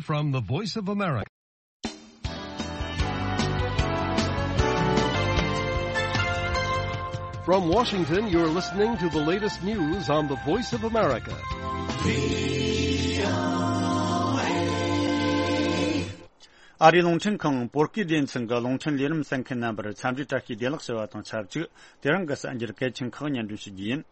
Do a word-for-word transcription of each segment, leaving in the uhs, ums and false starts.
From the Voice of America. From Washington, you're listening to the latest news on the Voice of America. ཨ་རིའི་རླུང་འཕྲིན་ཁང་བོད་སྐད་སྡེ་ཚན་གྱི་རླུང་འཕྲིན་ལས་རིམ་གསན་མཁན་རྣམ་པར་འཚམས་འདྲི་བཀྲ་ཤིས་བདེ་ལེགས་ཞུ་བ་དང་ཆབས་ཅིག་དེ་རིང་གི་གསར་འགྱུར་གལ་ཆེན་ཁག་སྙན་སྒྲོན་ཞུ་རྒྱུ་ཡིན།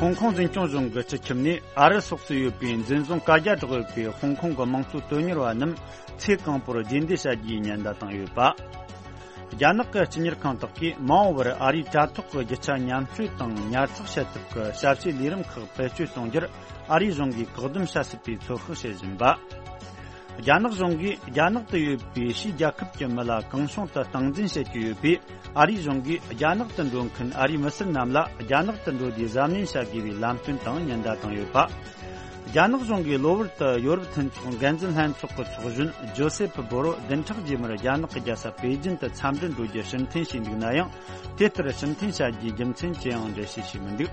ཧོང་ཀོང་འཛིན་སྐྱོང་གཞུང་གི་སྤྱི་ཁྱབ་ནས་ཨ་རི་སོགས་སུ་ཡོད་པའི་འཛིན་བཟུང་བཀའ་རྒྱ་བསྒྲགས་ཡོད་པའི་ཧོང་ཀོང་གི་དམངས་གཙོ་དོན་གཉེར་བ་རྣམས་ཚེ་གང་པོར་རྗེས་འདེད་བྱ་རྒྱུའི་ཉེན་བརྡ་བཏང་ཡོད་པ། རྒྱ་ནག་གི་སྤྱི་གཉེར་ཁང་དག་གིས་མ་འོངས་པར་ཨ་རིའི་དྲ་ཐོག་གི་རྒྱུ་ཆ་མཉམ་སྤྱོད་དང་ཉར་ཚགས་བྱེད་ཐབས་ཀྱི་ཞབས་ཞུའི་ལས་རིམ་ཁག་བེད་སྤྱོད་གཏོང་རྒྱུར་ཨ་རིའི་གཞུང་གིས་བཀག་སྡོམ་བྱ་སྲིད་པའི་ཚོད་དཔག་བྱེད་བཞིན་པ། རྒྱ་ནག་གཞུང་གིས་རྒྱ་ནག་ཏུ་ཡོད་པའི་ཕྱིའི་རྒྱལ་ཁབ་ཀྱི་མི་ལ་གང་བྱུང་དུ་སྟངས་འཛིན་བྱེད་ཀྱི་ཡོད་པས། ཨ་རིའི་གཞུང་གིས་རྒྱ་ནག་ཏུ་འགྲོ་མཁན་ཨ་རིའི་མི་སེར་རྣམས་ལ་རྒྱ་ནག་ཏུ་འགྲོ་རྒྱུའི་གཟབ་ནན་བྱ་དགོས་པའི་ལམ་སྟོན་དང་ཉེན་བརྡ་བཏང་ཡོད་པ། རྒྱ་ནག་གཞུང་གིས་གློ་བུར་དུ་ཡོ་རོབ་མཐུན་ཚོགས་འགན་འཛིན་ལྷན་ཚོགས་ཀྱི་ཚོགས་གཞོན་ཇོ་སེ་ཕ་བོ་རོ་བདུན་ཕྲག་རྗེས་མར་རྒྱ་ནག་གི་རྒྱལ་ས་པེ་ཅིན་དུ་འཚམས་འདྲིར་འགྲོ་རྒྱུ་ཕྱིར་འཐེན་བྱས་འདུག་ན་ཡང་། དེ་ལྟར་ཕྱིར་འཐེན་བྱ་རྒྱུའི་རྒྱུ་མཚན་ཅི་ཡང་འགྲེལ་བཤད་བྱས་མི་འདུག་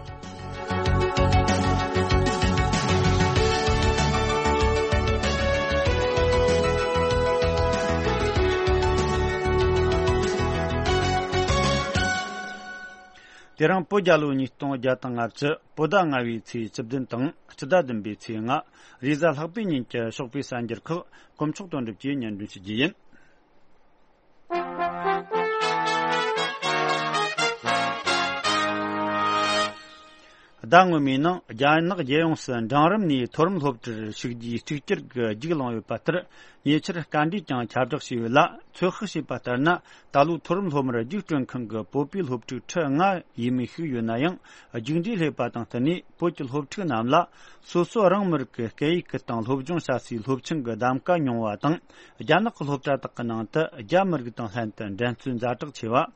དེ་རིང་བོད་རྒྱལ་ལོ་ཉིས་སྟོང་བརྒྱ་དང་ལྔ་བཅུ་བོད་ཟླ་ལྔ་བའི་ཚེས་བཅུ་བདུན་དང་སྤྱི་ཟླ་བདུན་པའི་ཚེས་ལྔ། རེས་གཟའ་ལྷག་པའི་ཉིན་གྱི་ཞོགས་པའི་གསར་འགྱུར་ཁག་དཀོན་མཆོག་དོན་གྲུབ་ཀྱིས་སྙན་སྒྲོན་ཞུ་རྒྱུ་ཡིན། ཟླ་སྔོན་མའི་ནང་རྒྱ་ནག་རྒྱལ་ཡོངས་སུ་འབྲིང་རིམ་ནས་མཐོ་རིམ་སློབ་གྲྭར་ཞུགས་རྒྱུའི་གཅིག་གྱུར་གྱི་རྒྱུགས་བླངས་ཡོད་པ་ལྟར། ཉེ་ཆར་སྐར་འབྲས་ཀྱང་ཁྱབ་བསྒྲགས་བྱས་ཡོད་ལ། ཚོད་དཔག་བྱས་པ་ལྟར་ན། ད་ལོ་མཐོ་རིམ་སློབ་མར་རྒྱུགས་སྤྲོད་མཁན་གྱི་བོད་པའི་སློབ་ཕྲུག་ཁྲི་ལྔ་ཡས་མས་ཤིག་ཡོད་ན་ཡང་། རྒྱུགས་འབྲས་སླེབས་པ་དང་བསྟུན་ནས་བོད་ཀྱི་སློབ་ཕྲུག་རྣམས་ལ། སོ་སོ་རང་མི་རིགས་ཀྱི་སྐད་ཡིག་གི་སྟེང་སློབ་སྦྱོང་བྱ་སའི་སློབ་ཆེན་གྱི་གདམ་ག་ཉུང་བ་དང་། རྒྱ་ནག་གི་སློབ་གྲྭ་དག་གི་ནང་དུ་རྒྱ་མི་རིགས་དང་ལྷན་དུ་འགྲན་རྩོད་ཛ་དྲག་ཆེ་བ།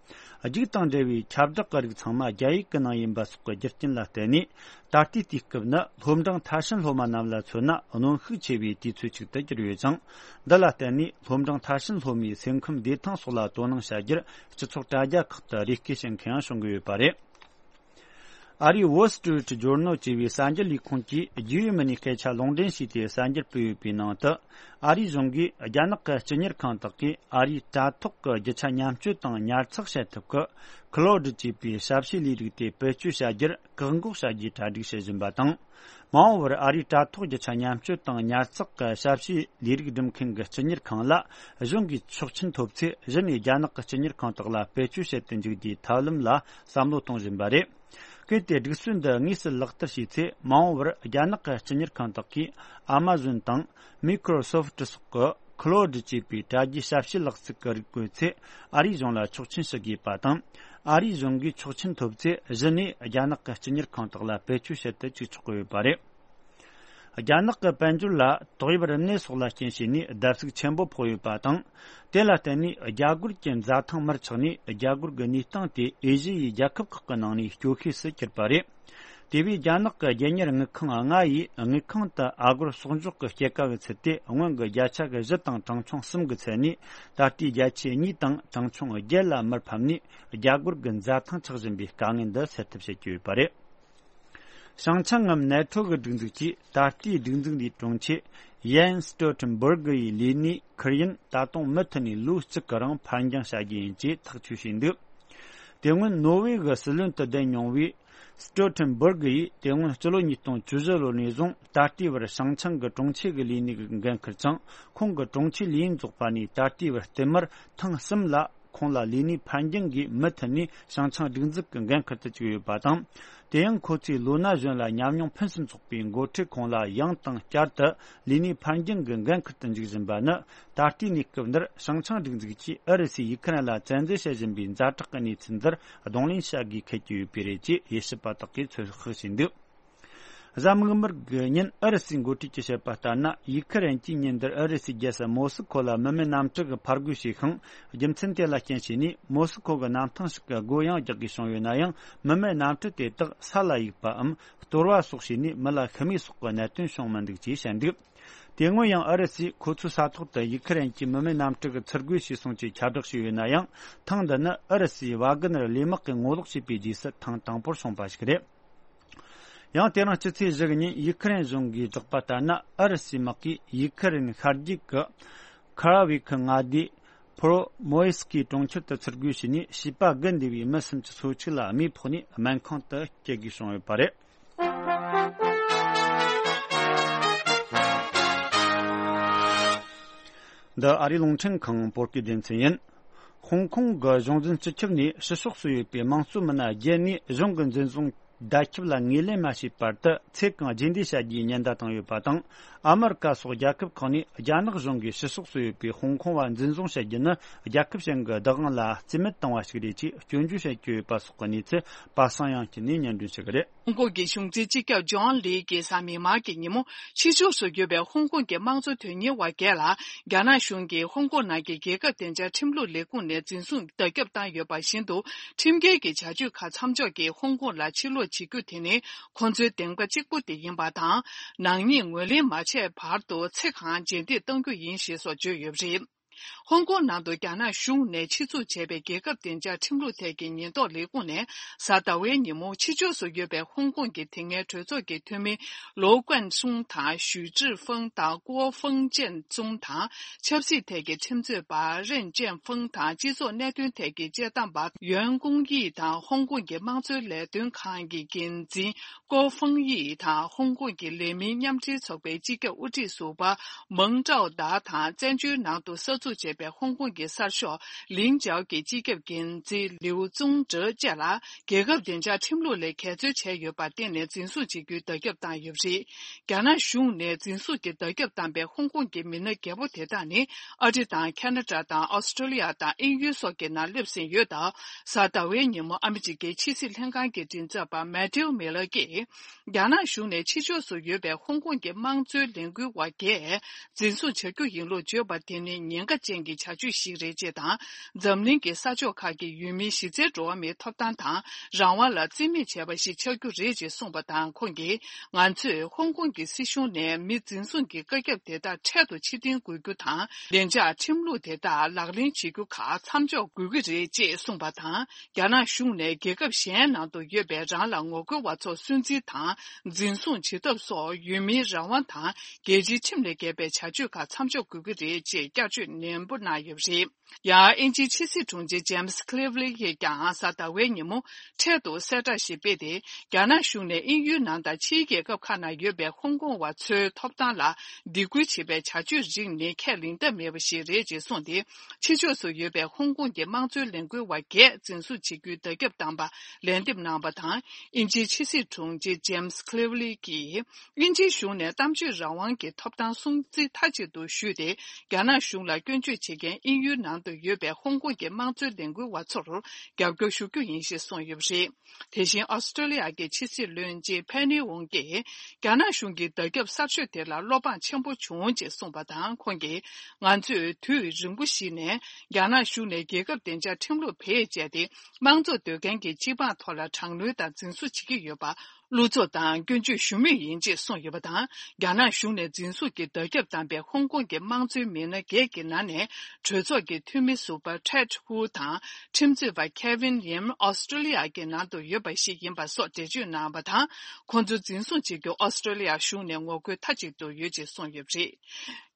རྒྱུགས་དང་འབྲེལ་བའི་ཁྱབ་བསྒྲགས་ཀྱི་རིགས་ཚང་མ་རྒྱ་ཡིག་གི་ནང་ཡིན་པ་སོགས་ཀྱི་རྒྱུ་རྐྱེན་ལ་བརྟེན་ནས། ད་ལྟའི་དུས་སྐབས་ནི་སློབ་འབྲིང་མཐར་ཕྱིན་སློབ་མ་རྣམས་ལ་མཚོན་ན་གནོན་ཤུགས་ཆེ་བའི་དུས་ཚོད་ཅིག་ཏུ་གྱུར་ཡོད་ཅིང་། འདི་ལ་བརྟེན་ནས་སློབ་འབྲིང་མཐར་ཕྱིན་སློབ་མའི་སེམས་ཁམས་བདེ་ཐང་སོགས་ལ་དོ་སྣང་བྱ་རྒྱུར་སྤྱི་ཚོགས་དྲ་རྒྱ་ཁག་ཏུ་རེ་སྐུལ་བྱེད་མཁན་ཡང་བྱུང་གི་ཡོད་པ་རེད། ཨ་རིའི་Wall Street Journal ཅེས་པའི་གསར་འགྱུར་ལས་ཁུངས་ཀྱིས་རྒྱུས་ཡོད་མི་སྣའི་སྐད་ཆ་ལུང་འདྲེན་བྱས་ཏེ་གསར་འགྱུར་སྤེལ་ཡོད་པའི་ནང་དུ། ཨ་རིའི་གཞུང་གིས་རྒྱ་ནག་གི་སྤྱི་གཉེར་ཁང་དག་གིས་ཨ་རིའི་དྲ་ཐོག་གི་རྒྱུ་ཆ་མཉམ་སྤྱོད་དང་ཉར་ཚགས་བྱེད་ཐབས་ཀྱི་Claude ཅེས་པའི་ཞབས་ཞུའི་ལས་རིགས་དེ་བེད་སྤྱོད་བྱ་རྒྱུར་བཀག་འགོག་བྱ་རྒྱུའི་གྲ་སྒྲིག་བྱེད་བཞིན་པ་དང་། མ་འོངས་པར་ཨ་རིའི་དྲ་ཐོག་རྒྱུ་ཆ་མཉམ་སྤྱོད་དང་ཉར་ཚགས་ཀྱི་ཞབས་ཞུའི་ལས་རིགས་སྒྲུབ་མཁན་གྱི་སྤྱི་གཉེར་ཁང་ལ་གཞུང་གིས་ཆོག་མཆན་ཐོབ་ཚེ། གཞི་ནས་རྒྱ་ནག་གི་སྤྱི་གཉེར་ཁང་དག་ལ་བེད་སྤྱོད་བྱེད་དུ་འཇུག་རྒྱུའི་ཐབས་ལམ་ལ་བསམ་བློ་གཏོང་བཞིན་པ་རེད། གལ་ཏེ་སྒྲིག་སྲོལ་འདི་དངོས་སུ་ལག་བསྟར་བྱས་ཚེ། མ་འོངས་པར་རྒྱ་ནག་གི་སྤྱི་གཉེར་ཁང་དག་གིས་Amazon་དང་Microsoft་སོགས་ཀྱི་Claude་ཅེས་པའི་དྲ་རྒྱའི་ཞབས་ཞུ་ལག་རྩལ་གྱི་རིགས་བཀོལ་ཚེ། ཨ་རིའི་གཞུང་ལ་ཆོག་མཆན་ཞུ་དགོས་པ་དང་། ཨ་རིའི་གཞུང་གིས་ཆོག་མཆན་ཐོབ་ཚེ། གཞི་ནས་རྒྱ་ནག་གི་སྤྱི་གཉེར་ཁང་དག་ལ་བེད་སྤྱོད་བྱེད་དུ་བཅུག་ཆོག་གི་ཡོད་པ་རེད། རྒྱ་ནག་གི་དཔལ་འབྱོར་ལ་ཏོག་དབྱིབས་རིམས་ནད་སོགས་ལ་རྐྱེན་བྱས་ནས་བརྡབ་གསིག་ཆེན་པོ་ཕོག་ཡོད་པ་དང་། དེ་ལ་བརྟེན་ནས་རྒྱ་སྒོར་གྱི་འཛའ་ཐང་མར་ཆག་ནས། རྒྱ་སྒོར་གྱི་གནས་སྟངས་དེ་ཨེ་ཤི་ཡའི་རྒྱལ་ཁབ་ཁག་གི་ནང་ནས་སྐྱོ་ཤོས་སུ་གྱུར་པ་རེད། དེ་བས་རྒྱ་ནག་གི་རྒྱལ་གཉེར་དངུལ་ཁང་ལྔ་ཡིས་དངུལ་ཁང་དུ་ཨ་སྒོར་གསོག་འཇོག་གི་སྐྱེད་ཀ་གི་ཚད་དེ་སྔོན་གྱི་བརྒྱ་ཆ་གི་བཞི་དང་གྲངས་ཆུང་གསུམ་གྱི་ཚད་ནས། ད་ལྟའི་བརྒྱ་ཆ་གཉིས་དང་གྲངས་ཆུང་བརྒྱད་ལ་མར་ཕབ་ནས། རྒྱ་སྒོར་གྱི་འཛའ་ཐང་ཆག་བཞིན་པའི་དཀའ་ངལ་འདི་སེལ་ཐབས་བྱེད་ཀྱི་ཡོད་པ་རེད། བྱང་ཆིངས་ངམ་ནེ་ཊོ་གི་སྒྲིག་འཛུགས་ཀྱིས་ད་ལྟའི་སྒྲིག་འཛུགས་འདིའི་དྲུང་ཆེ་Jens Stoltenberg་ཡི་ལས་གནས་ཁུར་ཡུན་ད་དུང་མུ་མཐུད་ནས་ལོ་གཅིག་གི་རིང་ཕར་འགྱངས་བྱ་རྒྱུ་ཡིན་ཅེས་ཐག་གཅོད་བྱས་འདུག་དེ་སྔོན་ནོར་ཝེ་གི་སྲིད་བློན་དུ་བསྡད་མྱོང་བའི་Stoltenberg་ཡིས་དེ་སྔོན་སྤྱི་ལོ་ཉིས་སྟོང་བཅུ་བཞི་ལོ་ནས་བཟུང་ད་ལྟའི་བར་བྱང་ཆིངས་ཀྱི་དྲུང་ཆེ་གི་ལས་གནས་ཀྱི་འགན་འཁུར་ཅིང་། ཁོང་གི་དྲུང་ཆེའི་ལས་ཡུན་རྫོགས་པ་ནས་ད་ལྟའི་བར་བསྟུད་མར་ཐེངས་གསུམ་ལ། ཁོང་ལ་ལས་གནས་ཕར་འགྱངས་ཀྱིས་མུ་མཐུད་ནས་བྱང་ཆིངས་སྒྲིག་འཛུགས་ཀྱི་འགན་འཁུར་དུ་བཅུག་ཡོད་པ་དང་། དེ་ཡང་ཁོ་ཚོས་ལོ་ན་གཞོན་ལ་ཉམས་མྱོང་ཕུན་སུམ་ཚོགས་པའི་འགོ་ཁྲིད་ཁོང་ལ་ཡང་དང་བསྐྱར་དུ་ལས་གནས་ཕར་འགྱངས་ཀྱི་འགན་འཁུར་དུ་འཇུག་བཞིན་པ་ནི། ད་ལྟའི་གནས་སྐབས་འདིར་བྱང་ཆིངས་སྒྲིག་འཛུགས་ཀྱིས་ཨུ་རུ་སུས་ཡུ་ཁུ་རེན་ལ་བཙན་འཛུལ་བྱེད་བཞིན་པའི་ཛ་དྲག་གི་གནས་ཚུལ་འདིར་གདོང་ལེན་བྱ་དགོས་འཁེལ་གྱི་ཡོད་པས་རེད་ཅེས་དབྱེ་ཞིབ་པ་དག་གིས་ཚོད་དཔག་བྱས་འདུག་གཟའ་མིག་དམར་གྱི་ཉིན་ཨུ་རུ་སུའི་འགོ་ཁྲིད་ཀྱིས་བཤད་པ་ལྟར་ན། ཡུ་ཁུ་རེན་གྱིས་ཉིན་འདིར་ཨུ་རུ་སུའི་རྒྱལ་ས་མོ་སི་ཁོ་ལ་མི་མེད་གནམ་གྲུ་གིས་ཕར་རྒོལ་བྱས་ཤིང་། རྒྱུ་མཚན་དེ་ལ་རྐྱེན་བྱས་ནས། མོ་སི་ཁོ་གི་གནམ་ཐང་ཞིག་གི་སྒོ་ཡང་རྒྱག་དགོས་བྱུང་ཡོད་ན་ཡང་། མི་མེད་གནམ་གྲུ་དེ་དག་ས་ལ་གཡུགས་པའམ། གཏོར་བ་སོགས་བྱས་ནས་མི་ལ་ཤི་རྨས་སོགས་ཀྱི་གནད་དོན་བྱུང་མི་འདུག་ཅེས་བཤད་འདུག་དེ་སྔོན་ཡང་ཨུ་རུ་སུས་ཁོ་ཚོའི་ས་ཐོག་ཏུ་ཡུ་ཁུ་རེན་གྱི་མི་མེད་གནམ་གྲུ་གིས་ཚུར་རྒོལ་བྱས་སོང་ཅེས་ཁྱབ་བསྒྲགས་བྱས་ཡོད་ན་ཡང་། ཐེངས་འདི་ནི་ཨུ་རུ་སུའི་ཝཱ་གི་ནར་གླས་དམག་གིས་ངོ་ལོག་བྱས་པའི་རྗེས་སུ་ཐེངས་དང་པོར་བྱུང་པ་ཞིག་རེད། ཡང་དེ་རིང་སྤྱི་ཚེས་བཞི་གི་ཉིན་ཡུ་ཁུ་རེན་གཞུང་གིས་བསྒྲགས་པ་ལྟར་ན། ཨུ་རུ་སུའི་དམག་གིས་ཡུ་ཁུ་རེན་ཤར་རྒྱུད་ཀྱི་ཁ་ར་ཝི་ཁི་མངའ་སྡེའི་ཕོ་རོ་མོ་ཡེ་སི་ཀི་གྲོང་ཁྱེར་དུ་ཚུར་རྒོལ་བྱས་ནས། བྱིས་པ་དགུ་འདུས་པའི་མི་སུམ་ཅུ་སོ་གཅིག་ལ་རྨས་ཕོག་ནས་སྨན་ཁང་དུ་སྐྱེལ་དགོས་བྱུང་ཡོད་པ་རེད། འདི་ཨ་རིའི་རླུང་འཕྲིན་ཁང་བོད་སྐད་སྡེ་ཚན་ཡིན། ཧོང་ཀོང་གི་གཞུང་འཛིན་སྤྱི་ཁྱབ་ནས་ཕྱི་ཕྱོགས་སུ་ཡོད་པའི་དམངས་གཙོ་མི་སྣ་བརྒྱད་ནས་གཞུང་གི་འཛིན་བཟུང་བརྡ་ཁྱབ་ལ་ངོས་ལེན་མ་བྱས་བར་དུ་ཚེ་གང་རྗེས་འདེད་བྱ་རྒྱུའི་ཉེན་བརྡ་བཏང་ཡོད་པ་དང་། ཨ་མི་རི་ཀ་སོགས་རྒྱལ་ཁབ་ཁག་ནས་རྒྱ་ནག་གཞུང་གིས་ཕྱི་ཕྱོགས་སུ་ཡོད་པའི་ཧོང་ཀོང་བ་འཛིན་བཟུང་བྱ་རྒྱུ་ནི་རྒྱལ་ཁབ་གཞན་གྱི་བདག་དབང་ལ་རྩིས་མེད་བཏང་བ་ཞིག་རེད་ཅེས་སྐྱོན་བརྗོད་བྱེད་ཀྱི་ཡོད་པ་སོགས་ཀྱི་གནས་ཚུལ་པ་སངས་དབྱངས་སྐྱིད་ནས་སྙན་སྒྲོན་བྱེད་ཀྱི་རེད། ཧོང་ཀོང་གི་གཞུང་འཛིན་སྤྱི་ཁྱབ་ཇོན་ལི་གིས་གཟའ་མིག་དམར་གྱི་ཉིན་མོ་ཕྱི་ཕྱོགས་སུ་ཡོད་པའི་ཧོང་ཀོང་གི་དམངས་གཙོ་དོན་གཉེར་བ་བརྒྱད་ལ་རྒྱ་ནག་གཞུང་གིས་ཧོང་ཀོང་ནང་གི་རྒྱལ་ཁབ་བདེ་འཇགས་ཁྲིམས་ལུགས་ལས་ཁུངས་ནས་འཛིན་བཟུང་བརྡ་ཁྱབ་བཏང་ཡོད་པ་བཞིན་དུ། ཁྲིམས་འགལ་གྱི་བྱ་སྤྱོད་ཁག་མཚམས་འཇོག་གིས་ཧོང་ཀོང་ལ་ཕྱིར་ལོག་བྱེད་རྒྱུ་དེ་ནི་ཁོང་ཚོའི་བདེན་པ་གཅིག་པུ་དེ་ཡིན་པ་དང་། ནག་ཉེས་ངོས་ལེན་མ་བྱས་བར་དུ་ཚེ་གང་རྗེས་འདེད་གཏོང་རྒྱུ་ཡིན་ཞེས་སོགས་བརྗོད་ཡོད་པ་རེད། ཧོང་ཀོང་ནང་དུ་རྒྱ་ནག་གཞུང་ནས་ཆེད་འཛུགས་བྱས་པའི་རྒྱལ་ཁབ་བདེ་འཇགས་ཁྲིམས་ལུགས་ཐད་ཀྱི་ཉེན་རྟོག་ལས་ཁུངས་ནས་གཟའ་ཟླ་བའི་ཉིན་མོ་ཕྱི་ཕྱོགས་སུ་ཡོད་པའི་ཧོང་ཀོང་གི་དེ་སྔའི་གྲོས་ཚོགས་ཀྱི་འཐུས་མི་ལོའུ་ཀོན་སུང་དང་ཞུས་ཀྲི་ཧྥང་དང་ཀུའོ་ཧྥང་ཅན་ཙུང་དང་། ཆབ་སྲིད་ཐད་ཀྱི་ཁྲིམས་རྩོད་པ་རེན་ཅན་ཧྥང་དང་། སྤྱི་ཚོགས་གནད་དོན་ཐད་ཀྱི་དཔྱད་གཏམ་པ་ཡོན་ཀུང་དབྱི་དང་། ཧོང་ཀོང་གི་དམངས་གཙོའི་ལས་དོན་ཁང་གི་འགན་འཛིན་ཀོ་ཧྥང་དབྱི་དང་། ཧོང་ཀོང་གི་ལས་མིའི་མཉམ་འབྲེལ་ཚོགས་པའི་སྤྱི་ཁྱབ་དབུ་ཁྲིད་ཟུར་པ་མང་ཀྲའོ་ཏཱ་དང་། བཙན་བྱོལ་ནང་དུ་གསར་འཛུགས་བྱས་པའི་ཧོང་ཀོང་གི་གསར་ཤོག་ལིང་ཅའོ་གི་སྤྱི་ཁྱབ་འགན་འཛིན་ལིའུ་ཙུང་ཀྲི་བཅས་ལ་རྒྱལ་ཁབ་བདེ་འཇགས་ཁྲིམས་ལུགས་ལས་འགལ་འཛོལ་བྱས་ཡོད་པར་བརྟེན་ནས་འཛིན་བཟུང་བྱེད་རྒྱུའི་བརྡ་ཁྱབ་བཏང་ཡོད་པ་རེད། རྒྱ་ནག་གཞུང་ནས་འཛིན་བཟུང་གི་བརྡ་ཁྱབ་བཏང་པའི་ཧོང་ཀོང་གི་མི་སྣ་བརྒྱད་པོ་དེ་དག་ནི་ཨ་རི་དང་ཁ་ན་ཌ་དང་ཨོ་སི་ཀྲོ་ལི་ཡ་དང་དབྱིན་ཡུལ་སོགས་ཀྱི་ནང་སླེབས་ཟིན་ཡོད་སྟབས། གཟའ་ཟླ་བའི་ཉིན་མོ་ཨ་མི་རི་ཀའི་ཕྱི་སྲིད་ལྷན་ཁང་གི་མགྲིན་ཚབ་པ་མེ་ཐིའུ་མི་ལར་གྱིས། རྒྱ་ནག་གཞུང་ནས་ཕྱི་ཕྱོགས་སུ་ཡོད་པའི་ཧོང་ཀོང་གི་དམངས་གཙོའི་ལས་འགུལ་བ་བརྒྱད་འཛིན་བཟུང་བྱ་རྒྱུ་ཡིན་ལུགས་བརྗོད་པ་དེ་ནི་ཉེན་ཁ་ཅན་གྱི་བྱ་སྤྱོད་ཞིག་རེད་ཅེས་དང་། འཛམ་གླིང་གི་ས་ཕྱོགས་ཁག་གི་ཡུལ་མིའི་གཞི་རྩའི་འགྲོ་བ་མིའི་ཐོབ་ཐང་དང་རང་དབང་ལ་བརྩི་མེད་བྱས་པ་ཞིག་ཆགས་རྒྱུ་རེད་ཅེས་གསུངས་པ་དང་། ཁོང་གིས། ང་ཚོས་ཧོང་ཀོང་གི་སྲིད་གཞུང་ནས་མི་འཛིན་བཟུང་གི་བཀའ་ཁྱབ་དེ་དག་འཕྲལ་དུ་ཕྱིར་འཐེན་དགོས་རྒྱུ་དང་། བདེ་འཇགས་ཁྲིམས་ལུགས་དེ་དག་ལག་ལེན་བྱེད་རྒྱུ་ཁག་མཚམས་འཇོག་དགོས་ཀྱི་རེད་ཅེས་གསུངས་པ་དང་། རྒྱ་ནག་གཞུང་ནས་རྒྱལ་ཁབ་གཞན་ནང་དུ་ཡོད་པའི་རང་ལ་ངོ་རྒོལ་བ་ཚོར་སུན་གཙེར་དང་འཛིན་བཟུང་བྱེད་ཐབས་སོགས་ཡུལ་མིའི་རང་དབང་དང་རྒྱལ་སྤྱིའི་ཁྲིམས་ལས་འགལ་བའི་བྱ་སྤྱོད་ཁག་མཚམས་འཇོག་དགོས་ཀྱི་རེད་ཅེས་བསྐྱར་བརྗོད་ནན་པོ་གནང་ཡོད་པ་རེད། ཡང་དབྱིན་ཇིའི་ཕྱི་སྲིད་དྲུང་ཆེ་ཇེམ་སི་ཁི་ལིབ་ལི་ཡིས་ཀྱང་གཟའ་ཟླ་བའི་ཉིན་མོ་འཕྲལ་དུ་གསལ་བསྒྲགས་ཤིག་སྤེལ་ཏེ། རྒྱ་ནག་གཞུང་ནས་དབྱིན་ཡུལ་ནང་དང་ཕྱིའི་རྒྱལ་ཁབ་ཁག་ནང་ཡོད་པའི་ཧོང་ཀོང་བ་ཚོའི་ཐོབ་ཐང་ལ་སྡིགས་སྐུལ་བྱེད་པའི་བྱ་སྤྱོད་རིགས་ནི་ཁས་ལེན་ཐབས་མེད་པ་ཞིག་རེད་ཅེས་གསུངས་ཏེ། ཕྱི་ཕྱོགས་སུ་ཡོད་པའི་ཧོང་ཀོང་གི་དམངས་གཙོའི་ལས་འགུལ་བ་བརྒྱད་འཛིན་བཟུང་བྱེད་རྒྱུའི་བརྡ་ཁྱབ་བཏང་པ་ལན་འདེབས་གནང་བ་དང་། དབྱིན་ཇིའི་ཕྱི་སྲིད་དྲུང་ཆེ་ཇེམ་སི་ཁི་ལིབ་ལི་གིས། དབྱིན་ཇིའི་གཞུང་ནས་གཏམ་བརྗོད་རང་དབང་གི་ཐོབ་ཐང་སྲུང་བརྩི་མཐའ་གཅིག་ཏུ་ཞུས་ཏེ། རྒྱ་ནག་གཞུང་ལ་སྐྱོན་བརྗོད་བྱེད་མཁན་དབྱིན་ཡུལ་ནང་དུ་ཡོད་པའི་ཧོང་ཀོང་གི་དམངས་གཙོའི་ལས་འགུལ་བ་ཚོར་རྒྱབ་སྐྱོར་ཞུ་རྒྱུ་ཡིན་ཞེས་གསུངས་ཡོད་པ་རེད། དེ་བཞིན་ཨོ་སི་ཀྲོ་ལི་ཡ་གི་ཕྱི་སྲིད་བློན་ཆེན་ཕེ་ནི་ཝུང་གིས། རྒྱ་ནག་གཞུང་གི་བརྡ་ཁྱབ་གསར་ཤོས་དེ་ལ་བློ་ཕངས་ཆེན་པོ་བྱུང་ཅེས་གསུངས་པ་དང་། ཁོང་གིས། ང་ཚོས་དུས་རིང་པོ་ཞིག་ནས་རྒྱ་ནག་གཞུང་ནས་རྒྱལ་ཁབ་བདེ་འཇགས་ཁྲིམས་ལུགས་བེད་སྤྱད་དེ། དམངས་གཙོ་འདོད་མཁན་གྱི་སྤྱི་འབངས་ཐོག་ལ་དྲག་གནོན་དང་འཛིན་བཟུང་བྱེད་ཀྱི་ཡོད་པ། བློ་འཚབ་དང་སྐྱོན་བརྗོད་ཞུ་མུས་ཡིན་ཅེས་གསུངས་ཡོད་པ་དང་། རྒྱ་ནག་གཞུང་ནས་འཛིན་བཟུང་གི་བརྡ་ཁྱབ་བཏང་པའི་ཧོང་ཀོང་གི་དམངས་གཙོའི་མི་སྣ་བརྒྱད་ཀྱི་ནང་ནས། གྲོས་ཚོགས་ཀྱི་འཐུས་མི་ཟུར་པ་ཁྲེད་ཧུ་དང་། ཁྲིམས་རྩོད་པ་ཁེ་ཝིན་ཡིམ་ཨོ་སི་ཀྲོ་ལི་ཡ་གི་ནང་དུ་ཡོད་པ་ཞིག་ཡིན་པ་སོགས་འགྲེལ་བརྗོད་གནང་བ་དང་། ཁོང་ཚོ་འཛིན་བཟུང་བྱེད་རྒྱུ་ཨོ་སི་ཀྲོ་ལི་ཡ་གཞུང་ནས་ངོ་རྒོལ་མཐའ་གཅིག་ཏུ་ཡོད་ཅེས་གསུངས་ཡོད་པ་རེད།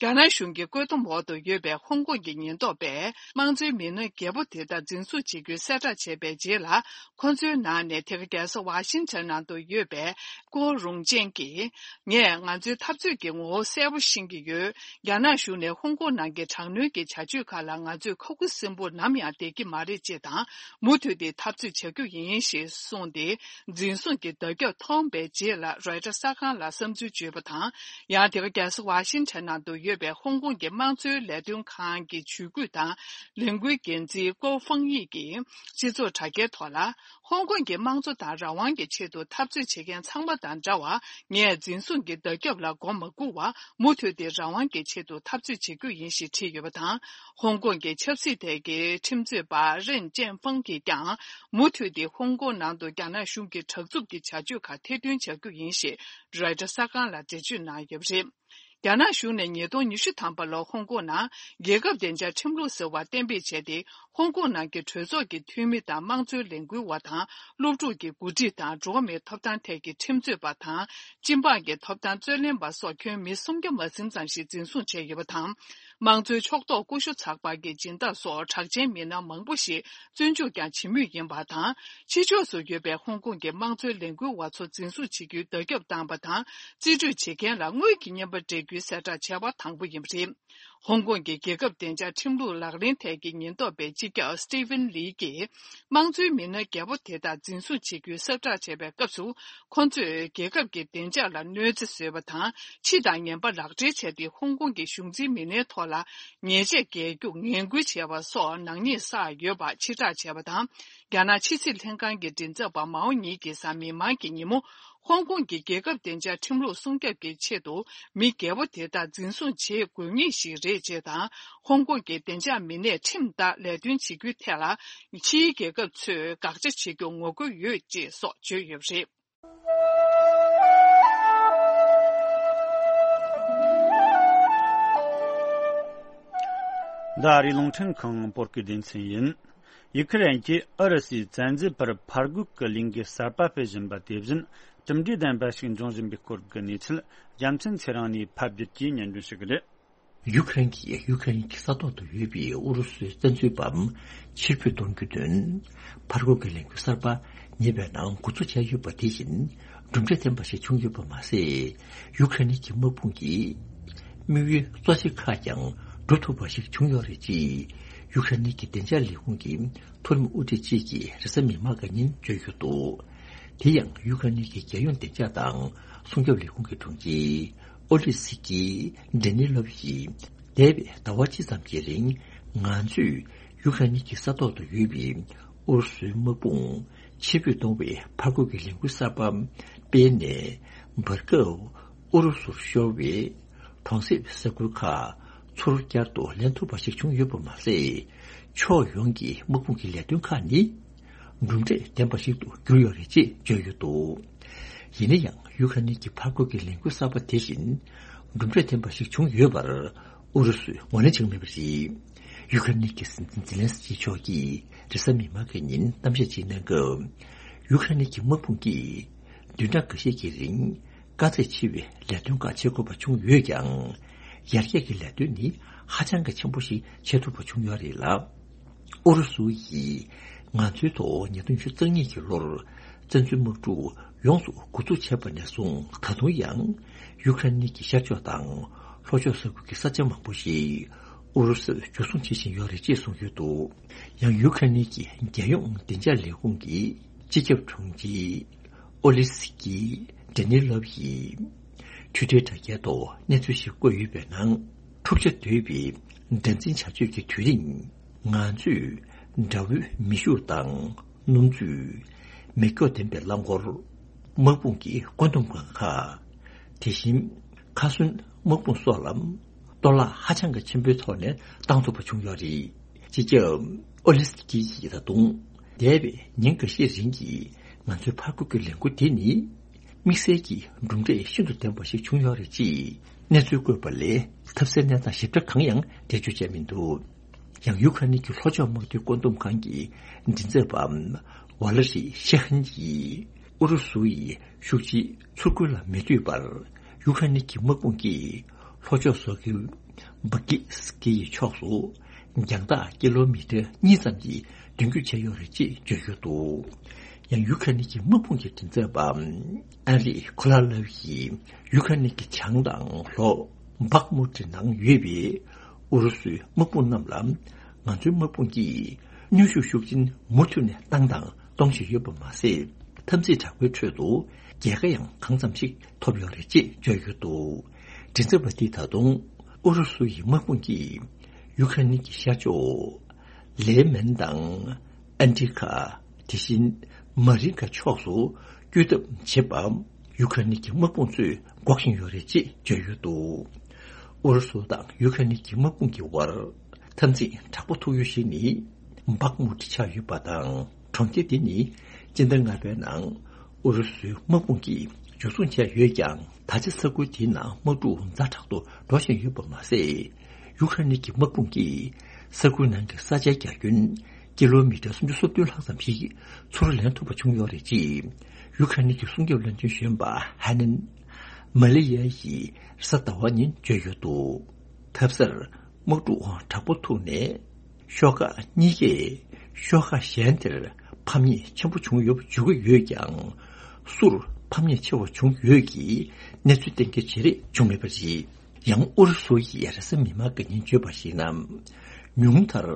རྒྱ་ནག་གཞུང་གི་བཀོད་འདོམས་འོག་ཏུ་ཡོད་པའི་ཧོང་ཀོང་གི་ཉེན་རྟོག་པས། དམངས་གཙོའི་མི་སྣ་བརྒྱད་པོ་དེ་དག་འཛིན་བཟུང་བྱེད་རྒྱུའི་གསལ་བསྒྲགས་བྱས་པའི་རྗེས་ལ། ཁོ་ཚོའི་ནང་ནས་དེ་ག་རྒྱལ་ས་ཝ་ཤིང་ཊོན་ནང་དུ་ཡོད་པའི་ཀོ་རུང་ཅན་གྱིས། ངས་ང་ཚོའི་འཐབ་རྩོད་ཀྱི་ངོ་བོ་གསལ་པོ་ཤེས་ཀྱི་ཡོད། རྒྱ་ནག་གཞུང་ནས་ཧོང་ཀོང་ནང་གི་དྲག་གནོན་གྱི་བྱ་སྤྱོད་ཁག་ལ་ང་ཚོས་ཁ་ཁུ་སིམ་པོར་ནམ་ཡང་བསྡད་ཀྱི་མ་རེད་ཅེས་དང་། མུ་མཐུད་དེ་འཐབ་རྩོད་བྱ་རྒྱུ་ཡིན་ཞེས་གསུངས་ཏེ། འཛིན་བཟུང་གི་བརྡ་ཁྱབ་མཐོང་བའི་རྗེས་ལ་རོའི་ཊར་གསར་ཁང་ལ་བསམ་ཚུལ་བརྗོད་པ་དང་། ཡང་དེ་ག་རྒྱལ་ས་ཝ་ཤིང་ཊོན་ནང་དུ་ཡོད་པའི་ཧོང་ཀོང་གི་དམངས་གཙོའི་ལས་དོན་ཁང་གི་ཇུས་འགོད་དང་ལས་འགུལ་འགན་འཛིན་ཀོ་ཧྥང་དབྱི་གིས་སྤྱི་ཚོགས་དྲ་རྒྱའི་ཐོག་ལ། ཧོང་ཀོང་གི་དམངས་གཙོ་དང་རང་དབང་གི་ཆེད་དུ་འཐབ་རྩོད་བྱེད་མཁན་ཚང་མ་དང་འདྲ་བར། ངས་འཛིན་བཟུང་གི་བརྡ་ཁྱབ་ལ་མགོ་མ་སྒུར་བར། མུ་མཐུད་དེ་རང་དབང་གི་ཆེད་དུ་འཐབ་རྩོད་བྱེད་རྒྱུ་ཡིན་ཞེས་བྲིས་ཡོད་པ་དང་། ཧོང་ཀོང་གི་ཆབ་སྲིད་ཐད་ཀྱི་ཁྲིམས་རྩོད་པ་རེན་ཅན་ཧྥང་གིས་ཀྱང་། མུ་མཐུད་དེ་ཧོང་ཀོང་ནང་དུ་རྒྱ་ནག་གཞུང་གི་དྲག་རྩུབ་ཀྱི་བྱ་སྤྱོད་ཁག་ཐེར་འདོན་བྱ་རྒྱུ་ཡིན་ཞེས་རོའི་ཊར་གསར་ཁང་ལ་འགྲེལ་བརྗོད་གནང་ཡོད་པ་རེད། རྒྱ་ནག་གཞུང་ནས་ཉིས་སྟོང་ཉི་ཤུ་ཐམ་པ་ལོར་ཧོང་ཀོང་ནང་རྒྱལ་ཁབ་བདེ་འཇགས་ཁྲིམས་ལུགས་ཟེར་བ་གཏན་འབེབས་བྱས་ཏེ། ཧོང་ཀོང་ནང་གི་གྲོས་ཚོགས་ཀྱི་འཐུས་མི་དང་དམངས་གཙོའི་ལས་འགུལ་བ་དང་། སློབ་ཕྲུག་གི་འགོ་ཁྲིད་དང་། འགྲོ་བ་མིའི་ཐོབ་ཐང་ཐད་ཀྱི་ཁྲིམས་རྩོད་པ་དང་། སྤྱི་འབངས་ཀྱི་ཐོབ་ཐང་རྩོད་ལེན་པ་སོགས་ཁྱོན་མི་སུམ་བརྒྱ་མ་ཟིན་ཙམ་ཞིག་འཛིན་བཟུང་བྱས་ཡོད་པ་དང་། དམངས་གཙོའི་ཕྱོགས་གཏོགས་ཀུ་ཤུ་ཚགས་པར་གྱི་སྦྱིན་བདག་སོགས་གྲགས་ཅན་མི་སྣ་མང་པོ་ཞིག་བཙོན་འཇུག་ཀྱང་བྱེད་མུས་ཡིན་པ་དང་། ཕྱི་ཕྱོགས་སུ་ཡོད་པའི་ཧོང་ཀོང་གི་དམངས་གཙོའི་ལས་འགུལ་བ་ཚོ་འཛིན་བཟུང་བྱེད་རྒྱུའི་བརྡ་ཁྱབ་བཏང་པ་དང་། རྩིས་སྤྲོད་བྱེད་མཁན་ལ་དངུལ་གྱི་རྔན་པ་སྤྲད་རྒྱུའི་གསལ་བསྒྲགས་བྱས་པ་དང་པོ་ཡིན་པ་རེད། ཧོང་ཀོང་གི་རྒྱལ་ཁབ་བདེ་འཇགས་ཁྲིམས་ལུགས་ལག་ལེན་ཐད་ཀྱི་ཉེན་རྟོག་པའི་སྤྱི་ཁྱབ་སི་ཏི་ཝན་ལི་གིས། དམངས་གཙོའི་མི་སྣ་བརྒྱད་པོ་དེ་དག་འཛིན་བཟུང་བྱེད་རྒྱུའི་གསལ་བསྒྲགས་བྱས་པའི་སྐབས་སུ། ཁོ་ཚོས་རྒྱལ་ཁབ་ཀྱི་བདེ་འཇགས་ལ་གནོད་འཚེ་བཟོས་པ་དང་། ཕྱི་དང་ངན་པ་ལག་སྦྲེལ་བྱས་ཏེ། ཧོང་ཀོང་གི་གཞུང་འཛིན་མི་སྣའི་ཐོག་ལ་ཉེས་ཆད་འགེལ་རྒྱུ་ངན་སྐུལ་བྱས་པ་སོགས་ནག་ཉེས་བསགས་ཡོད་པ་ཕྱིར་བསྒྲགས་བྱས་པ་དང་། རྒྱ་ནག་ཕྱི་སྲིད་ལྷན་ཁང་གི་མགྲིན་ཚབ་པ་མའོ་ཉིང་གིས་གཟའ་མིག་དམར་གྱི་ཉིན་མོ། ཧོང་ཀོང་གི་རྒྱལ་ཁབ་བདེ་འཇགས་ཁྲིམས་ལུགས་སྲུང་སྐྱོབ་ཀྱི་ཆེད་དུ། མི་བརྒྱད་པོ་དེ་དག་འཛིན་བཟུང་བྱེད་དགོས་ངེས་ཤིག་རེད་ཅེས་དང་། ཧོང་ཀོང་གི་བདེ་འཇགས་མི་སྣས་ཁྲིམས་ལྟར་ལས་དོན་བྱེད་རྒྱུའི་ཐད་ལ། ཕྱིའི་རྒྱལ་ཁབ་ཚོས་དགག་བྱ་བྱེད་རྒྱུ་ངོ་རྒོལ་ཡོད་ཅེས་སོགས་བརྗོད་ཡོད་པ་རེད། འདི་ཨ་རིའི་རླུང་འཕྲིན་ཁང་བོད་སྐད་སྡེ་ཚན་ཡིན། ཡུ་ཁུ་རེན་གྱིས་ཨུ་རུ་སུའི་བཙན་འཛུལ་པར་ཕར་རྒོལ་གྱི་ལས་འགུལ་གསར་པ་སྤེལ་བཞིན་པ་དེ་བཞིན་གྲུབ་འབྲས་ལྡན་པ་ཞིག་འབྱུང་བཞིན་པའི་སྐོར་གྱི་གནས་ཚུལ། རྒྱལ་མཚན་ཚེ་རིང་ནས་ཕབ་སྒྱུར་གྱིས་སྙན་སྒྲོན་ཞུ་གི་རེད། ཡུ་ཁུ་རེན་གྱིས་ཡུ་ཁུ་རེན་གྱི་ས་ཐོག་ཏུ་ཡོད་པའི་ཨུ་རུ་སུའི་བཙན་འཛུལ་པ་ཕྱིར་འབུད་གཏོང་རྒྱུའི་དོན། ཕར་རྒོལ་གྱི་ལས་འགུལ་གསར་པ་ཉེ་བའི་ནང་འགོ་འཛུགས་བྱས་ཡོད་པ་དེ་བཞིན་གྲུབ་འབྲས་ལྡན་པ་ཞིག་བྱུང་ཡོད་པ་མ་ཟད། ཡུ་ཁུ་རེན་གྱི་དམག་དཔུང་གི་དམིགས་ཡུལ་གཙོ་ཆེ་ཁག་ཀྱང་འགྲུབ་ཐུབ་པ་ཞིག་བྱུང་ཡོད་རེད་ཅེས་ཡུ་ཁུ་རེན་གྱི་བདེ་འཇགས་ལས་ཁུངས་ཀྱི་མཐོ་རིམ་དབུ་ཁྲིད་ཅིག་གིས་རེས་གཟའ་མིག་དམར་གྱི་ཉིན་བརྗོད་ཡོད་འདུག་དེ་ཡང་ཡུ་ཁུ་རེན་གྱི་རྒྱལ་ཡོངས་བདེ་འཇགས་དང་སྲུང་སྐྱོབ་ལས་ཁུངས་ཀྱི་དྲུང་ཆེ་ཨོ་ལི་སི་ཀི་ཌེ་ནི་ལོབ་ཡིས། འདས་པའི་ཟླ་བ་གཅིག་ཙམ་གྱི་རིང་ང་ཚོས་ཡུ་ཁ་ནི་གི་ས་ཐོག་ཏུ་ཡོད་པའི་ཨུ་རུ་སུའི་དམག་དཔུང་ཕྱིར་འབུད་གཏོང་བའི་ཕར་རྒོལ་གྱི་ལས་འགུལ་གསར་པ་སྤེལ་ནས། བར་སྐབས་ཨུ་རུ་སུར་ཤོར་བའི་གྲོང་གསེབ་ས་ཁུལ་ཁག་ཚུར་བསྐྱར་དུ་ལེན་ཐུབ་པ་ཞིག་བྱུང་ཡོད་པ་མ་ཟད། ཕྱོགས་ཡོངས་ཀྱི་དམག་དཔུང་གི་ལས་དོན་ཁག་ནི། གྲུབ་འབྲས་ལྡན་པ་ཞིག་ཏུ་གྱུར་ཡོད་རེད་ཅེས་བརྗོད་ཡོད་འདུག་ཡིན་ན་ཡང་ཡུ་ཁ་ནི་གི་ཕར་རྒོལ་གྱི་ལས་འགུལ་གསར་པ་དེ་བཞིན་གྲུབ་འབྲས་ལྡན་པ་ཞིག་བྱུང་ཡོད་པར་ཨུ་རུ་སུས་ངོས་ལེན་བྱུང་མེད་པ་རེད། ཡུ་ཁ་ནི་གི་སྲིད་འཛིན་ཛི་ལན་སི་ཀི་མཆོག་གིས་རེས་གཟའ་མིག་དམར་གྱི་ཉིན་གཏམ་བཤད་ཅིག་གནང་སྐབས། ཡུ་ཁ་ནི་གི་དམག་དཔུང་གིས་བདུན་ཕྲག་འགའ་ཤས་ཀྱི་རིང་དཀའ་ཚེགས་ཆེ་བའི་ལས་དོན་ཁག་བྱེད་དགོས་པ་བྱུང་ཡོད་ཀྱང་། ཡར་རྒྱས་ཀྱི་ལས་དོན་ནི་ཧ་ཅང་གི་ཆེན་པོ་ཞིག་བྱེད་ཐུབ་པ་བྱུང་ཡོད་རེད་ལ། ཨུ་རུ་སུ་ཡིས་ང་ཚོའི་ཐོག་ཉིས་སྟོང་ཉི་ཤུ་རྩ་གཉིས་ཀྱི་ལོར་བཙན་འཛུལ་དམག་འཁྲུག་ཡོངས་སུ་འགོ་འཛུགས་བྱས་པ་ནས་བཟུང་ད་དུང་ཡང་ཡུ་ཁ་རེན་གྱི་ཤར་ཕྱོགས་དང་ལྷོ་ཕྱོགས་ས་ཁུལ་གྱི་ས་ཆ་མང་པོ་ཞིག་ཨུ་རུ་སུས་འཇུ་བཟུང་བྱེད་བཞིན་ཡོད་རེད་ཅེས་གསུངས་ཡོད་འདུག་ཡང་ཡུ་ཁ་རེན་གྱི་རྒྱལ་ཡོངས་བདེ་འཇགས་ལས་ཁུངས་ཀྱི་སྤྱི་ཁྱབ་དྲུང་ཆེ་ཨོ་ལི་སི་ཀི་ཌེ་ནི་ལོབ་ཡིས་Twitter་དྲ་རྒྱའི་ཐོག་གནས་ཚུལ་ཞིག་བཀོད་ཡོད་པའི་ནང་། འཁྲུག་ཆ་དོད་པའི་དགྲར་འཛིན་བྱ་སྤྱོད་ཀྱི་དུས་རིང་། ང་ཚོས་དགྲ་བོའི་མེ་ཤུགས་དང་སྣུམ་བཅུད། མེ་སྒྱོགས་ལྡན་པའི་རླངས་འཁོར། དམག་དཔུང་གི་བཀོད་འདོམས་ཁང་ཁག་དེ་བཞིན་ཁ་གསོན་དམག་དཔུང་སོགས་ལ་གཏོར་བརླག་ཧ་ཅང་གི་ཆེན་པོའི་ཐོག་ནས་བཏང་ཐུབ་པ་བྱུང་ཡོད་རེད། སྤྱི་ཁྱབ་ཨོ་ལི་སི་ཀི་ཡིས་ད་དུང་འདས་པའི་ཉིན་འགའ་ཤས་རིང་གི་ང་ཚོའི་ཕར་རྒོལ་གྱི་ལས་འགུལ་དེ་ནི། དམིགས་བསལ་གྱི་གྲུབ་འབྲས་ཤིན་ཏུ་ལྡན་པ་ཞིག་བྱུང་ཡོད་རེད་ཅེས་གནས་ཚུལ་བཀོད་པ་ལས་ཐབས་སད་གནས་སྟངས་ཞིབ་ཕྲ་གང་ཡང་འགྲེལ་བརྗོད་བྱས་མི་འདུག་ཡང་ཡུ་ཁ་ནི་གི་ལྷོ་ཕྱོགས་དམག་དོན་བཀོད་འདོམས་ཁང་གི་མགྲིན་ཚབ་པ་ཝ་ལ་རི་ཤེ་ཧན་གྱིས་ཨུ་རུ་སུ་ཡི་ཤུགས་ཆེའི་ཚུར་རྒོལ་ལ་མི་ལྟོས་པར་ཡུ་ཁ་ནི་གི་དམག་དཔུང་གིས་ལྷོ་ཕྱོགས་སོ་ཁི་བྷ་ཀི་སི་ཀི་ཡི་ཕྱོགས་སུ། རྒྱང་ཐག་ཀི་ལོ་མི་ཊར་གཉིས་ཙམ་གྱི་མདུན་སྐྱོད་བྱས་ཡོད་རེད་ཅེས་བརྗོད་ཡོད་འདུག་ཡང་ཡུ་ཁ་ནི་གི་དམག་དཔུང་གི་མགྲིན་ཚབ་པ་ཨན་རི་ཁོ་ལ་ལབ་ཡིས་ཡུ་ཁ་ནི་གི་བྱང་དང་ལྷོ་བྷག་མུ་ཏི་ནང་ཡོད་པའི་ཨུ་རུ་སུའི་དམག་དཔུང་རྣམས་ལ་ང་ཚོའི་དམག་དཔུང་གིས་གནོན་ཤུགས་ཤུགས་ཆེན་མུ་མཐུད་ནས་བཏང་དང་གཏོང་བཞིན་ཡོད་པ་མ་ཟད། འཐབ་འཛིང་དྲག་པོའི་ཁྲོད་དུ་རྒྱལ་ཁ་ཡང་གང་ཙམ་ཞིག་ཐོབ་ཡོད་རེད་ཅེས་བརྗོད་ཡོད་འདུག་མགྲིན་ཚབ་པ་འདིས་ད་དུང་ཨུ་རུ་སུ་ཡི་དམག་དཔུང་གིས་ཡུ་ཁ་ནི་གི་ཤར་ཕྱོགས་ལེ་མན་དང་ཨན་ཏི་ཁ། དེ་བཞིན་མ་རིན་ཁ་ཕྱོགས་སུ་བསྐྱོད་ཐབས་བྱེད་པ་ཡུ་ཁ་ནི་གི་དམག་དཔུང་ཚོས་འགོག་བཞིན་ཡོད་རེད་ཅེས་བརྗོད་ཡོད་འདུག་ཨུ་རུ་སུ་དང་ཡུ་ཁ་ནི་གི་དམག་དཔུང་གི་དབར་འཐབ་འཛིང་དྲག་པོ་ཐུག་ཡུལ་ཞིག་ནི་བྷག་མུ་ཏི་ཆགས་ཡོད་པ་དང་། གྲོང་ཁྱེར་དེ་ནི་སྤྱི་ཟླ་ལྔ་པའི་ནང་ཨུ་རུ་སུའི་དམག་དཔུང་གིས་འཇུ་བཟུང་བྱས་ཡོད་ཀྱང་ ད་ཆ་ས་ཁུལ་དེའི་ནང་དམག་འཁྲུག་ཛ་དྲག་ཏུ་འགྲོ་བཞིན་ཡོད་པ་མ་ཟད། ཡུ་ཁ་རེན་གྱི་དམག་དཔུང་གིས་ས་ཁུལ་ནང་གི་ས་ཆའི་རྒྱ་ཁྱོན་ཀི་ལོ་མི་ཊར་སུམ་ཅུ་སོ་བདུན་ལྷག་ཙམ་ཞིག་ཚུར་ལེན་ཐུབ་པ་བྱུང་ཡོད་རེད་ཅེས། ཡུ་ཁ་རེན་གྱི་སྲུང་སྐྱོབ་བློན་ཆེན་གཞོན་པ་ཧ་ནན་མ་ལེ་ཡ་ཡིས་རེས་གཟའ་ཟླ་བ་ཉིན་བརྗོད་ཡོད་འདུག་ཐབས་ཟད། དམག་འཁྲུག་དྲག་པོ་ཐུག་ནས། ཤོག་ཁག་གཉིས་ཀས་ཤོག་ཁག་གཞན་དེར་ཕམ་ཉེས་ཆེན་པོ་བྱུང་ཡོད་པ་བརྗོད་ཀྱི་ཡོད་ཀྱང་། སུར་ཕམ་ཉེས་ཆེ་བ་བྱུང་ཡོད་ཀྱི་གནས་ཚུལ་གཏན་འཁེལ་བྱེད་རེས་བྱུང་མེད་པ་རེད། ཡང་ཨུ་རུ་སུ་ཡིས་རེས་གཟའ་མིག་དམར་གྱི་ཉིན་བརྗོད་པར་གཞིགས་ན། ཉུང་མཐར་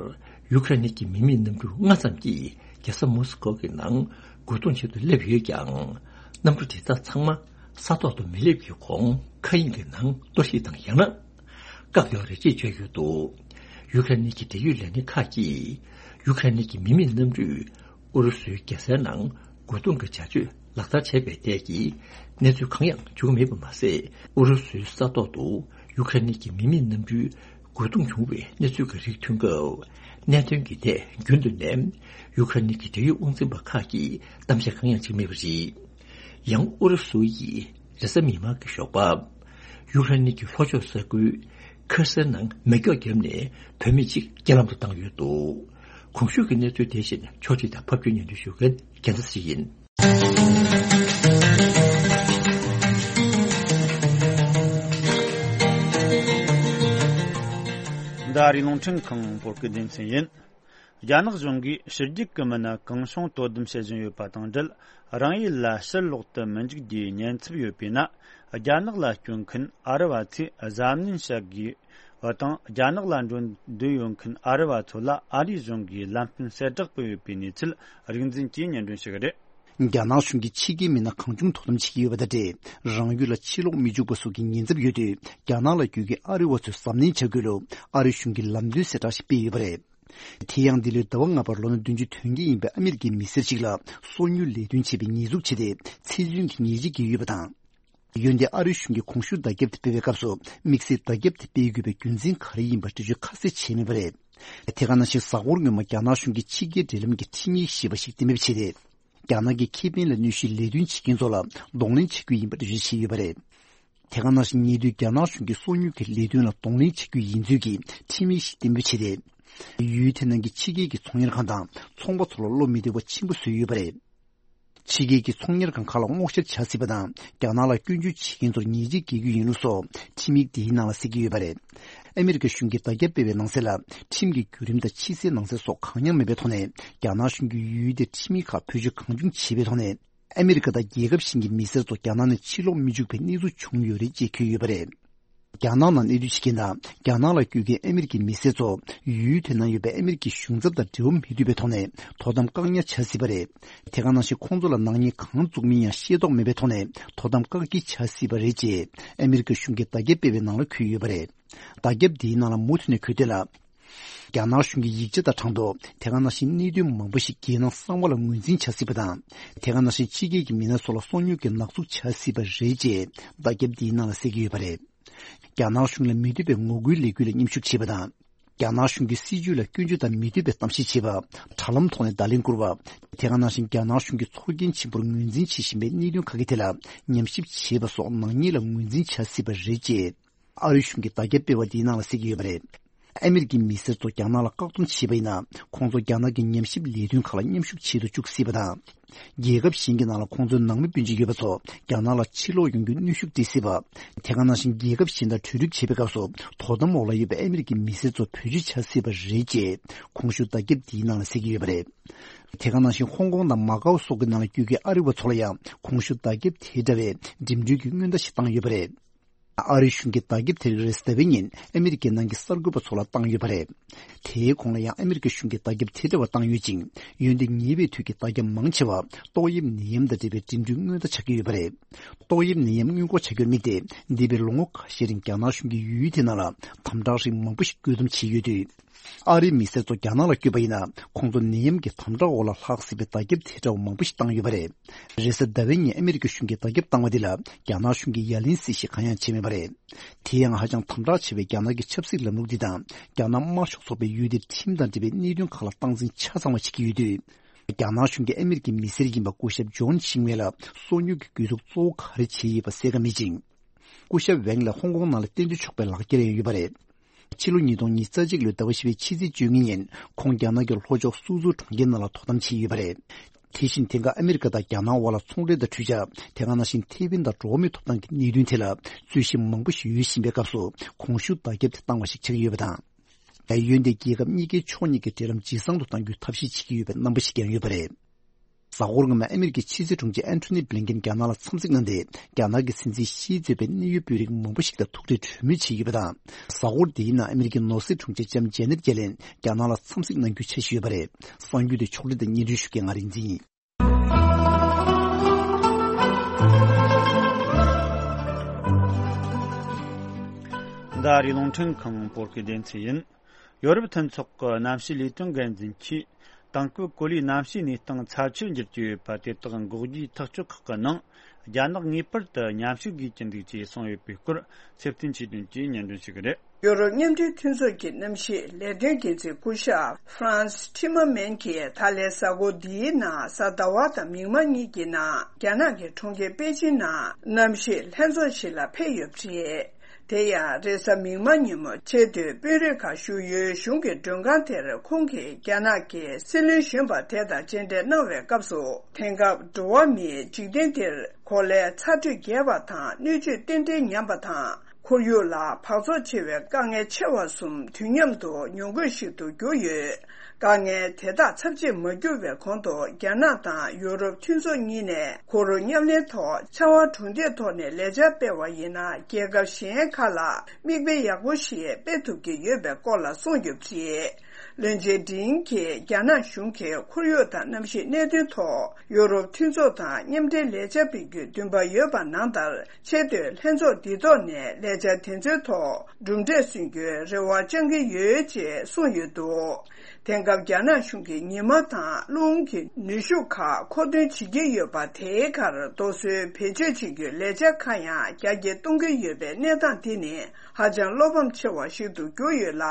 ཡུ་ཁ་རེན་གྱི་མི་མེད་གནམ་གྲུ་ལྔ་ཙམ་གྱིས་རྒྱལ་ས་མོ་སི་ཀོ་གི་ནང་རྒོལ་རྡུང་བྱེད་དུ་སླེབས་ཡོད་ཀྱང་། གནམ་གྲུ་དེ་དག་ཚང་མ་ས་ཐོག་ཏུ་མི་སླེབས་ཀྱི་གོང་མཁའ་དབྱིངས་ཀྱི་ནང་གཏོར་བཤིག་དང་ཡང་ན། བཀག་ཡོད་རེད་ཅེས་བརྗོད་ཡོད་འདུག་ཡུ་ཁ་རེན་གྱི་འབྲེལ་ཡོད་ལས་སྣེ་ཁག་གིས། ཡུ་ཁ་རེན་གྱི་མི་མེད་གནམ་གྲུས་ཨུ་རུ་སུའི་རྒྱལ་སའི་ནང་རྒོལ་རྡུང་གི་བྱ་སྤྱོད་ལག་བསྟར་བྱས་པའི་ཐད་ཀྱི་གནས་ཚུལ་གང་ཡང་བྱུང་མེད་པ་མ་ཟད། ཨུ་རུ་སུའི་ས་ཐོག་ཏུ་ཡུ་ཁ་རེན་གྱི་མི་མེད་གནམ་གྲུས་རྒོལ་རྡུང་བྱུང་བའི་གནས་ཚུལ་གྱི་རིགས་ཐོན་སྐབས། གནད་དོན་གྱི་ཐད་རྒྱུན་དུ་ནས་ཡུ་ཁ་རེན་གྱི་འབྲེལ་ཡོད་དབང་འཛིན་པ་ཁག་གིས་གཏམ་བཤད་གང་ཡང་བྱེད་མེད་པ་རེད། ཡང་ཨུ་རུ་སུ་ཡིས་རེས་གཟའ་མིག་དམར་གྱི་ཞོགས་པ། ཡུ་ཁ་རེན་གྱི་ལྷོ་ཕྱོགས་ས་ཁུལ་ཁེར་སེ་ནང་མེ་སྒྱོགས་བརྒྱབ་ནས་བུད་མེད་ཅིག་རྐྱེན་ལམ་དུ་བཏང་ཡོད་འདུག་གོང་ཞུས་ཀྱི་གནས་ཚུལ་དེ་བཞིན་ཕྱོགས་སྒྲིག་དང་ཕབ་སྒྱུར་སྙན་སྒྲོན་ཞུ་མཁན་རྒྱལ་མཚན་ཞིག་ཡིན། འདི་ཨ་རིའི་རླུང་འཕྲིན་ཁང་བོད་སྐད་སྡེ་ཚན་ཡིན། རྒྱ་ནག་གཞུང་གིས་ཕྱི་རྒྱལ་གྱི་མི་སྣ་གང་བྱུང་དོ་དམ་བྱེད་བཞིན་ཡོད་པ་དང་འབྲེལ། རང་ཡུལ་ལ་ཕྱིར་ལོག་ཏུ་མི་འཇུག་རྒྱུའི་ཉེན་ཚབས་ཡོད་པས་ན། རྒྱ་ནག་ལ་སྐྱོད་མཁན་ཨ་རི་བ་ཚོས་གཟབ་ནན་བྱ་དགོས་པ་དང་། རྒྱ་ནག་ལ་འགྲོ་འདོད་ཡོད་མཁན་ཨ་རི་བ་ཚོ་ལ་ཨ་རིའི་གཞུང་གིས་ལམ་སྟོན་གསལ་དྲག་སྤེལ་ཡོད་པའི་གནས་ཚུལ་རིག་འཛིན་གྱིས་སྙན་སྒྲོན་ཞུ་གི་རེད། རྒྱ་ནག་གཞུང་གིས་ཕྱི་རྒྱལ་མི་སྣ་གང་བྱུང་དོ་དམ་བྱེད་ཀྱི་ཡོད་པ་དང་འབྲེལ། རང་ཡུལ་ལ་ཕྱིར་ལོག་མི་འཇུག་པ་སོགས་ཀྱི་ཉེན་ཚབས་ཡོད་དུས། རྒྱ་ནག་ལ་བསྐྱོད་མཁན་ཨ་རི་བ་ཚོས་གཟབ་ནན་བྱ་དགོས་ལུགས་ཨ་རི་གཞུང་གིས་ལམ་སྟོན་གསལ་བསྒྲགས་ཤིག་སྤེལ་ཡོད་པ་རེད། དེ་ཡང་འདི་ལོའི་ཟླ་བ་ལྔ་པར་ལོ་ན་བདུན་ཅུ་དོན་བརྒྱད་ཡིན་པའི་ཨ་མི་རི་ཀའི་མི་སེར་ཞིག་ལ་སོ་ཉུལ་ལས་དོན་བྱས་པའི་ཉེས་འཛུགས་བྱས་ཏེ། ཚེ་བཙོན་གྱི་ཉེས་ཆད་བཀལ་ཡོད་པ་དང་། འོན་ཏེ་ཨ་རིའི་གཞུང་གིས་གོང་ཞུས་བརྡ་ཁྱབ་དེ་སྤེལ་བའི་སྐབས་སུ། དམིགས་བསལ་བརྡ་ཁྱབ་དེ་སྤེལ་དགོས་པའི་རྒྱུ་མཚན་ག་རེ་ཡིན་པ་འགྲེལ་བརྗོད་ཁ་གསལ་བྱས་མེད་པ་རེད། དེ་ག་ནང་བཞིན་གཟའ་འཁོར་སྔོན་མ་རྒྱ་ནག་གཞུང་གིས་ཕྱི་རྒྱལ་འབྲེལ་ལམ་གྱི་ཁྲིམས་ཡིག་ཞེས་པ་ཞིག་གཏན་འབེབས་བྱས་ཏེ། རྒྱ་ནག་གི་ཁེ་ཕན་ལ་གནོད་གཞིའི་ལས་དོན་བྱེད་མཁན་ཚོ་ལ་གདོང་ལེན་བྱེད་རྒྱུ་ཡིན་པ་འགྲེལ་བརྗོད་བྱས་ཡོད་པ་རེད། དེ་ག་ནང་བཞིན་ཉེ་དུས་རྒྱ་ནག་གཞུང་གིས་སོ་ཉུལ་གྱི་ལས་དོན་ལ་གདོང་ལེན་བྱེད་རྒྱུ་ཡིན་ཚུལ་གྱི་ཁྲིམས་ཡིག་ཞིག་གཏན་འབེབས་བྱས་ཏེ། ཡུལ་དེ་ནང་གི་ཕྱི་རྒྱལ་གྱི་ཚོང་གཉེར་ཁང་དང་ཚོང་པ་ཚོ་ལ་བློ་མི་བདེ་བ་ཆེན་པོ་བཟོས་ཡོད་པ་རེད། ཕྱི་རྒྱལ་གྱི་ཚོང་གཉེར་ཁང་ཁག་ལ་སྔོག་བཤེར་བྱ་སྲིད་པ་དང་། རྒྱ་ནག་ལ་སྐྱོན་བརྗོད་བྱེད་མཁན་ཚོར་ཉེས་ཆད་འགེལ་རྒྱུ་ཡིན་ལུགས་སོགས་ཁྲིམས་ཡིག་འདིའི་ནང་ལ་གསལ་གྱི་ཡོད་པ་རེད། ཨ་མི་རི་ཀ་གཞུང་གིས་བརྡ་ཁྱབ་སྤེལ་བའི་ནང་གསལ་ལ། ཁྲིམས་ཀྱི་བརྒྱུད་རིམ་དང་ཕྱི་གསལ་ནང་གསལ་སོགས་གང་ཡང་མེད་པའི་ཐོག་ནས། རྒྱ་ནག་གཞུང་གིས་ཡུལ་དེར་ཁྲིམས་ཡིག་ཁག་བེད་སྤྱོད་གང་བྱུང་བྱས་པའི་ཐོག་ནས། ཨ་མི་རི་ཀ་དང་རྒྱལ་ཁབ་གཞན་གྱི་མི་སེར་ཚོ་རྒྱ་ནག་ནས་ཕྱིར་ལོག་མི་འཇུག་པའི་གནས་ཚུལ་བྱུང་ཡོད་རེད་ཅེས་འཁོད་ཡོད་པ་རེད། རྒྱ་ནག་ནང་གནས་སྡོད་བྱེད་མཁན་དང་། རྒྱ་ནག་ལ་བསྐྱོད་མཁན་ཨ་མི་རི་ཀའི་མི་སེར་ཚོ། ཡུལ་དེ་ནང་ཡོད་པའི་ཨ་མི་རི་ཀའི་གཞུང་ཚབ་དང་འབྲེལ་བ་མི་ཐུབ་པའི་ཐོག་ནས། དོ་དམ་བཀག་ཉར་བྱ་སྲིད་པ་རེད། དེ་ག་ནང་བཞིན་ཁོང་ཚོ་ལ་ནག་ཉེས་གང་བཙུགས་མིན་ཡང་ཤེས་རྟོགས་མེད་པའི་ཐོག་ནས། དོ་དམ་བཀག་སྐྱིལ་བྱ་སྲིད་པ་རེད་ཅེས། ཨ་མི་རི་ཀ་གཞུང་གིས་བརྡ་ཁྱབ་སྤེལ་བའི་ནང་ལ་འཁོད་ཡོད་པ་རེད། བརྡ་ཁྱབ་འདིའི་ནང་ལ་མུ་མཐུད་ནས་འཁོད་དོན་ལ། རྒྱ་ནག་གཞུང་གི་ཡིག་ཆ་དང་གྲངས་ཐོ། དེ་ག་ནང་བཞིན་གནད་དོན་མང་པོ་ཞིག་རྒྱལ་ནང་གསང་བ་ལ་ངོས་འཛིན་བྱ་སྲིད་པ་དང་། དེ་ག་ནང་བཞིན་ཕྱི་རྒྱལ་གྱི་མི་སྣ་ཚོ་ལ་སོ་ཉུལ་གྱི་ནག་འཛུགས་བྱ་སྲིད་པ་རེད་ཅེས་བརྡ་ཁྱབ་འདིའི་ནང་ལ་གསལ་གྱི་ཡོད་པ་རེད། རྒྱ་ནག་གཞུང་ལ་མི་འདོད་པའི་ངོ་རྒོལ་ལས་འགུལ་ལ་མཉམ་ཞུགས་བྱེད་པ་དང་། རྒྱ་ནག་གཞུང་གི་སྲིད་བྱུས་ལ་སྐྱོན་བརྗོད་དང་མི་འདོད་པའི་གཏམ་བཤད་བྱེད་པ། དྲ་ལམ་ཐོག་ནས་བརྡ་ལན་བསྐུར་བ། དེ་ག་ནང་བཞིན་རྒྱ་ནག་གཞུང་གིས་ཚོར་སྐྱེན་ཆེན་པོར་ངོས་འཛིན་བྱེད་བཞིན་པའི་གནད་དོན་ཁག་གི་ཐད་ལ་ཉམས་ཞིབ་བྱེད་པ་སོགས་ནག་ཉེས་ལ་ངོས་འཛིན་བྱ་སྲིད་པ་རེད་ཅེས། ཨ་རིའི་གཞུང་གིས་བརྡ་ཁྱབ་སྤེལ་བ་འདིའི་ནང་ལ་གསལ་གྱི་ཡོད་པ་རེད། ཨ་མི་རི་ཀའི་མི་སེར་ཚོ་རྒྱ་ནག་ལ་བཀག་སྡོམ་བྱས་པ་ཡིན་ན། ཁོང་ཚོ་རྒྱ་ནག་གི་ཉམས་ཞིབ་ལས་དོན་ཁག་ལ་མཉམ་ཞུགས་བྱེད་དུ་བཅུག་སྲིད་པ་དང་། རྒྱལ་ཁབ་གཞན་གྱི་ནང་ལ་ཁོང་ཚོའི་ནང་མི་སྤུན་མཆེད་ཡོད་པ་ཚོ་རྒྱ་ནག་ལ་ཕྱིར་ལོག་ཡོང་རྒྱུའི་གནོན་ཤུགས་སྤྲད་སྲིད་པ། དེ་ག་ནང་བཞིན་རྒྱལ་ཁབ་གཞན་དང་གྲོས་སྒྲིག་བྱེད་པའི་སྐབས་སུ་དོ་དམ་འོག་ལ་ཡོད་པའི་ཨ་མི་རི་ཀའི་མི་སེར་ཚོ་བེད་སྤྱོད་བྱ་སྲིད་པ་རེད་ཅེས་གོང་ཞུས་བརྡ་ཁྱབ་འདིའི་ནང་ལ་གསལ་གྱི་ཡོད་པ་རེད། དེ་ག་ནང་བཞིན་ཧོང་ཀོང་དང་མ་ཀའོ་སོགས་ཀྱི་ནང་ལ་བསྐྱོད་མཁན་ཨ་རི་བ་ཚོ་ལ་ཡང་གོང་ཞུས་བརྡ་ཁྱབ་དེ་འདྲ་བའི་འགྲིམ་འགྲུལ་གྱི་སྔོན་བརྡ་ཞིག་བཏང་ཡོད་པ་རེད། ཨ་རིའི་གཞུང་གིས་བརྡ་ཁྱབ་དེ་རིགས་རེས་གཟའ་ཟླ་བའི་ཉིན་ཨ་མི་རི་ཀའི་ནང་གི་གསར་འགོད་པ་ཚོ་ལ་བཏང་ཡོད་པ་རེད། དེའི་གོང་ལ་ཡང་ཨ་མི་རི་ཀའི་གཞུང་གིས་བརྡ་ཁྱབ་དེ་འདྲ་བ་བཏང་ཡོད་ཅིང་། འོན་ཏེ་ཉེ་བའི་དུས་ཀྱི་བརྡ་ཁྱབ་མང་ཆེ་བ་ཏོག་དབྱིབས་ནད་ཡམས་དང་འབྲེལ་བའི་འགྲིམ་འགྲུལ་སྔོན་བརྡ་ཆགས་ཀྱི་ཡོད་པ་རེད། ཏོག་དབྱིབས་ནད་ཡམས་སྔོན་འགོག་བྱ་རྒྱུར་དམིགས་ཏེ། འདས་པའི་ལོ་ངོ་ཁ་ཤས་རིང་རྒྱ་ནག་གཞུང་གིས་ཡུལ་དེ་ནང་ལ་དམ་དྲག་རིགས་མང་པོ་ཞིག་བཀོད་འདོམས་བྱས་ཡོད་དུས། ཨ་རིའི་མི་སེར་ཚོ་རྒྱ་ནག་ལ་བསྐྱོད་པ་ཡིན་ན། ཁོང་ཚོ་ནད་ཡམས་ཀྱི་དམ་དྲག་འོག་ལ་ལྷག་སྲིད་པའི་བརྡ་ཁྱབ་དེ་འདྲ་བ་མང་པོ་ཞིག་བཏང་ཡོད་པ་རེད། རེས་གཟའ་ཟླ་བའི་ཉིན་ཨ་མི་རི་ཀའི་གཞུང་གིས་བརྡ་ཁྱབ་བཏང་བ་འདི་ལ་རྒྱ་ནག་གཞུང་གིས་ཡ་ལན་གསལ་བཤད་གང་ཡང་བྱས་མེད་པ་རེད། དེ་ཡང་ཧ་ཅང་དམ་དྲག་ཆེ་བའི་རྒྱ་ནག་གི་ཆབ་སྲིད་ལམ་ལུགས་འདི་དང་རྒྱ་ནག་དམར་ཤོག་ཚོགས་པས་ཡུལ་དེར་ཁྲིམས་དང་འབྲེལ་བའི་གནད་དོན་ཁག་ལ་སྟངས་འཛིན་ཆ་ཚང་བ་བྱེད་ཀྱི་ཡོད་དུས། རྒྱ་ནག་གཞུང་གིས་ཨ་མི་རི་ཀའི་མི་སེར་ཡིན་པ་སྐུ་ཞབས་ཇོན་ཤིང་ཝེ་ལ་སོ་ཉུལ་གྱི་གྱོད་གཏུག་གཙོ་བོ་ག་རེ་བྱས་ཡོད་པ་གསལ་ཁ་མེད་ཅིང་། སྐུ་ཞབས་ཝེང་ལ་ཧོང་ཀོང་ནང་ལ་གཏན་སྡོད་ཆོག་པའི་ལག་འཁྱེར་ཡང་ཡོད་པ་རེད། ཕྱི་ལོ་ཉིས་སྟོང་ཉི་ཤུ་རྩ་གཅིག་ལོའི་ཟླ་བ་བཞི་པའི་ཕྱི་ཚེས་བཅུ་གཉིས་ཉིན་ཁོང་རྒྱ་ནག་གི་ལྷོ་ཕྱོགས་སུའུ་ཙུའུ་གྲོང་ཁྱེར་ནང་ལ་དོ་དམ་བྱས་ཡོད་པ་རེད། དེ་བཞིན་དེང་སྐབས་ཨ་མི་རི་ཀ་དང་རྒྱ་ནག་དབར་ལ་ཚོང་འབྲེལ་དང་འཕྲུལ་ཆས། དེ་ག་ནང་བཞིན་ཐེ་ཝན་དང་འགྲོ་བ་མིའི་ཐོབ་ཐང་གི་གནད་དོན་ཐད་ལ་རྩོད་གཞི་མང་པོ་ཞིག་ཡོད་བཞིན་པའི་སྐབས་སུ་གོང་ཞུ་བརྡ་ཁྱབ་དེ་བཏང་བ་ཞིག་ཆགས་ཀྱི་ཡོད་པ་དང་། ད་ཡོན་ཏན་རྒྱལ་ཁབ་གཉིས་ཀའི་ཕྱོགས་གཉིས་ཀྱི་འབྲེལ་ལམ་ཇེ་བཟང་དུ་གཏང་རྒྱུའི་ཐབས་ཤེས་བྱེད་ཀྱི་ཡོད་པའི་རྣམ་པ་ཞིག་ཀྱང་ཡོད་པ་རེད། གཟའ་འཁོར་སྔ་མ་ཨ་མི་རི་ཀའི་ཕྱི་སྲིད་དྲུང་ཆེ་ཨན་ཐོ་ནི་བྷི་ལིན་ཀེན་རྒྱ་ནག་ལ་འཚམས་གཟིགས་གནང་སྟེ། རྒྱ་ནག་གི་སྲིད་འཛིན་ཞིས་གཙོས་པའི་གནད་ཡོད་དཔོན་རིགས་མང་པོ་ཞིག་དང་ཐུག་འཕྲད་གྲོས་མོལ་བྱས་ཡོད་པ་དང་། གཟའ་འཁོར་འདིའི་ནང་ཨ་མི་རི་ཀའི་ནོར་སྲིད་དྲུང་ཆེ་ལྕམ་ཇེ་ནེད་ཡེ་ལེན་རྒྱ་ནག་ལ་འཚམས་གཟིགས་གནང་རྒྱུའི་འཆར་གཞི་ཡོད་པ་རེད། གསར་འགྱུར་དེ་ཕྱོགས་སྒྲིག་དང་སྙན་སྒྲོན་ཞུ་མཁན་ང་རིག་འཛིན་ཡིན། འདི་ཨ་རིའི་རླུང་འཕྲིན་ཁང་བོད་སྐད་སྡེ་ཚན་ཡིན། ཡོ་རོབ་མཐུན་ཚོགས་ཀྱི་གནམ་གཤིས་ལས་དོན་འགན་འཛིན་གྱིས། དེང་སྐབས་གོ་ལའི་གནམ་གཤིས་གནས་སྟངས་ཚབས་ཆེར་འགྱུར་གྱི་ཡོད་པ་དེ་དག་འགོག་རྒྱུའི་ཐག་གཅོད་ཁག་གི་ནང་། རྒྱ་ནག་ངེས་པར་དུ་མཉམ་ཞུགས་དགོས་ཀྱི་འདུག་ཅེས་གསུངས་ཡོད་པའི་སྐོར། ཚེ་བརྟན་ཆོས་སྒྲོན་གྱིས་སྙན་སྒྲོན་ཞུ་གི་རེད། ཡོ་རོབ་མཉམ་འབྲེལ་མཐུན་ཚོགས་ཀྱི་གནམ་གཤིས་ལས་དོན་འགན་འཛིན་སྐུ་ཞབས་Frans Timmermans གྱིས་ད་ལན་གཟའ་འཁོར་འདིའི་ནང་གཟའ་ཟླ་བ་དང་མིག་དམར་གཉིས་ཀྱི་ནང་རྒྱ་ནག་གི་གྲོང་ཁྱེར་པེ་ཅིན་ནང་གནམ་གཤིས་ལྷན་ཚོགས་ཤིག་ལ་ཕེབས་ཡོད་པ་རེད། དེ་ཡང་རེས་གཟའ་མིག་དམར་ཉིན་མོ་ཆེས་མཐོའི་དཔོན་རིགས་ཁག་ཞུགས་ཡུལ་གཞུང་གི་མགྲོན་ཁང་དེར་ཁོང་གིས་རྒྱ་ནག་གི་སྲིད་བློན་གཞོན་པ་དེ་དང་མཇལ་འཕྲད་གནང་བའི་སྐབས་སུ། དེང་སྐབས་འགྲོ་བ་མིའི་འཇིག་རྟེན་འདིར་གོ་ལའི་ཚ་དྲོད་རྒྱས་པ་དང་སྣོད་བཅུད་རྟེན་འབྲེལ་ཉམས་པ་དང་། ཁོར་ཡུག་ལ་འབག་བཙོག་ཆེ་བའི་དཀའ་ངལ་ཆེ་བ་གསུམ་དུས་མཉམ་དུ་ཉོ་དགོས་ཤིག་ཏུ་གྱུར་ཡོད། དཀའ་ངལ་དེ་དག་ཚབས་ཆེར་མ་གྱུར་བའི་གོང་དུ་རྒྱ་ནག་དང་ཡུ་རོབ་མཐུན་ཚོགས་གཉིས་ནས་གུ་རུ་མཉམ་ལེན་ཐོག་ཕྱར་བ་གྲུ་འདེགས་ཐོག་ནས་ལས་འཆར་སྤེལ་བ་ཡིན་ན་རྒྱལ་ཁབ་གཞན་ཁག་ལ་མིག་དཔེ་ཡག་པོ་ཞིག་སྤེལ་ཐུབ་ཀྱི་ཡོད་པའི་སྐོར་ལ་གསུངས་ཡོད་པ་རེད། བློན་ཆེན་ཌིན་གྱིས་རྒྱ་ནག་གཞུང་གིས་ཁོར་ཡུག་དང་གནམ་གཤིས་གནད་དོན་ཐོག་ཡུ་རོབ་མཐུན་ཚོགས་དང་མཉམ་འབྲེལ་ལས་འཆར་སྤེལ་རྒྱུའི་འདུན་པ་ཡོད་པ་ནང་ལྟར། ཆེས་མཐོའི་ལྷན་ཚོགས་འདི་ཐོག་ནས་ལས་འཆར་དེ་ཚོའི་ཐོག་གྲུབ་འབྲས་སོན་རྒྱུའི་རེ་བ་བཅང་གི་ཡོད་ཅེས་གསུངས་ཡོད་འདུག་དེང་སྐབས་རྒྱ་ནག་གཞུང་གིས་ཉི་མ་དང་རླུང་གི་ནུས་ཤུགས་ཁག་མཁོ་འདོན་བྱེད་ཀྱི་ཡོད་པ། དེའི་ཁར་རྡོ་སོལ་བེད་སྤྱོད་བྱེད་རྒྱུའི་ལས་འཆར་ཁག་ཡང་རྒྱ་སྐྱེད་གཏོང་གི་ཡོད་པའི་གནས་སྟངས་འདི་ནི་ཧ་ཅང་བློ་ཕམ་ཆེ་བ་ཞིག་ཏུ་གྱུར་ཡོད་ལ།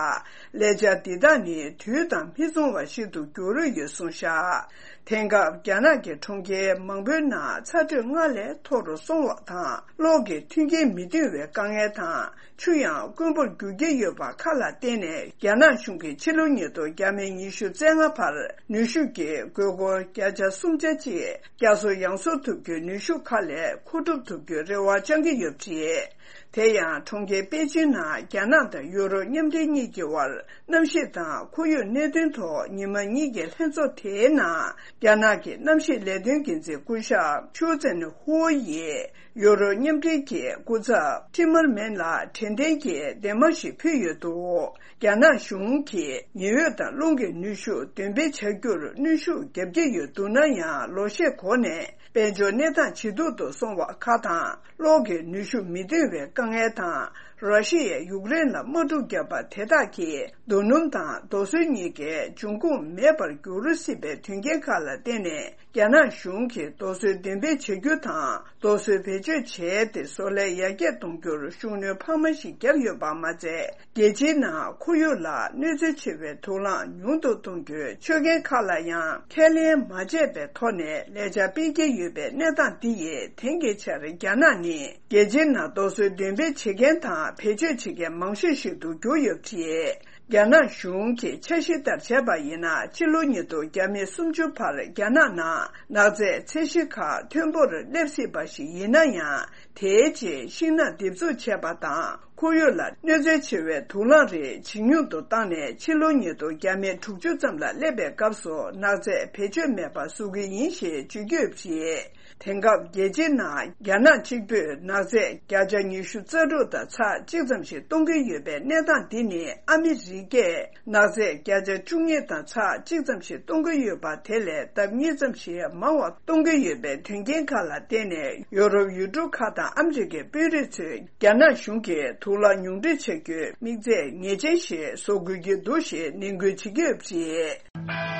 ལས་འཆར་འདི་དག་ནི་དུས་དང་མི་མཚུངས་པ་ཞིག་ཏུ་གྱུར་ཡོད་གསུངས་བཞག་དེང་སྐབས་རྒྱ་ནག་གི་གྲོང་ཁྱེར་མང་པོའི་ནང་ཚ་དྲོད་སྔར་ལས་མཐོ་རུ་སོང་བ་དང་། གློག་གི་མཐུན་རྐྱེན་མི་ཐོན་པའི་དཀའ་ངལ་དང་། ཆུ་ཡང་དཀོན་པོར་འགྱུར་གྱི་ཡོད་པ་ཁག་ལ་བརྟེན་ནས། རྒྱ་ནག་གཞུང་གིས་ཕྱི་ལོ་ཉིས་སྟོང་ཉི་ཤུ་རྩ་ལྔ་བར་ནུས་ཤུགས་ཀྱི་དགོས་མཁོ་བརྒྱ་ཆ་སུམ་ཆ་གཅིག་བསྐྱར་གསོ་ཡང་གསོ་ཐུབ་རྒྱུའི་ནུས་ཤུགས་ཁག་ལས་མཁོ་སྒྲུབ་ཐུབ་རྒྱུའི་རེ་བ་བཅང་གི་ཡོད་པ་རེད། དེ་ཡང་གྲོང་ཁྱེར་པེ་ཅིན་ནང་རྒྱ་ནག་དང་ཡུ་རོབ་མཉམ་འབྲེལ་གཉིས་ཀྱི་དབར་གནམ་གཤིས་དང་ཁོར་ཡུག་གནད་དོན་ཐོག་ཉི་མ་གཉིས་ཀྱི་ལྷན་ཚོགས་དེའི་ནང་། རྒྱ་ནག་གི་གནམ་གཤིས་ལས་དོན་འགན་འཛིན་སྐུ་ཞབས་ཆུའུ་ཙེན་ཧུའུ་ཡིས། ཡུ་རོབ་མཉམ་འབྲེལ་གྱི་སྐུ་ཚབ་ཐི་མར་མན་ལ་དྲན་རྟེན་གྱི་འདེམས་མ་ཞིག་ཕུལ་ཡོད་འདུག་རྒྱ་ནག་གཞུང་གིས་ཉི་འོད་དང་རླུང་གི་ནུས་ཤུགས་འདོན་སྤེལ་བྱ་རྒྱུར་གནོན་ཤུགས་བརྒྱབ་ཀྱི་ཡོད་འདུག་ན་ཡང་། ལོ་ཤས་གོང་ནས་དཔལ་འབྱོར་གནས་སྟངས་ཇེ་སྡུག་ཏུ་སོང་བ་ཁག་དང་། གློག་གི་ནུས་ཤུགས་མི་ཐོན་པའི་དཀའ་ངལ་དང་། ར་ཤི་ཡས་ཡུཀ་རེན་ལ་དམག་འཁྲུག་བརྒྱབ་པ་དེ་དག་གིས་རྡོ་སྣུམ་དང་རྡོ་སོལ་གཉིས་ཀའི་འབྱུང་ཁུངས་མེད་པར་འགྱུར་སྲིད་པའི་དོན་རྐྱེན་ཁག་ལ་བརྟེན་ནས། རྒྱ་ནག་གཞུང་གིས་རྡོ་སོལ་འདོན་སྤེལ་བྱ་རྒྱུ་དང་། རྡོ་སོལ་བེད་སྤྱོད་བྱས་ཏེ་བཟོ་ལས་ཡར་རྒྱས་གཏོང་རྒྱུར་ཤུགས་སྣོན་འཕར་མ་ཞིག་བརྒྱབ་ཡོད་པ་མ་ཚད། རྒྱལ་སྤྱིའི་ནང་ཁོར་ཡུག་ལ་གནོད་འཚེ་ཆེ་བའི་དུག་རླངས་ཉུང་དུ་གཏོང་རྒྱུའི་ཆོད་གན་ཁག་ལ་ཡང་ཁས་ལེན་མ་བྱས་པའི་ཐོག་ནས་ལས་འཆར་སྤེལ་གྱི་ཡོད་པའི་གནས་སྟངས་འདི་ཡིས། དེང་གི་ཆར་རྒྱ་ནག་ནི་རྒྱལ་སྤྱིའི་ནང་རྡོ་སོལ་འདོན་སྤེལ་བྱེད་མཁན་དང་བེད་སྤྱོད་བྱེད་མཁན་མང་ཤོས་ཤིག་ཏུ་གྱུར་ཡོད་པ་རེད། རྒྱ་ནག་གཞུང་གིས་འཆར་གཞི་ལྟར་བྱས་པ་ཡིན་ན། ཕྱི་ལོ་ཉིས་སྟོང་ཉི་ཤུ་བར་རྒྱ་ནག་ནང་ནག་རྫས་ཚད་གཞི་ཁག་མཐོན་པོར་སླེབས་སྲིད་པ་ཞིག་ཡིན་ན་ཡང་། དེའི་རྗེས་ཤིང་ནགས་འདེབས་འཛུགས་བྱས་པ་དང་། ཁོར་ཡུག་ལ་གནོད་འཚེ་ཆེ་བའི་དུག་རླངས་རིགས་ཇེ་ཉུང་དུ་བཏང་ནས། ཕྱི་ལོ་ཉིས་སྟོང་དྲུག་ཅུ་ཙམ་ལ་སླེབས་པའི་སྐབས་སུ་ནག་རྫས་བེད་སྤྱོད་མེད་པ་བཟོ་གི་ཡིན་ཞེས་བརྗོད་ཀྱི་ཡོད་པ་རེད། དེང་སྐབས་རྒྱལ་སྤྱིའི་ནང་རྒྱ་ནག་གཅིག་པུས་ནག་རྫས་བརྒྱ་ཆ་ཉི་ཤུ་རྩ་དྲུག་དང་ཚེག་གཅིག་ཙམ་ཞིག་གཏོང་གི་ཡོད་པའི་གནས་སྟངས་འདི་ནི། ཨ་མི་རི་ཀས་ནག་རྫས་བརྒྱ་ཆ་བཅུ་གཉིས་དང་ཚེག་གཅིག་ཙམ་ཞིག་གཏོང་གི་ཡོད་པ། དེ་ལས་ལྡབ་གཉིས་ཙམ་ཞིག་མང་བ་གཏོང་གི་ཡོད་པའི་དོན་རྐྱེན་ཁག་ལ་བརྟེན་ནས། ཡོ་རོབ་ཡུལ་གྲུ་ཁག་དང་ཨ་མི་རི་ཀའི་དཔོན་རིགས་ཚོས་རྒྱ་ནག་གཞུང་གིས་དུག་རླངས་ཉུང་འཕྲི་བྱ་རྒྱུའི་དམིགས་ཚད་ངེས་ཅན་ཞིག་བཟོ་དགོས་ཀྱི་འདུག་ཞེས་ནན་སྐུལ་བྱེད་ཀྱི་ཡོད་པ་རེད།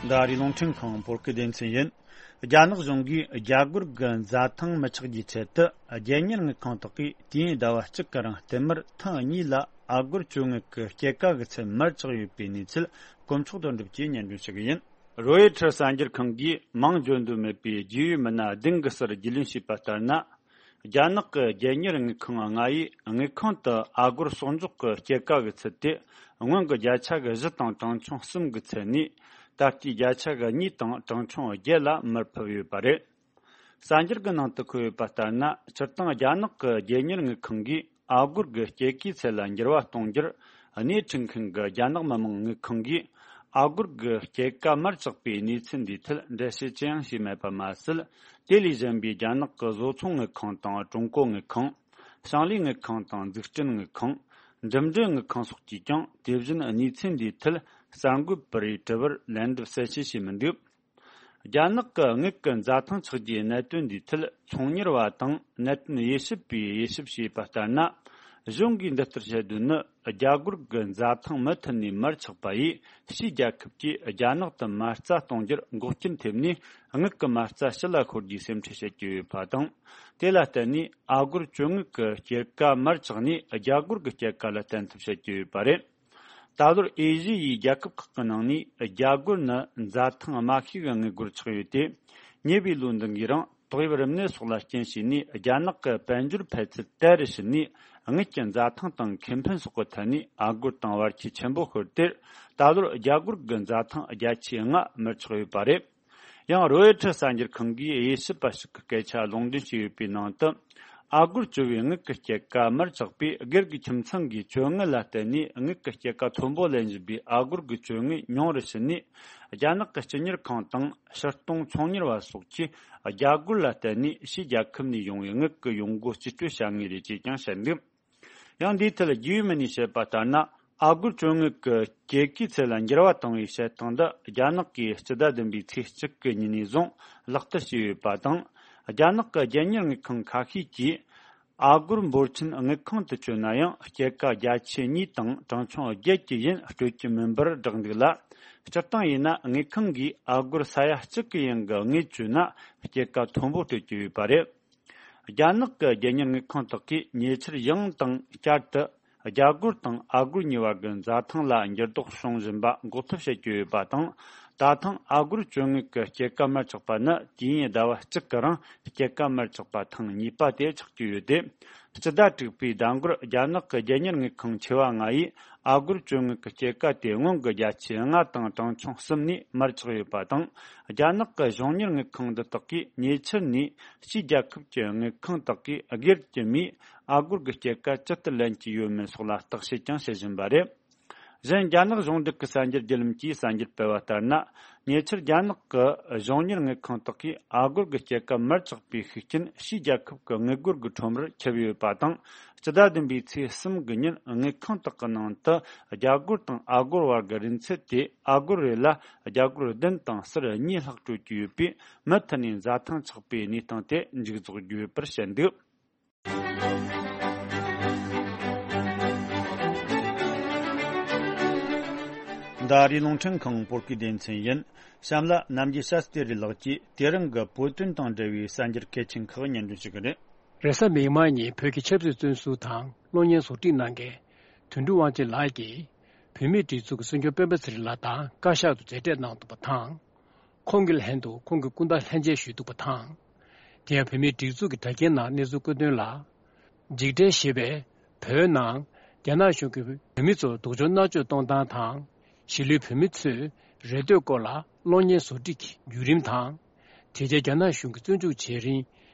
འདི་ཨ་རིའི་རླུང་འཕྲིན་ཁང་བོད་སྐད་སྡེ་ཚན་ཡིན། རྒྱ་ནག་གཞུང་གིས་རྒྱ་སྒོར་གྱི་འཛའ་ཐང་མི་ཆག་རྒྱུའི་ཆེད་དུ། རྒྱལ་གཉེར་དངུལ་ཁང་དག་གིས་དུས་ཡུན་ཟླ་བ་གཅིག་གི་རིང་བསྟུད་མར་ཐེངས་གཉིས་ལ་ཨ་སྒོར་བཅོལ་དངུལ་གྱི་སྐྱེད་ཀ་གི་ཚད་མར་ཆག་ཡོད་པའི་གནས་ཚུལ་དཀོན་མཆོག་དོན་གྲུབ་ཀྱིས་སྙན་སྒྲོན་ཞུ་གི་ཡིན། རོ་ཡི་ཊར་གསར་འགྱུར་ཁང་གིས་མིང་བརྗོད་འདོད་མེད་པའི་རྒྱུས་ཡོད་མི་སྣ་བདུན་གྱིས་ཕྱིར་རྒྱུས་ལོན་བྱས་པ་ལྟར་ན། རྒྱ་ནག་གི་རྒྱལ་གཉེར་དངུལ་ཁང་ལྔ་ཡིས་དངུལ་ཁང་དུ་ཨ་སྒོར་གསོག་འཇོག་གི་སྐྱེད་ཀ་གི་ཚད་དེ་སྔོན་གྱི་བརྒྱ་ཆ་གི་བཞི་དང་གྲངས་ཆུང་གསུམ་གྱི་ཚད་ནས། ད་ལྟའི་བརྒྱ་ཆ་གི་གཉིས་དང་གྲངས་ཆུང་བརྒྱད་ལ་མར་ཕབ་ཡོད་པ་རེད། གསར་འགྱུར་གྱི་ནང་དུ་འཁོད་ཡོད་པ་ལྟར་ན། སྤྱིར་བཏང་རྒྱ་ནག་གི་རྒྱལ་གཉེར་དངུལ་ཁང་གིས་ཨ་སྒོར་གྱི་སྐྱེད་ཀའི་ཚད་ལ་འགྱུར་བ་གཏོང་རྒྱུར་སྣེ་ཁྲིད་མཁན་གྱི་རྒྱ་ནག་མི་དམངས་དངུལ་ཁང་གིས་ཨ་སྒོར་གྱི་སྐྱེད་ཀ་མར་ཆག་པའི་གནས་ཚུལ་འདིའི་ཐད་འགྲེལ་བཤད་ཅི་ཡང་བྱས་མེད་པ་མ་ཟད། དེ་ལས་གཞན་པའི་རྒྱ་ནག་གི་བཟོ་ཚོང་དངུལ་ཁང་དང་ཀྲུང་གོ་དངུལ་ཁང་། ཞིང་ལས་དངུལ་ཁང་དང་འཛུགས་སྐྲུན་དངུལ་ཁང་། འགྲིམ་འགྲུལ་དངུལ་ཁང་སོགས་ཀྱིས་ཀྱང་དེ་བཞིན་གནས་ཚུལ་འདིའི་ཐད་གསར་འགོད་པ་རེའི་དྲི་བར་ལན་འདེབས་གསལ་བཤད་བྱས་མི་འདུག་རྒྱ་ནག་གི་དངུལ་གྱི་འཛའ་ཐང་ཆག་རྒྱུའི་གནད་དོན་འདིའི་ཐད་ཚོང་གཉེར་བ་དང་གནད་དོན་དབྱེ་ཞིབ་པས་དབྱེ་ཞིབ་བྱས་པ་ལྟར་ན། གཞུང་གིས་འདི་ལྟར་བཤད་དོན་ནི། རྒྱ་སྒོར་གྱི་འཛའ་ཐང་མུ་མཐུད་ནས་མར་ཆག་པ་ཡིས་ཕྱིའི་རྒྱལ་ཁབ་ཀྱིས་རྒྱ་ནག་ཏུ་མ་རྩ་གཏོང་རྒྱུར་འགོག་རྐྱེན་ཐེབས་ནས། དངུལ་གྱི་མ་རྩ་ཕྱི་ལ་ཤོར་རྒྱུའི་སེམས་ཁྲལ་བྱེད་ཀྱི་ཡོད་པ་དང་། དེ་ལ་བརྟེན་ནས་ཨ་སྒོར་བཅོལ་དངུལ་གྱི་སྐྱེད་ཀ་མར་ཆག་ནས་རྒྱ་སྒོར་གྱི་སྐྱེད་ཀ་ལ་བརྟེན་ཐབས་བྱེད་ཀྱི་ཡོད་པ་རེད། ད་ལོར་ཨེ་ཤི་ཡའི་རྒྱལ་ཁབ་ཁག་གི་ནང་ནས་རྒྱ་སྒོར་ནི་འཛའ་ཐང་དམའ་ཤོས་ཀྱི་དངུལ་སྒོར་ཆགས་ཡོད་དེ། ཉེ་བའི་ལོ་འདི་འགའི་རིང་ཏོག་དབྱིབས་རིམས་ནད་སོགས་ལ་རྐྱེན་བྱས་ནས། རྒྱ་ནག་གི་དཔལ་འབྱོར་འཕེལ་ཚད་དལ་རུ་ཕྱིན་ནས། དངུལ་གྱི་འཛའ་ཐང་དང་ཁེ་ཕན་སོགས་ཀྱི་ཐད་ནས་ཨ་སྒོར་དང་བར་ཁྱད་ཆེན་པོ་ཤོར་ཏེ། ད་ལོར་རྒྱ་སྒོར་གྱི་འཛའ་ཐང་བརྒྱ་ཆའི་ལྔ་མར་ཆག་ཡོད་པ་རེད། ཡང་རོའི་ཊར་གསར་འགྱུར་ཁང་གིས་དབྱེ་ཞིབ་པ་ཞིག་གི་སྐད་ཆ་ལུང་འདྲེན་བྱས་ཡོད་པའི་ནང་དུ། ཨ་སྒོར་བཅོལ་བའི་དངུལ་གྱི་སྐྱེད་ཀ་མར་ཆག་པས། སྒེར་གྱི་ཁྱིམ་ཚང་གིས་བཅོལ་དངུལ་ལ་བརྟེན་ནས་དངུལ་གྱི་སྐྱེད་ཀ་མཐོན་པོ་ལེན་བཞིན་པའི་ཨ་སྒོར་གྱི་བཅོལ་དངུལ་ཉུང་རུ་ཕྱིན་ནས། རྒྱ་ནག་གི་སྤྱི་གཉེར་ཁང་དང་ཕྱིར་གཏོང་ཚོང་གཉེར་བ་སོགས་ཀྱིས་རྒྱ་སྒོར་ལ་བརྟེན་ནས་ཕྱིའི་རྒྱལ་ཁབ་ནས་ཡོང་བའི་དངུལ་གྱི་ཡོང་སྒོ་རྩིས་སྤྲོད་བྱ་ངེས་རེད་ཅེས་ཀྱང་བཤད་འདུག་ཡང་འདིའི་ཐད་རྒྱུས་ཡོད་མི་སྣས་བཤད་པ་ལྟར་ན། ཨ་སྒོར་བཅོལ་དངུལ་གྱི་སྐྱེད་ཀའི་ཚད་ལ་འགྱུར་བ་བཏང་བའི་བྱེད་སྟངས་འདི་རྒྱ་ནག་གིས་སྤྱི་ཟླ་བདུན་པའི་ཚེས་གཅིག་གི་ཉིན་ནས་བཟུང་ལག་བསྟར་བྱས་ཡོད་པ་དང་། རྒྱ་ནག་གི་རྒྱལ་གཉེར་དངུལ་ཁང་ཁ་ཤས་ཀྱིས་ཨ་སྒོར་འབོར་ཆེན་དངུལ་ཁང་དུ་བཅོལ་ན་ཡང་། སྐྱེད་ཀ་བརྒྱ་ཆའི་གཉིས་དང་གྲངས་ཆུང་བརྒྱད་ཀྱི་ཡན་སྤྲོད་ཀྱི་མིན་པར་བསྒྲགས་འདུག་ལ། སྤྱིར་བཏང་ཡིན་ན། དངུལ་ཁང་གིས་ཨ་སྒོར་ས་ཡ་གཅིག་གི་ཡན་གྱི་དངུལ་བཅོལ་ན། སྐྱེད་ཀ་མཐོན་པོ་སྤྲོད་ཀྱི་ཡོད་པ་རེད། རྒྱ་ནག་གི་རྒྱལ་གཉེར་དངུལ་ཁང་དག་གིས་ཉེ་ཆར་ཡང་དང་བསྐྱར་དུ་རྒྱ་སྒོར་དང་ཨ་སྒོར་གཉིས་བར་གྱི་འཛའ་ཐང་ལ་འགྱུར་ལྡོག་བྱུང་བཞིན་པ་འགོག་ཐབས་བྱེད་ཀྱི་ཡོད་པ་དང་། ད་ཐེངས་ཨ་སྒོར་བཅོལ་དངུལ་གྱི་སྐྱེད་ཀ་མར་ཆག་པ་ནི་དུས་ཡུན་ཟླ་བ་གཅིག་གི་རིང་སྐྱེད་ཀ་མར་ཆག་པ་ཐེངས་གཉིས་པ་དེ་ཆགས་ཀྱི་ཡོད་དེ། སྤྱི་ཟླ་དྲུག་པའི་ཟླ་འགོར་རྒྱ་ནག་གི་རྒྱལ་གཉེར་དངུལ་ཁང་ཆེ་བ་ལྔ་ཡིས་ཨ་སྒོར་བཅོལ་དངུལ་གྱི་སྐྱེད་ཀ་དེ་སྔོན་གྱི་བརྒྱ་ཆའི་ལྔ་དང་གྲངས་ཆུང་གསུམ་ནས་མར་ཆག་ཡོད་པ་དང་། རྒྱ་ནག་གི་གཞུང་གཉེར་དངུལ་ཁང་འདི་དག་གིས་ཉེ་ཆར་ནས་ཕྱིའི་རྒྱལ་ཁབ་ཀྱི་དངུལ་ཁང་དག་གིས་སྒེར་གྱི་མིས་ཨ་སྒོར་གྱི་སྐྱེད་ཀ་ཇི་ལྟར་ལེན་གྱི་ཡོད་མེད་སོགས་ལ་བརྟག་དཔྱད་ཀྱང་བྱེད་བཞིན་པ་རེད། གཞན། རྒྱ་ནག་གཞུང་འབྲེལ་གྱི་གསར་འགྱུར་བརྒྱུད་ལམ་གྱིས་གསར་འགྱུར་སྤེལ་བ་ལྟར་ན། ཉེ་ཆར་རྒྱ་ནག་གི་གཞུང་གཉེར་དངུལ་ཁང་དག་གིས་ཨ་སྒོར་གྱི་སྐྱེད་ཀ་མར་ཆག་པའི་ཤུགས་རྐྱེན་ཕྱིའི་རྒྱལ་ཁབ་ཀྱི་དངུལ་སྒོར་གྱི་ཁྲོམ་རར་ཁྱབ་ཡོད་པ་དང་། སྤྱི་ཟླ་བདུན་པའི་ཚེས་གསུམ་གྱི་ཉིན་དངུལ་ཁང་དག་གི་ནང་དུ་རྒྱ་སྒོར་དང་ཨ་སྒོར་བར་གྱི་རིན་ཚད་དེ་ཨ་སྒོར་རེ་ལ་རྒྱ་སྒོར་བདུན་དང་ཟུར་གཉིས་ལྷག་སྤྲོད་ཀྱི་ཡོད་པས། མུ་མཐུད་ནས་འཛའ་ཐང་ཆག་པའི་གནས་སྟངས་དེ་མཇུག་རྫོགས་རྒྱུ་ཡོད་པར་བཤད་འདུག་འདི་ཨ་རིའི་རླུང་འཕྲིན་ཁང་བོད་སྐད་སྡེ་ཚན་ཡིན། གཤམ་ལ་རྣམ་རྒྱལ་ཤཱ་སྟེ་རི་ལགས་ཀྱིས་དེ་རིང་གི་བོད་དོན་དང་འབྲེལ་བའི་གསར་འགྱུར་གལ་ཆེན་ཁག་སྙན་སྒྲོན་ཞུ་གི་རེད། རེས་གཟའ་མིག་དམར་ཉིན་བོད་ཀྱི་ཆབ་སྲིད་བཙོན་ཟུར་དང་གློག་བརྙན་བཟོ་སྒྲིག་གནང་མཁན་དོན་གྲུབ་དབང་ཆེན་ལགས་ཀྱིས་བོད་མིའི་སྒྲིག་འཛུགས་ཀྱི་སྲིད་སྐྱོང་སྤེན་པ་ཚེ་རིང་ལགས་དང་བཀའ་ཤག་ཏུ་མཇལ་འཕྲད་གནང་འདུག་པ་དང་། ཁོང་གི་ལྷན་དུ་ཁོང་གི་སྐུ་ཟླ་ལྷན་མཇལ་ཞུས་འདུག་པ་དང་། དེ་ཡང་བོད་མིའི་སྒྲིག་འཛུགས་ཀྱི་དྲ་རྒྱའི་ནང་གནས་ཚུལ་བཀོད་དོན་ལ། འཇིགས་བྲལ་ཞེས་པས་བོད་ནང་རྒྱ་ནག་གཞུང་གིས་བོད་མི་ཚོར་སྡུག་སྦྱོང་མནར་གཅོད་གཏོང་སྟངས་དང་། གཞིས་ལུས་བོད་མི་ཚོའི་རེ་འདོད་སྐོར་ལ་གློག་བརྙན་བཟོ་སྒྲིག་གི་བརྒྱུད་རིམ་དང་། དེ་རྗེས་རྒྱ་ནག་གཞུང་གིས་བཙོན་འཇུག་བྱེད་རིང་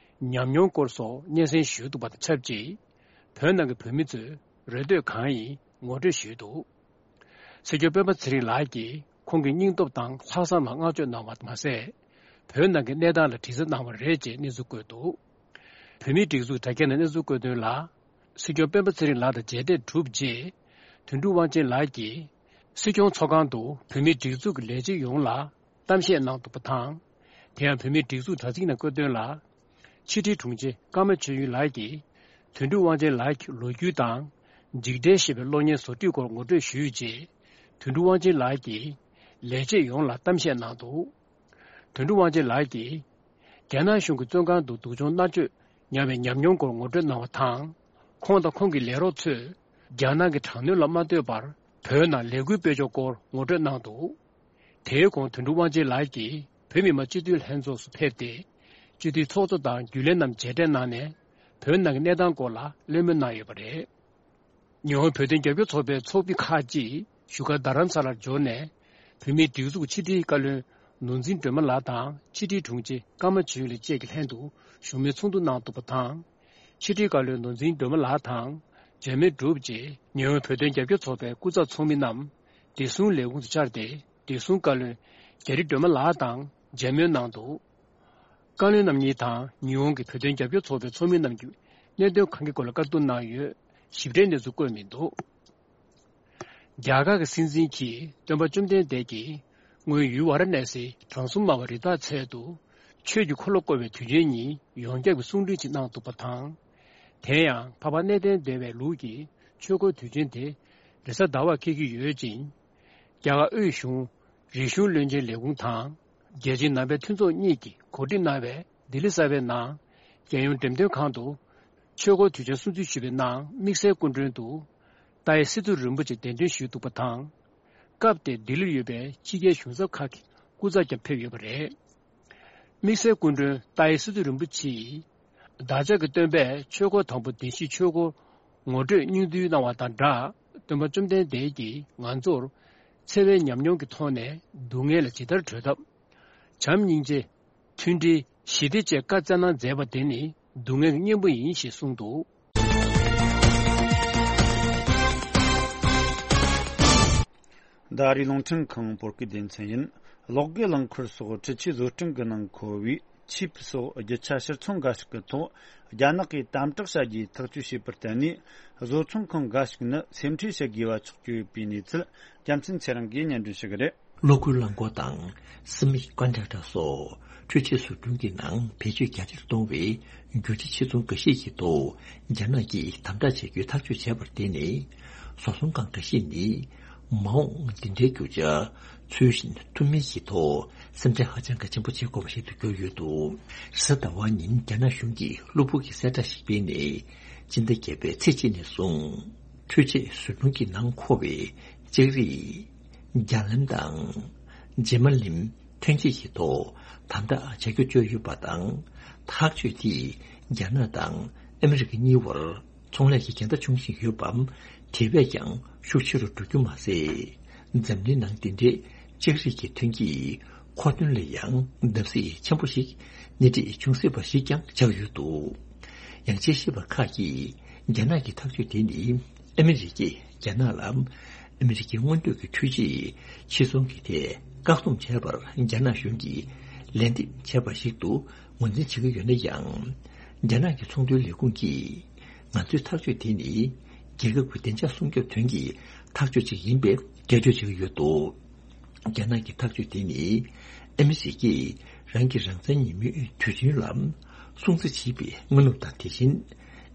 ཉམས་མྱོང་སྐོར་སོགས་སྙན་སེང་ཞུས་འདུག་པ་དང་ཆབས་ཅིག་བོད་ནང་གི་བོད་མི་ཚོའི་རེ་འདོད་གང་ཡིན་ངོ་སྤྲོད་ཞུས་འདུག་སྲིད་སྐྱོང་སྤེན་པ་ཚེ་རིང་ལགས་ཀྱིས་ཁོང་གི་སྙིང་སྟོབས་དང་ལྷག་བསམ་ལ་བསྔགས་བརྗོད་གནང་བ་མ་ཟད། བོད་ནང་གི་གནས་སྟངས་ལ་དྲི་རྩད་གནང་བ་རེད་ཅེས་གནས་ཚུལ་བཀོད་འདུག་བོད་མིའི་སྒྲིག་འཛུགས་དྲ་རྒྱ་ནས་གནས་ཚུལ་བཀོད་དོན་ལ། སྲིད་སྐྱོང་སྤེན་པ་ཚེ་རིང་ལགས་དང་མཇལ་འཕྲད་གྲུབ་རྗེས། དོན་གྲུབ་དབང་ཆེན་ལགས་ཀྱིས། སྲིད་སྐྱོང་ཚོགས་ཁང་དུ་བོད་མིའི་སྒྲིག་འཛུགས་ཀྱི་ལས་བྱེད་ཡོངས་ལ་གཏམ་བཤད་གནང་འདུག་པ་དང་། དེ་ཡང་བོད་མིའི་སྒྲིག་འཛུགས་དྲ་ཚིགས་ནང་བཀོད་དོན་ལ། ཕྱི་དྲིལ་དྲུང་ཆེ་ཀརྨ་ཆོས་དབྱིངས་ལགས་ཀྱིས། དོན་གྲུབ་དབང་ཆེན་ལགས་ཀྱི་ལོ་རྒྱུས་དང་། འཇིགས་བྲལ་ཞེས་པའི་གློག་བརྙན་བཟོ་སྒྲིག་སྐོར་ངོ་སྤྲོད་ཞུས་རྗེས། དོན་གྲུབ་དབང་ཆེན་ལགས་ཀྱིས། ལས་བྱེད་ཡོངས་ལ་གཏམ་བཤད་གནང་འདུག་དོན་གྲུབ་དབང་ཆེན་ལགས་ཀྱིས། རྒྱ་ནག་གཞུང་གིས་བཙོན་ཁང་དུ་སྡུག་སྦྱོང་མནར་གཅོད་མྱངས་པའི་ཉམས་མྱོང་སྐོར་ངོ་སྤྲོད་གནང་བ་དང་། ཁོང་དང་ཁོང་གི་ལས་རོགས་ཚོས། རྒྱ་ནག་གི་དྲག་གནོན་ལ་མ་ལྟོས་པར། བོད་ནང་ལས་འགུལ་སྤེལ་ཕྱོགས་སྐོར་ངོ་སྤྲོད་གནང་འདུག་དེའི་གོང་དོན་གྲུབ་དབང་ཆེན་ལགས་ཀྱིས་བོད་མི་མང་སྤྱི་འཐུས་ལྷན་ཚོགས་སུ་ཕེབས་ཏེ། སྤྱི་འཐུས་ཚོགས་གཙོ་དང་རྒྱུན་ལས་རྣམས་མཇལ་འཕྲད་གནང་ནས། བོད་ནང་གི་གནས་སྟངས་སྐོར་ལ་གླེང་མོལ་གནང་ཡོད་པ་རེད། ཉི་ཧོང་བོད་དོན་རྒྱབ་སྐྱོར་ཚོགས་པའི་ཚོགས་མི་ཁག་ཅིག་བཞུགས་སྒར་རྡ་རམ་ས་ལར་འབྱོར་ནས། བོད་མིའི་སྒྲིག་འཛུགས་ཕྱི་དྲིལ་བཀའ་བློན་ནོར་འཛིན་སྒྲོལ་མ་ལགས་དང་ཕྱི་དྲིལ་དྲུང་ཆེ་ཀརྨ་ཆོས་གླིང་བཅས་ཀྱི་ལྷན་དུ་བཞུགས་མོལ་ཚོགས་འདུ་གནང་འདུག་པ་དང་། ཕྱི་དྲིལ་བཀའ་བློན་ནོར་འཛིན་སྒྲོལ་མ་ལགས་དང་མཇལ་མོལ་གྲུབ་རྗེས། ཉི་ཧོང་བོད་དོན་རྒྱབ་སྐྱོར་ཚོགས་པའི་སྐུ་ཚབ་ཚོགས་མི་རྣམས་བདེ་སྲུང་ལས་ཁུངས་སུ་བཅར་ཏེ། བདེ་སྲུང་བཀའ་བློན་རྒྱ་རི་སྒྲོལ་མ་ལགས་དང་མཇལ་མོལ་གནང་འདུག་བཀའ་བློན་རྣམ་གཉིས་དང་ཉི་ཧོང་གི་བོད་དོན་རྒྱབ་སྐྱོར་ཚོགས་པའི་ཚོགས་མི་རྣམས་ཀྱིས་གནད་དོན་གང་གི་སྐོར་ལ་བཀའ་བསྡུར་གནང་ཡོད། ཞིབ་ཕྲའི་གནས་ཚུལ་བཀོད་མི་འདུག་རྒྱ་གར་གྱི་སྲིད་འཛིན་གྱིས་སྟོན་པ་བཅོམ་ལྡན་འདས་ཀྱིས་སྔོན་ཡུལ་ཝཱ་ར་ཎཱ་སིའི་དྲང་སྲོང་སྨྲ་བ་རི་དྭགས་ཚལ་དུ་ཆོས་ཀྱི་འཁོར་ལོ་བསྐོར་བའི་དུས་ཆེན་ཉིན་ཡོངས་ཁྱབ་ཀྱི་གསུང་འཕྲིན་ཞིག་གནང་འདུག་པ་དང་། དེ་ཡང་འཕགས་པ་གནས་བརྟན་སྡེ་བའི་ལུགས་ཀྱི་ཆོས་འཁོར་དུས་ཆེན་དེ་རེས་གཟའ་ཟླ་བར་འཁེལ་གྱི་ཡོད་ཅིང་། རྒྱ་གར་དབུས་གཞུང་། རིག་གཞུང་བློན་ཆེན་ལས་ཁུངས་དང་། རྒྱལ་སྤྱིའི་ནང་པའི་མཐུན་ཚོགས་གཉིས་ཀྱིས་གོ་སྒྲིག་གནང་བའི་ལྡི་ལི་གསར་པའི་ནང་། རྒྱལ་ཡོངས་འགྲེམས་སྟོན་ཁང་དུ་ཆོས་འཁོར་དུས་ཆེན་སྲུང་བརྩི་ཞུས་པའི་ནང་དམིགས་བསལ་སྐུ་མགྲོན་དུ་ཏཱའི་སི་ཏུ་རིན་པོ་ཆེ་གདན་འདྲེན་ཞུས་འདུག་པ་དང་། སྐབས་དེར་ལྡི་ལིར་ཡོད་པའི་ཕྱི་རྒྱལ་གཞུང་ཚབ་ཁག་གི་སྐུ་ཚབ་ཀྱང་ཕེབས་ཡོད་པ་རེད། དམིགས་བསལ་སྐུ་མགྲོན་ཏཱའི་སི་ཏུ་རིན་པོ་ཆེ་ཡིས། བདག་ཅག་གི་སྟོན་པས་ཆོས་འཁོར་དང་པོ་བདེན་བཞིའི་ཆོས་འཁོར་ངོ་སྤྲོད་སྙིང་བསྡུས་གནང་བ་དང་སྦྲགས། སྟོན་པ་བཅོམ་ལྡན་འདས་ཀྱིས་ང་ཚོར་འཚེ་བའི་ཉམས་མྱོང་གི་ཐོག་ནས་སྡུག་བསྔལ་ལ་ཇི་ལྟར་བྲོས་ཐབས། བྱམས་སྙིང་རྗེ། མཐུན་སྒྲིལ། ཞི་བདེ་བཅས་བཀའ་སྩལ་གནང་མཛད་པ་དེ་ནི་སྡུག་བསྔལ་གྱི་གཉེན་པོ་ཡིན་ཞེས་གསུངས་འདུག་ཟླ་རིའི་རླུང་འཕྲིན་ཁང་བོད་སྐད་སྡེ་ཚན་ཡིན། གློག་སྒུལ་རླངས་འཁོར་སོགས་འཕྲུལ་ཆས་བཟོ་སྐྲུན་གྱི་ནང་མཁོ་བའི་ཆིབ་སོགས་རྒྱུ་ཆ་ཕྱིར་ཚོང་འགའ་ཞིག་གི་ཐོག་རྒྱ་ནག་གིས་དམ་དྲག་བྱ་རྒྱུའི་ཐག་གཅོད་བྱས་པར་བརྟེན་ནས། བཟོ་ཚོང་ཁང་འགའ་ཞིག་ནི་སེམས་ཁྲལ་བྱེད་དགོས་པ་ཆགས་ཀྱི་ཡོད་པའི་གནས་ཚུལ། རྒྱལ་མཚན་ཚེ་རིང་གིས་སྙན་སྒྲོན་ཞུ་གི་རེད། གློག་སྒུལ་རླངས་འཁོར་དང་སི་མི་ཀོན་ཌག་ཊར་སོགས་འཕྲུལ་ཆས་བཟོ་སྐྲུན་གྱི་ནང་བེད་སྤྱོད་རྒྱ་ཆེར་གཏོང་བའི་རྒྱུ་ཆ་ཕྱིར་ཚོང་འགའ་ཤས་ཀྱི་ཐོག་རྒྱ་ནག་གིས་དམ་དྲག་བྱེད་རྒྱུའི་ཐག་གཅོད་བྱས་པར་བརྟེན་ནས། བཟོ་ཚོང་ཁང་འགའ་ཤས་ནི་མ་འོངས་འདི་འདྲའི་རྒྱུ་ཆ་འཚོལ་ཞིབ་ཐུབ་མིན་གྱི་ཐོག་སེམས་ཁྲལ་ཧ་ཅང་གི་ཆེན་པོ་བྱེད་དགོས་པ་ཞིག་ཏུ་གྱུར་ཡོད་འདུག་རེས་གཟའ་ཟླ་བ་ཉིན་རྒྱ་ནག་གཞུང་གིས་གློ་བུར་གྱི་གསལ་བསྒྲགས་ཤིག་སྤེལ་ནས། སྤྱི་ཟླ་བརྒྱད་པའི་ཚེས་གཅིག་ནས་བཟུང་། འཕྲུལ་ཆས་བཟོ་སྐྲུན་གྱི་ནང་མཁོ་བའི་ལྕགས་རིགས། རྒྱ་ལམ་དང་། རྗེས་མ་ལིམ་ཐོན་སྐྱེད་ཀྱི་ཐོག་དམ་དྲག་བྱ་རྒྱུ་བརྗོད་ཡོད་པ་དང་། ཐག་གཅོད་དེས་རྒྱ་ནག་དང་ཨ་མི་རི་ཀ་གཉིས་བར་ཚོང་ལས་ཀྱི་འགལ་ཟླ་འབྱུང་བཞིན་ཡོད་པའམ། དེ་བས་ཀྱང་ཤུགས་ཆེ་རུ་འགྲོ་རྒྱུ་མ་ཟད། འཛམ་གླིང་ནང་འདི་འདྲའི་ལྕགས་རིགས་ཀྱི་ཐོན་སྐྱེད་མཁོ་འདོན་ལ་ཡང་བརྡབ་གསིག་ཆེན་པོ་ཞིག་སྣེ་ཁྲིད་འབྱུང་སྲིད་པ་ཞིག་ཀྱང་ཆགས་ཡོད་འདུག་ཡང་དཔྱད་ཞིབ་པ་ཁག་གིས་རྒྱ་ནག་གི་ཐག་གཅོད་དེ་ནི་ཨ་མི་རི་ཀས་རྒྱ་ནག་ལ་ཨ་མི་རི་ཀའི་སྔོན་ཐོན་གྱི་འཕྲུལ་ཆས་ཕྱིར་ཚོང་གི་ཐད་བཀག་སྡོམ་བྱས་པར་རྒྱ་ནག་གཞུང་གིས་ལན་འདེབས་བྱས་པ་ཞིག་ཏུ་ངོས་འཛིན་བྱེད་ཀྱི་ཡོད་ན་ཡང་། རྒྱ་ནག་གི་ཚོང་དོན་ལས་ཁུངས་ཀྱིས། ང་ཚོའི་ཐག་གཅོད་དེ་ནི་རྒྱལ་ཁབ་ཀྱི་བདེ་འཇགས་སྲུང་སྐྱོབ་དོན་གྱི་ཐག་གཅོད་ཅིག་ཡིན་པའི་སྐྱོན་བརྗོད་བྱེད་ཀྱི་ཡོད་འདུག་རྒྱ་ནག་གི་ཐག་གཅོད་དེ་ནི་ཨ་མི་རི་ཀས་རང་གི་རང་བཙན་ཉིན་མོའི་དུས་ཆེན་ལ་སྲུང་བརྩི་བྱེད་པའི་སྔ་ནུབ་དང་། དེ་བཞིན་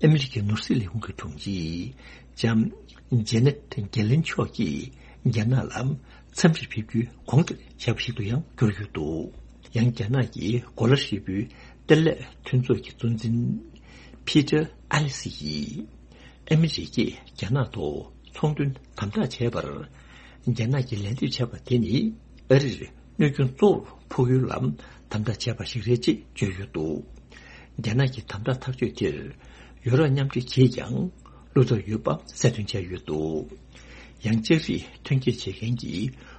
ཨ་མི་རི་ཀའི་ནོར་སྲིད་ལས་ཁུངས་ཀྱི་དྲུང་ཆེ་ལྕམ་ཇེ་ནེ་ཊི་གྷེ་ལིན་མཆོག་གིས་རྒྱ་ནག་ལ་འཚམས་འདྲིར་ཕེབས་རྒྱུའི་གོང་བཀུར་བྱས་པ་ཞིག་ཏུ་ཡང་གྱུར་ཡོད་འདུག་ཡང་རྒྱ་ནག་གི་གོ་ལ་ཧྲིལ་པོའི་གཏེར་ལས་མཐུན་ཚོགས་ཀྱི་གཙོ་འཛིན་ཕི་ཏྲ་ཨ་ལི་སི་ཡིས། ཨ་མི་རི་ཀས་རྒྱ་ནག་ཐོག་ཚོང་དོན་དམ་དྲག་བྱས་པར། རྒྱ་ནག་གིས་ལན་འདེབས་བྱས་པ་དེ་ནི་ཨ་རིར་གནོད་སྐྱོན་གཙོ་བོར་ཕོག་ཡུལ་ལ་དམ་དྲག་བྱས་པ་ཞིག་རེད་ཅེས་བརྗོད་ཡོད་འདུག་རྒྱ་ནག་གི་དམ་དྲག་ཐག་གཅོད་དེར་ཡུ་རོབ་མཉམ་འབྲེལ་གྱིས་ཀྱང་བློ་འཚབ་ཡོད་པ་གསལ་སྟོན་བྱས་ཡོད་འདུག་ཡང་ལྕགས་རིགས་ཐོན་སྐྱེད་བྱེད་མཁན་གྱི་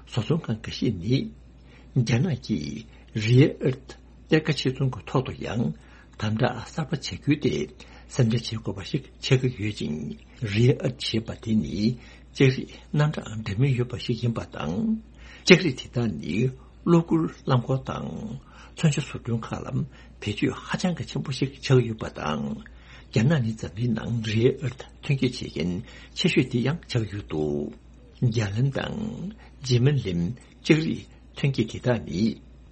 བཟོ་ཚོང་ཁང་འགའ་ཤས་ནི། རྒྱ་ནག་གིས་རེ་ཨར་ཐི་གཏེར་ཁ་ཕྱིར་ཚོང་གི་ཐོག་ཏུ་ཡང་དམ་དྲག་གསར་པ་བྱ་རྒྱུའི་ཐད་སེམས་ཁྲལ་བྱེད་དགོས་པ་ཞིག་ཆགས་ཀྱི་ཡོད་ཅིང་། རེ་ཨར་ཐི་ཞེས་པ་དེ་ནི་ལྕགས་རིགས་རྣམ་གྲངས་འདྲ་མིན་ཡོད་པ་ཞིག་ཡིན་པ་དང་། ལྕགས་རིགས་དེ་དག་ནི་གློག་སྒུལ་རླངས་འཁོར་དང་མཚོན་ཆ་བཟོ་སྐྲུན་ཁག་ལ་བེད་སྤྱོད་ཧ་ཅང་གི་ཆེན་པོ་ཞིག་ཆགས་ཡོད་པ་དང་། རྒྱ་ནག་ནི་འཛམ་གླིང་ནང་རེ་ཨར་ཐི་ཐོན་སྐྱེད་བྱེད་མཁན་ཆེ་ཤོས་དེ་ཡང་ཆགས་ཡོད་འདུག་རྒྱ་ལམ་དང་རྗེས་མ་ལིམ་ལྕགས་རིགས་ཐོན་སྐྱེད་དེ་དག་ནི་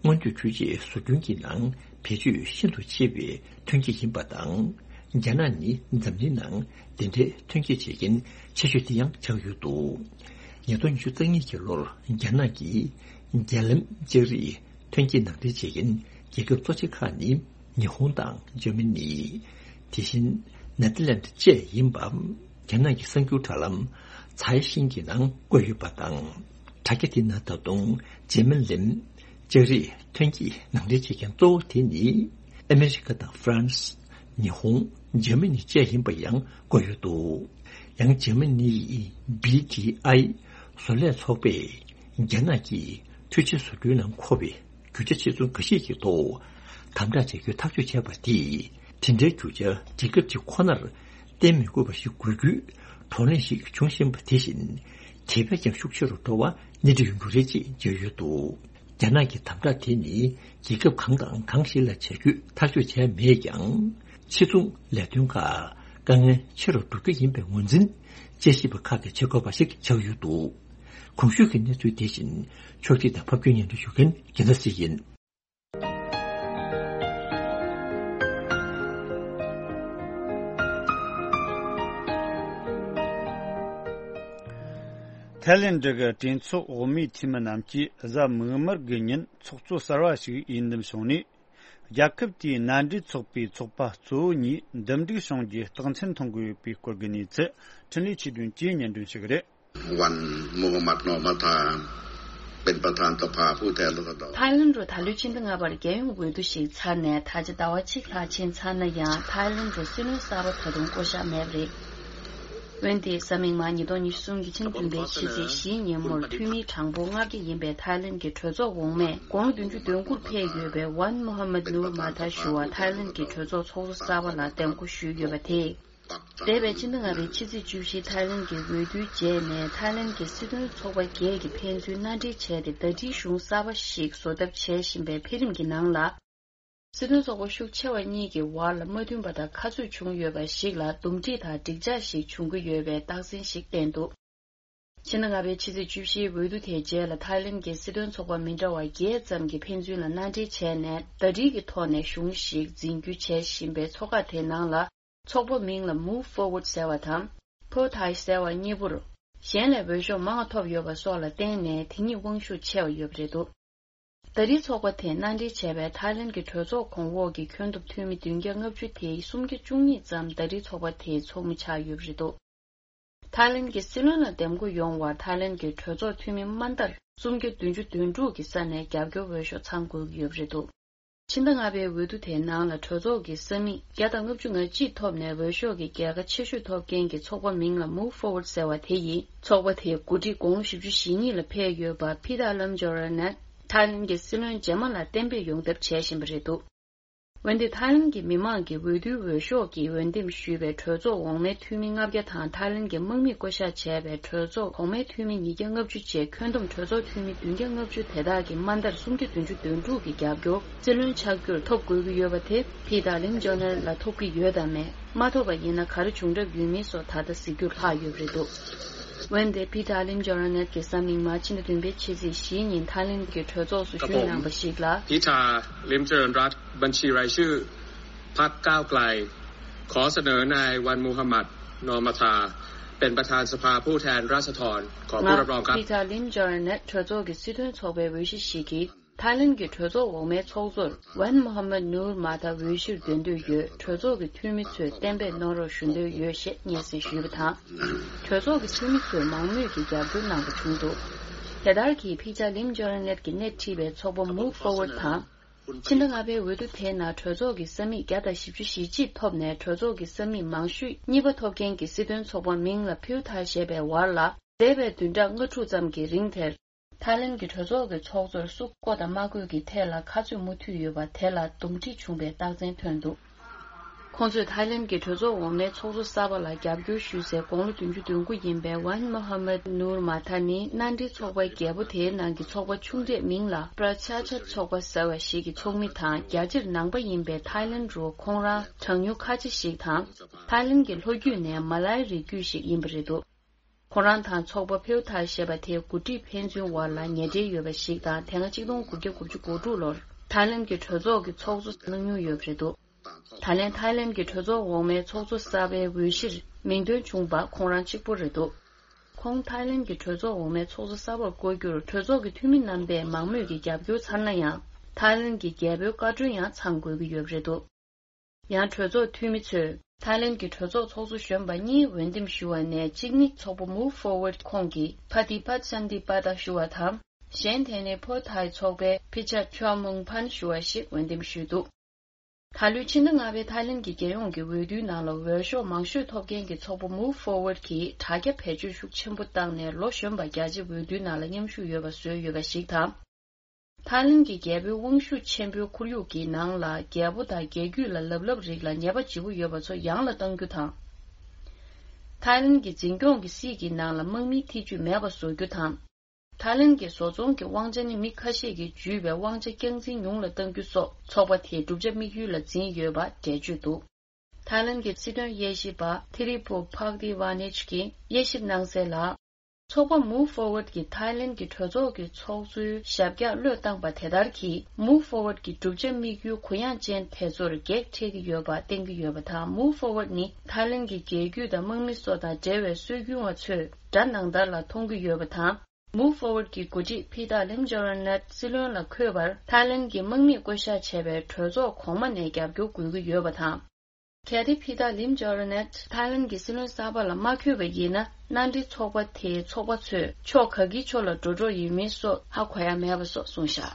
སྔོན་ཐོན་འཕྲུལ་ཆས་བཟོ་སྐྲུན་གྱི་ནང་བེད་སྤྱོད་ཤིན་ཏུ་ཆེ་བའི་ཐོན་སྐྱེད་ཡིན་པ་དང་། རྒྱ་ནག་ནི་འཛམ་གླིང་ནང་དེ་འདྲའི་ཐོན་སྐྱེད་བྱེད་མཁན་ཆེ་ཤོས་དེ་ཡང་ཆགས་ཡོད་འདུག་ཉིས་སྟོང་ཉི་ཤུ་རྩ་གཉིས་ཀྱི་ལོར་རྒྱ་ནག་གིས་རྒྱ་ལམ་ལྕགས་རིགས་ཐོན་སྐྱེད་ནང་འདྲེན་བྱེད་མཁན་རྒྱལ་ཁབ་གཙོ་ཆེ་ཁག་ནི། ཉི་ཧོང་དང་འཇར་མ་ནི། དེ་བཞིན་ནེ་ཐར་ལེནྜ་བཅས་ཡིན་པ། རྒྱ་ནག་གི་གསར་འགྱུར་དྲ་ལམ་ཚའེ་ཤིང་གི་ནང་བཀོད་ཡོད་པ་དང་། དྲ་རྒྱ་དེ་ན་ད་དུང་འཇར་མན་གླིང་། ལྕགས་རིགས་ཐོན་སྐྱེད་ནང་འདྲེན་བྱེད་མཁན་གཙོ་བོ་དེ་ནི་ཨ་མེ་རི་ཀ་དང་ཧྥ་རན་སི། ཉི་ཧོང་། འཇར་མ་ནི་བཅས་ཡིན་པ་ཡང་བཀོད་ཡོད་འདུག། ཡང་འཇར་མ་ནི་ཡི་བི་ཌི་ཨའི་བཟོ་ལས་ཚོགས་པས་རྒྱ་ནག་གིས་འཕྲུལ་ཆས་བཟོ་སྐྲུན་ནང་མཁོ་བའི་རྒྱུ་ཆ་ཆེ་ཆུང་འགའ་ཤས་ཀྱི་ཐོག་དམ་དྲག་བྱ་རྒྱུའི་ཐག་གཅོད་བྱས་པ་དེས། དེ་འདྲའི་རྒྱུ་ཆ་རྒྱལ་ཁབ་ཅིག་ཁོ་ནར་བརྟེན་མི་དགོས་པ་ཞིག་དགོས་རྒྱུའི་བགྲོ་གླེང་ཞིག་བྱུང་བཞིན་པ་དེ་བཞིན། དེ་བས་ཀྱང་ཤུགས་ཆེ་རུ་འགྲོ་བ་སྣེ་ཁྲིད་ཡོང་རྒྱུ་རེད་ཅེས་བརྗོད་ཡོད་འདུག། རྒྱ་ནག་གི་དམ་དྲག་དེ་ནི་རྒྱལ་ཁབ་གང་དང་གང་ཞིག་ལ་བྱ་རྒྱུའི་ཐག་གཅོད་བྱས་མེད་ཀྱང་། ཕྱི་ཚོང་ལས་དོན་ཁག་དཀའ་ངལ་ཆེ་རུ་འགྲོ་རྒྱུ་ཡིན་པའི་ངོས་འཛིན་དཔྱད་ཞིབ་པ་ཁག་གིས་བྱེད་དགོས་པ་ཞིག་ཆགས་ཡོད་འདུག། གོང་ཞུས་ཀྱི་གནས་ཚུལ་དེ་བཞིན་ཕྱོགས་སྒྲིག་དང་ཕབ་སྒྱུར་སྙན་སྒྲོན་ཞུ་མཁན་རྒྱལ་མཚན་སྲིད་ཡིན། ཐའི་ལེན་ཌི་གི་གྲོས་ཚོགས་འོག་མའི་འཐུས་མི་རྣམས་ཀྱིས་གཟའ་མིག་དམར་གྱི་ཉིན་ཚོགས་གཙོ་གསར་བ་ཞིག་ཡིན་འདེམས་བྱུང་ནས། རྒྱལ་ཁབ་དེའི་མནའ་འབྲེལ་ཚོགས་པའི་ཚོགས་པ་གཙོ་བོ་གཉིས་འདུམ་འགྲིག་བྱུང་རྒྱུའི་རྟགས་མཚན་མཐོང་གི་ཡོད་པའི་སྐོར་གྱི་གནས་ཚུལ་འཕྲིན་ལས་ཆོས་སྒྲོན་གྱིས་སྙན་སྒྲོན་ཞུ་གི་རེད།วันมูฮัมหมัด นอร์มาธา เป็นประธานสภาผู้แทนราษฎร ཐའི་ལེན་ཌི་རུ་ད་ལོའི་ཕྱི་ཟླ་ལྔ་པར་རྒྱལ་ཡོངས་འོས་བསྡུ་ཞིག་ཚར་ནས་ད་ཆ་ཟླ་བ་གཅིག་ལྷག་ཕྱིན་ཚར་ན་ཡང་། ཐའི་ལེན་ཌི་རུ་སྲིད་བློན་གསར་པ་ད་དུང་བསྐོ་གཞག་མེད་པ་རེད། འོན་ཏེ་གཟའ་མིག་དམར་ཉིས་སྟོང་ཉི་ཤུ་རྩ་གསུམ་གྱི་ཕྱི་ཟླ་བདུན་པའི་ཕྱི་ཚེས་བཞིའི་ཉིན་མོར་འཐུས་མི་གྲངས་འབོར་ལྔ་བརྒྱ་ཡིན་པའི་ཐའི་ལེན་ཌི་གི་གྲོས་ཚོགས་འོག་མས་དགུང་ལོ་བདུན་ཅུ་དོན་དགུར་ཕེབས་ཡོད་པའི་ཝན་མོ་ཧ་མད་ནུར་མ་ཐ་ཞུ་བ་ཐའི་ལེན་ཌི་གི་གྲོས་ཚོགས་ཚོགས་གཙོ་གསར་པ་ལ་འདེམས་བསྐོ་ཞུས་ཡོད་པ་དེས། འདས་པའི་ཕྱི་ཟླ་ལྔ་པའི་ཕྱི་ཚེས་བཅུ་བཞི་ཐའི་ལེན་ཌི་གི་འོས་བསྡུའི་རྗེས་ནས་ཐའི་ལེན་ཌི་གི་སྲིད་དོན་ཚོགས་པ་བརྒྱད་ཀྱིས་ཕན་ཚུན་མནའ་འབྲེལ་བྱས་ཏེ་ཟླ་སྒྲིལ་གཞུང་གསར་པ་ཞིག་བཟོ་ཐབས་བྱེད་བཞིན་པའི་འཕེལ་རིམ་གྱི་ནང་ལ། སྲིད་དོན་ཚོགས་པ་ཤུགས་ཆེ་བ་གཉིས་ཀྱི་བར་ལ་མ་མཐུན་པ་དང་ཁ་རྩོད་བྱུང་ཡོད་པ་ཞིག་ལ་འདུམ་འགྲིག་དང་འགྲིག་འཇགས་ཤིག་བྱུང་གི་ཡོད་པའི་རྟགས་མཚན་ཞིག་བསྟན་འདུག། ཕྱི་ཟླ་ལྔ་པའི་ཕྱི་ཚེས་བཅུ་བཞིའི་འོས་བསྡུ་དེའི་རྗེས་ལ་ཐའི་ལེན་ཌི་གི་སྲིད་དོན་ཚོགས་པ་མི་འདྲ་བ་བརྒྱད་ཙམ་གྱིས་ཕན་ཚུན་ལ་མནའ་འབྲེལ་བྱས་ནས་ཟླ་སྒྲིལ་གྱི་ཐོག་ནས་གཞུང་ཞིག་འཛིན་རྒྱུ་བྱེད་བཞིན་པའི་ཚོགས་ཁག་དེའི་ནང་ལ། ཚོགས་པ་མིང་ལ་Move Forward ཟེར་བ་དང་། Pheu Thai ཟེར་བ་གཉིས་པོར། གཞན་ལས་འོས་ཤོག་མང་བ་ཐོབ་ཡོད་པ་སོགས་ལ་བརྟེན་ནས་དེ་གཉིས་དབང་ཤུགས་ཆེ་བ་ཡོད་པ་རེད་འདུག། ད་རེས་ཚོགས་པ་དེས་མནའ་འབྲེལ་བྱས་པའི་ཐའི་ལེན་གྱི་གྲོས་ཚོགས་གོང་འོག་གི་ཁྱོན་བསྡོམས་འཐུས་མི་བདུན་བརྒྱ་ལྔ་བཅུ་དེའི་སུམ་བརྒྱ་བཅུ་གཉིས་ཙམ་ད་རེས་ཚོགས་པ་དེའི་ཚོགས་མི་ཆགས་ཡོད་པ་རེད་འདུག། ཐའི་ལེན་གྱི་སྲིད་བློན་ལ་འདེམས་བསྐོ་ཡོང་བར་ཐའི་ལེན་གྱི་གྲོས་ཚོགས་འཐུས་མི་དམའ་མཐར་སུམ་བརྒྱ་བདུན་ཅུ་དོན་དྲུག་གི་ས་ནས་རྒྱབ་སྐྱོར་འོས་ཤོག་ཚང་དགོས་ཀྱི་ཡོད་པ་རེད་འདུག། ཕྱི་ཟླ་ལྔ་པའི་འོས་བསྡུ་དེའི་ནང་ལ་གྲོས་ཚོགས་ཀྱི་ས་མིག་བརྒྱ་དང་ལྔ་བཅུ་ང་གཅིག་ཐོབ་ནས་འོས་ཤོག་གི་རྒྱལ་ཁ་ཆེ་ཤོས་ཐོབ་མཁན་གྱི་ཚོགས་པ་མིང་ལ་Move Forward ཟེར་བ་དེ་ཡིས་ཚོགས་པ་དེའི་འགོ་ཁྲིད་དགུང་ལོ་བཞི་བཅུ་ཞེ་གཉིས་ལ་ཕེབས་ཡོད་པ་ཕི་ཐ་ལམ་ཇོ་ར་ནད་ཐའི་ལེན་གྱི་སྲིད་བློན་རྗེས་མ་ལ་གཏན་འབེབས་ཡོང་ཐབས་བྱེད་བཞིན་པ་རེད་འདུག། འོན་ཏེ་ཐའི་ལེན་གྱི་མི་མང་གི་འོས་བསྡུའི་འོས་ཤོག་གིས་འོས་འདེམས་ཞུས་པའི་གྲོས་ཚོགས་འོག་མའི་འཐུས་མི་ལྔ་བརྒྱ་དང་ཐའི་ལེན་གྱི་དམག་མིས་བསྐོ་གཞག་བྱས་པའི་གྲོས་ཚོགས་གོང་མའི་འཐུས་མི་ཉིས་བརྒྱ་ལྔ་བཅུ་བཅས་ཁྱོན་བསྡོམས་གྲོས་ཚོགས་འཐུས་མི་བདུན་བརྒྱ་ལྔ་བཅུ་དེ་དག་གིས་དམའ་མཐར་སུམ་བརྒྱ་བདུན་ཅུ་དོན་དྲུག་གི་རྒྱབ་སྐྱོར་སྲིད་བློན་ཆགས་རྒྱུར་ཐོབ་དགོས་ཀྱི་ཡོད་པ་དེ་ཕི་ཐ་ལིམ་ཇོ་ནལ་ལ་ཐོབ་ཀྱི་ཡོད་དམ་མེད། མ་ཐོབ་པ་ཡིན་ན་ག་རེ་བྱུང་གྲབས་ཡོད་མེད་སོགས་ད་ལྟ་གཟིགས་རྒྱུར་ལྷག་ཡོད་པ་རེད་འདུག། འོན་ཏེ་ཕི་ཐ་ལིམ་ཇོ་ར་ནད་ཀྱིས་གཟའ་མིག་དམར་ཕྱི་ཟླ་བདུན་པའི་ཕྱི་ཚེས་བཞིའི་ཉིན་ཐའི་ལེན་གྱི་གྲོས་ཚོགས་སུ་ཞུས་གནང་བ་ཞིག་ལ། Pita Limjaroenrat Banchi Raisu พรรคก้าวไกล ขอเสนอนายวันมูฮัมหมัด นอร์มาธา เป็นประธานสภาผู้แทนราษฎร ขอผู้รับรองครับ Pita Lim Joranet གྲོས་ཚོགས་ཀྱི་སྲིད་དོན་ཚོགས་པའི་འོས་གཞི་ཞིག་གིས། ཐའི་ལེན་གྱི་གྲོས་ཚོགས་འོག་མའི་ཚོགས་གཙོར་ཝན་མོ་ཧ་མད་ནུར་མ་ཐ་འོས་གཞིར་འདོན་འདོད་ཡོད། གྲོས་ཚོགས་ཀྱི་འཐུས་མི་ཚོས་གཏན་འབེབས་གནང་རོགས་ཞུ་འདོད་ཡོད་ཞེས་སྙན་སེང་ཞུས་པ་དང་། གྲོས་ཚོགས་ཀྱི་འཐུས་མི་ཚོས་མང་མོས་ཀྱིས་རྒྱབ་སྐྱོར་གནང་པ་བྱུང་འདུག། དེ་ལྟར་གྱིས་ཕི་ཇ་ལིམ་ཇོ་ར་ནེད་ཀྱིས་སྣེ་ཁྲིད་པའི་ཚོགས་པ་Move Forward དང་། ཕྱི་ཟླ་ལྔ་པའི་འོས་བསྡུ་དེའི་ནང་གྲོས་ཚོགས་ཀྱི་ས་མིག་བརྒྱ་དང་བཞི་བཅུ་ཞེ་གཅིག་ཐོབ་ནས་གྲོས་ཚོགས་ཀྱི་ས་མིག་མང་ཤོས་གཉིས་པ་ཐོབ་མཁན་གྱི་སྲིད་དོན་ཚོགས་པ་མིང་ལ་ཕིའུ་ཐ་ཞེས་པའི་བར་ལ་འདས་པའི་བདུན་ཕྲག་ལྔ་དྲུག་ཙམ་གྱི་རིང་དེར། ཐའི་ལེན་གྱི་གྲོས་ཚོགས་ཀྱི་ཚོགས་གཙོར་སུ་བསྐོ་དང་མ་བསྐོས་ཀྱི་ཐད་ལ་ཁ་རྩོད་མུ་མཐུད་ཡོད་པ་དེ་ལ་འདུམ་འགྲིག་བྱུང་བའི་རྟགས་མཚན་ཐོན་འདུག། ཁོང་ཚོས་ཐའི་ལེན་གྱི་གྲོས་ཚོགས་འོག་མའི་ཚོགས་གཙོ་གསར་པ་ལ་རྒྱབ་སྐྱོར་ཞུས་སའི་དགུང་ལོ་བདུན་ཅུ་དོན་དགུ་ཡིན་པའི་ཝན་མོ་ཧ་མད་ནུར་མ་ཐ་ནི་མནའ་འབྲེལ་ཚོགས་པ་བརྒྱད་པོ་དེའི་ནང་གི་ཚོགས་པ་ཆུང་གྲས་མིང་ལ་པྲ་ཆ་ཆ་ཚོགས་པ་ཟེར་བ་ཞིག་གི་ཚོགས་མི་དང་རྒྱ་ཆེར་ནང་པ་ཡིན་པའི་ཐའི་ལེན་རུ་ཁོང་རང་གྲངས་ཉུང་ཁ་ཆེ་ཞིག་དང་ཐའི་ལེན་གྱི་ལྷོ་རྒྱུད་ནས་མ་ལའི་རིགས་རྒྱུད་ཞིག་ཡིན་པ་རེད་འདུག། ཁོ་རང་དང་ཚོགས་པ་ཕེའུ་ཐར་ཞེས་པ་དེའི་འགོ་ཁྲིད་ཕན་ཚུན་བར་ལ་ཉེ་འབྲེལ་ཡོད་པ་ཞིག་དང་དེ་སྔ་གཅིག་སྟོང་དགུ་བརྒྱ་དགུ་བཅུ་གོ་དྲུག་ལོར་ཐའི་ལེན་གྱི་གྲོས་ཚོགས་ཀྱི་ཚོགས་གཙོ་གནང་མྱོང་ཡོད་པ་རེད་འདུག། ད་ལན་ཐའི་ལེན་གྱི་གྲོས་ཚོགས་འོག་མའི་ཚོགས་གཙོ་གསར་པའི་འོས་གཞིར་མིང་འདོན་བྱུང་པ་ཁོང་རང་གཅིག་པུ་རེད་འདུག། ཁོང་ཐའི་ལེན་གྱི་གྲོས་ཚོགས་འོག་མའི་ཚོགས་གཙོ་གསར་པར་བསྐོ་རྒྱུར་གྲོས་ཚོགས་ཀྱི་འཐུས་མི་རྣམ་པས་མང་མོས་ཀྱི་རྒྱབ་སྐྱོར་ཚར་ན་ཡང་། ཐའི་ལེན་གྱི་རྒྱལ་པོའི་བཀའ་འཁྲོལ་ཡང་ཚང་དགོས་ཀྱི་ཡོད་པ་རེད་འདུག། ཡང་གྲོས་ཚོགས་འཐུས་མི་ཚོས་ ཐའི་ལེན་གྱི་གྲོས་ཚོགས་ཚོགས་གཙོ་གཞོན་པ་གཉིས་འོས་འདེམས་ཞུ་བ་ནས་གཅིག་ནི་ཚོགས་པ་Move Forward ཁོངས་ཀྱི་Phati Paetsamthipat ཞུ་བ་དང་། གཞན་དེ་ནི་ཕོ་ཐའི་ཚོགས་པའི་Phichha Chawmung Phan ཞུ་བ་ཞིག་འོས་འདེམས་ཞུས་འདུག་ད་ལོའི་ཕྱི་ཟླ་ལྔ་པའི་ཐའི་ལེན་གྱི་རྒྱལ་ཡོངས་ཀྱི་འོས་བསྡུའི་ནང་ལ་འོས་ཤོག་མང་ཤོས་ཐོབ་མཁན་གྱི་ཚོགས་པ་Move Forward གྱིས་དྲ་རྒྱ་བེད་སྤྱོད་ཤུགས་ཆེན་པོ་བཏང་ནས་ལོ་གཞོན་པ་རྒྱ་ཆེ་འོས་བསྡུའི་ནང་ལ་མཉམ་ཞུགས་ཡོད་པ་བཟོས་ཡོད་པ་ཞིག་དང་། ཐའི་ལེན་གྱི་རྒྱལ་པོའི་དབང་ཤུགས་ཆེན་པོའི་ཁོར་ཡུག་གི་ནང་ལ་རྒྱལ་པོ་དང་རྒྱལ་རྒྱུད་ལ་ལབ་ལབ་རིགས་ལ་ཉེས་པ་ལྗིད་པོ་ཡོད་པ་ཚོ་ཡང་ལ་གཏང་རྒྱུ་དང་། ཐའི་ལེན་གྱི་འཛིན་སྐྱོང་གི་སྲིད་ཀྱི་ནང་ལ་དམག་མིའི་ཐེ་ཇུས་མེད་པ་བཟོ་རྒྱུ་དང་། ཐའི་ལེན་གྱི་བཟོ་ཚོང་གི་དབང་ཆ་ནི་མི་ཁ་ཤས་ཀྱིས་འཇུས་པའི་དབང་ཆ་རྐྱང་འཛིན་ཉུང་ལ་གཏང་རྒྱུ་སོགས་ཚོགས་པ་དེའི་བསྒྲུབ་བྱ་དམིགས་ཡུལ་ལ་འཛིན་ཡོད་པ་འགྲེལ་བརྗོད་འདུག་ཐའི་ལེན་གྱི་སྲིད་དོན་དབྱེ་ཞིབ་པ་Thiriphok Phakdeewanich གྱིས་དབྱེ་ཞིབ་གནང་གསལ་ལ། ཚོགས་པ་Move Forward གྱིས་ཐའི་ལེན་གྱི་གྲོས་ཚོགས་ཀྱི་ཚོགས་གཙོའི་ཞབས་བཀྱག་བློས་བཏང་པ་དེ་ལྟར་གྱིས་Move Forward གྱི་བསྒྲུབ་བྱ་དམིགས་ཡུལ་གུ་ཡངས་ཅན་དེ་ཚོར་གེགས་འཕྲད་ཀྱི་ཡོད་པ་བསྟན་གྱི་ཡོད་པ་དང་། Move Forward ནི་ཐའི་ལེན་གྱི་རྒྱལ་རྒྱུད་དང་དམག་མི་སོགས་དང་འབྲེལ་བའི་སྲོལ་རྒྱུན་བ་ཚོས་དགྲ་ནང་ལྟར་ལ་མཐོང་གི་ཡོད་པ་དང་། Move Forward གྱི་འགོ་ཁྲིད་Phitha Limjaroenrat སྲིད་བློན་ལ་འཁོད་པར་ཐའི་ལེན་གྱི་དམག་མིས་བསྐོ་བཞག་བྱས་པའི་གྲོས་ཚོགས་གོང་མ་ནས་རྒྱབ་སྐྱོར་དགོས་ཀྱི་ཡོད་པ་དང་། གལ་ཏེ་Phitha Limjaroenrat ཐའི་ལེན་གྱི་སྲིད་བློན་གསར་པ་ལ་མ་འཁོད་པ་ཡིན་ན། མནའ་འབྲེལ་ཚོགས་པ་དེའི་ཚོགས་པ་ཚོས་ཕྱོགས་ག་གི་ཕྱོགས་ལ་འགྲོ་འགྲོ་ཡིན་མིན་སོགས་ཧ་གོ་ཡ་མེད་པ་སོགས་གསུངས་བཞག་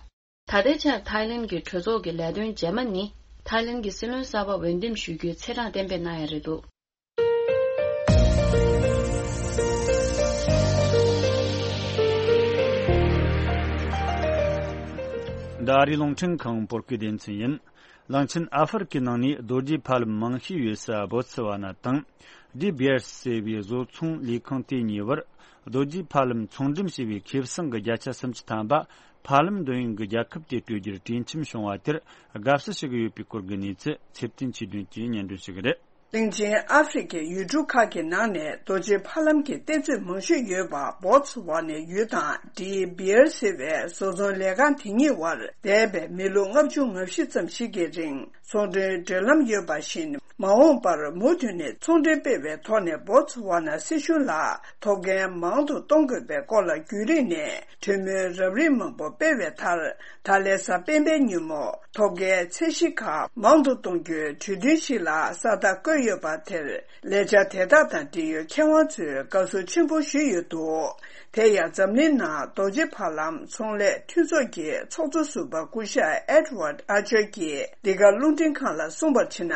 ད་ལྟའི་ཆར་ཐའི་ལེན་གྱི་གྲོས་ཚོགས་ཀྱི་ལས་དོན་རྗེས་མ་ནི་ཐའི་ལེན་གྱི་སྲིད་བློན་གསར་པ་འོས་འདེམས་ཞུ་རྒྱུའི་ཚེས་གྲངས་གཏན་འབེབས་གནང་ཡ་རེད་འདུག་འདི་ཨ་རིའི་རླུང་འཕྲིན་ཁང་བོད་སྐད་སྡེ་ཚན་ཡིན། གླིང་ཆེན་ཨ་ཧྥེ་རི་ཁའི་ནང་ནས་རྡོ་རྗེ་ཕ་ལམ་མང་ཤོས་ཡོད་ས་བོ་ཚི་ཝ་ན་དང་། ཌི་བི་ཨར་ཟེར་བའི་བཟོ་ཚོང་ལས་ཁང་དེ་གཉིས་བར་རྡོ་རྗེ་ཕ་ལམ་ཚོང་འགྲེམས་བྱས་པའི་ཁེ་བཟང་གི་བརྒྱ་ཆ་སུམ་ཅུ་ཐམ་པ་ཕ་ལམ་འདོན་ཡུལ་གྱི་རྒྱལ་ཁབ་དེ་སྤྲོད་རྒྱུར་གྲོས་འཆམ་བྱུང་བ་དེར་དགའ་བསུ་ཞུ་གི་ཡོད་པའི་སྐོར་གྱི་གནས་ཚུལ་ཚེ་བརྟན་ཆོས་སྒྲོན་གྱིས་སྙན་སྒྲོན་ཞུ་གི་རེད། གླིང་ཆེན་ཨ་ཧྥེ་རི་ཁའི་ཡུལ་གྲུ་ཁག་གི་ནང་ནས་རྡོ་རྗེ་ཕ་ལམ་གྱི་གཏེར་མཛོད་མང་ཤོས་ཡོད་པ་བོ་ཚི་ཝ་ནའི་ཡུལ་དང་ཌི་བི་ཨར་ཟེར་བའི་བཟོ་ཚོང་ལས་ཁང་དེ་གཉིས་བར་འདས་པའི་མི་ལོ་ལྔ་བཅུ་ང་བཞི་ཙམ་ཞིག་གི་རིང་ཚོང་འབྲེལ་འབྲེལ་ལམ་ཡོད་པ་བཞིན། མ་འོངས་པར་མུ་མཐུད་ནས་ཚོང་འབྲེལ་སྤེལ་བའི་ཐོག་ནས་བོ་ཚི་ཝ་ན་སྲིད་གཞུང་ལ་ཐོབ་མཁན་མང་དུ་གཏོང་དགོས་པའི་སྐོར་ལ་བརྒྱུད་རིམ་ནས་གྲོས་མོལ་རབ་རིམ་མང་པོ་སྤེལ་བའི་མཐར། ད་ལན་གཟའ་སྤེན་པའི་ཉིན་མོ་ཐོབ་མཁན་ཚད་གཞི་ཁག་མང་དུ་གཏོང་རྒྱུའི་གྲོས་མཐུན་ཞིག་ལ་ས་རྟགས་བཀོད་ཡོད་པ་དེར། ལས་འཆར་དེ་དག་དང་འབྲེལ་ཡོད་མཁས་དབང་ཚོས་དགའ་བསུ་ཆེན་པོ་ཞུས་ཡོད་འདུག་དེ་ཡང་འཛམ་གླིང་ནང་རྡོ་རྗེ་ཕ་ལམ་ཚོང་ལས་མཐུན་ཚོགས་ཀྱི་ཚོགས་གཙོ་ཟུར་པ་སྐུ་ཞབས་Edward Archer གྱིས་འདི་ག་རླུང་འཕྲིན་ཁང་ལ་གསུངས་པར་བྱས་ན།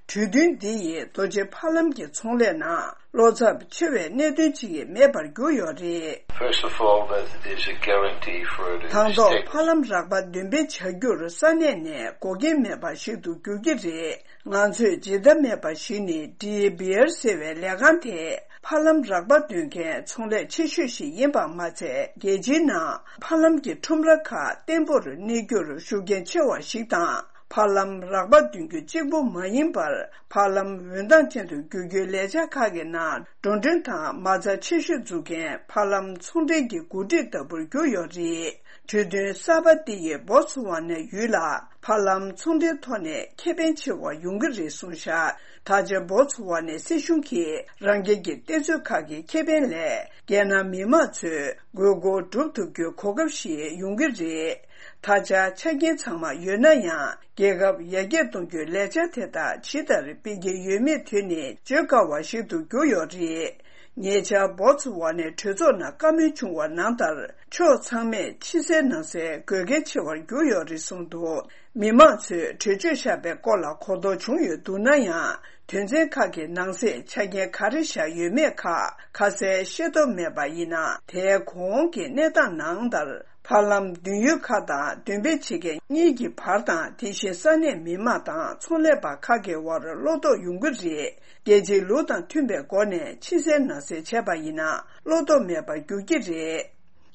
གྲོས་མཐུན་འདི་ཡིས་རྡོ་རྗེ་ཕ་ལམ་གྱི་ཚོང་ལས་ནང་བློ་འཚབ་ཆེ་བའི་གནད་དོན་ཅིག་མེད་པར་གྱུར་ཡོད་རེད། First of all, that is a guarantee for the state. དང་ཐོག་ཕ་ལམ་རགས་པ་འདོན་སྤེལ་བྱ་རྒྱུར་ས་གནས་ནས་འགོག་རྐྱེན་མེད་པ་ཞིག་ཏུ་འགྱུར་གྱི་རེད། ང་ཚོས་ཇི་ལྟ་མེད་པ་ཞིག་ནི་ཌི་བི་ཨར་ཟེར་བའི་ལས་ཁང་དེ་ཕ་ལམ་རགས་པ་འདོན་མཁན་ཚོང་ལས་ཆེ་ཤོས་ཤིག་ཡིན་པ་མ་ཚད། རྒྱལ་སྤྱིའི་ནང་ཕ་ལམ་གྱི་ཁྲོམ་ར་ཁག་བརྟན་པོར་གནས་རྒྱུར་ཤུགས་རྐྱེན་ཆེ་བ་ཞིག་དང་། ཕ་ལམ་རགས་པ་འདོན་རྒྱུ་གཅིག་པུ་མ་ཡིན་པར། ཕ་ལམ་འོད་མདངས་ཅན་དུ་བསྒྱུར་རྒྱུའི་ལས་འཆར་ཁག་གི་ནང་། འགྲོ་གྲོན་དང་མ་རྩ་ཆེ་ཤོས་འཛུགས་མཁན་ཕ་ལམ་ཚོང་འབྲེལ་གྱི་འགོ་ཁྲིད་ལྟ་བུར་གྱུར་ཡོད་རེད། གྲོས་མཐུན་གསར་པ་འདི་ཡིས་བོ་ཚུ་ཝ་ནའི་ཡུལ་ལ་ཕ་ལམ་ཚོང་འབྲེལ་ཐོག་ནས་ཁེ་ཕན་ཆེ་བ་ཡོང་གི་རེད་གསུངས་བཞག་ད་ཆ་བོ་ཚུ་ཝ་ནའི་སྲིད་གཞུང་གིས་རང་རྒྱལ་གྱི་གཏེར་མཛོད་ཁག་གི་ཁེ་ཕན་ལས། རྒྱལ་ནང་མི་མང་ཚོས་དགོས་མཁོ་སྒྲུབ་ཐུབ་རྒྱུའི་གོ་སྐབས་ཤིག་ཡོང་གི་རེད། ད་ཆ་ཆ་རྐྱེན་ཚང་མ་ཡོད་ན་ཡང་། རྒྱལ་ཁབ་ཡར་རྒྱས་གཏོང་རྒྱུའི་ལས་འཆར་དེ་དག་ཇི་ལྟར་སྤེལ་གྱི་ཡོད་མེད་དེ་ནི་བརྗོད་དཀའ་བ་ཞིག་ཏུ་གྱུར་ཡོད་རེད། ཉེ་ཆར་བོ་ཚུ་ཝ་ནའི་གྲོས་ཚོགས་ནང་བཀའ་མོལ་བྱུང་བ་ནང་ལྟར། ཕྱོགས་ཚང་མས་ཕྱི་གསལ་ནང་གསལ་དགོས་གལ་ཆེ་བར་གྱུར་ཡོད་རེད་གསུངས་འདུག་མི་མང་ཚོས་གྲོས་ཆོད་བཞག་པའི་སྐོར་ལ་གོ་རྟོགས་བྱུང་ཡོད་འདུག་ན་ཡང་། དོན་ཚན་ཁག་གི་ནང་གསེས་ཆ་རྐྱེན་ག་རེ་བཞག་ཡོད་མེད་ཁག་ཁ་གསལ་ཤེས་རྟོགས་མེད་པ་ཡིན་ན། དེའི་གོང་གི་གནས་སྟངས་ནང་ལྟར། ཕ་ལམ་འདོན་ཡུལ་ཁག་དང་འདོན་སྤེལ་བྱེད་མཁན་གཉིས་ཀྱི་བར་དང་། དེ་བཞིན་ས་གནས་མི་མང་དང་ཚོང་ལས་པ་ཁག་གི་དབར་བློ་དོགས་ཡོང་གི་རེད། རྒྱལ་སྤྱིའི་ལུགས་དང་མཐུན་པའི་སྒོ་ནས་ཕྱི་གསལ་ནང་གསལ་བྱས་པ་ཡིན་ན། བློ་དོགས་མེད་པར་འགྱུར་གྱི་རེད།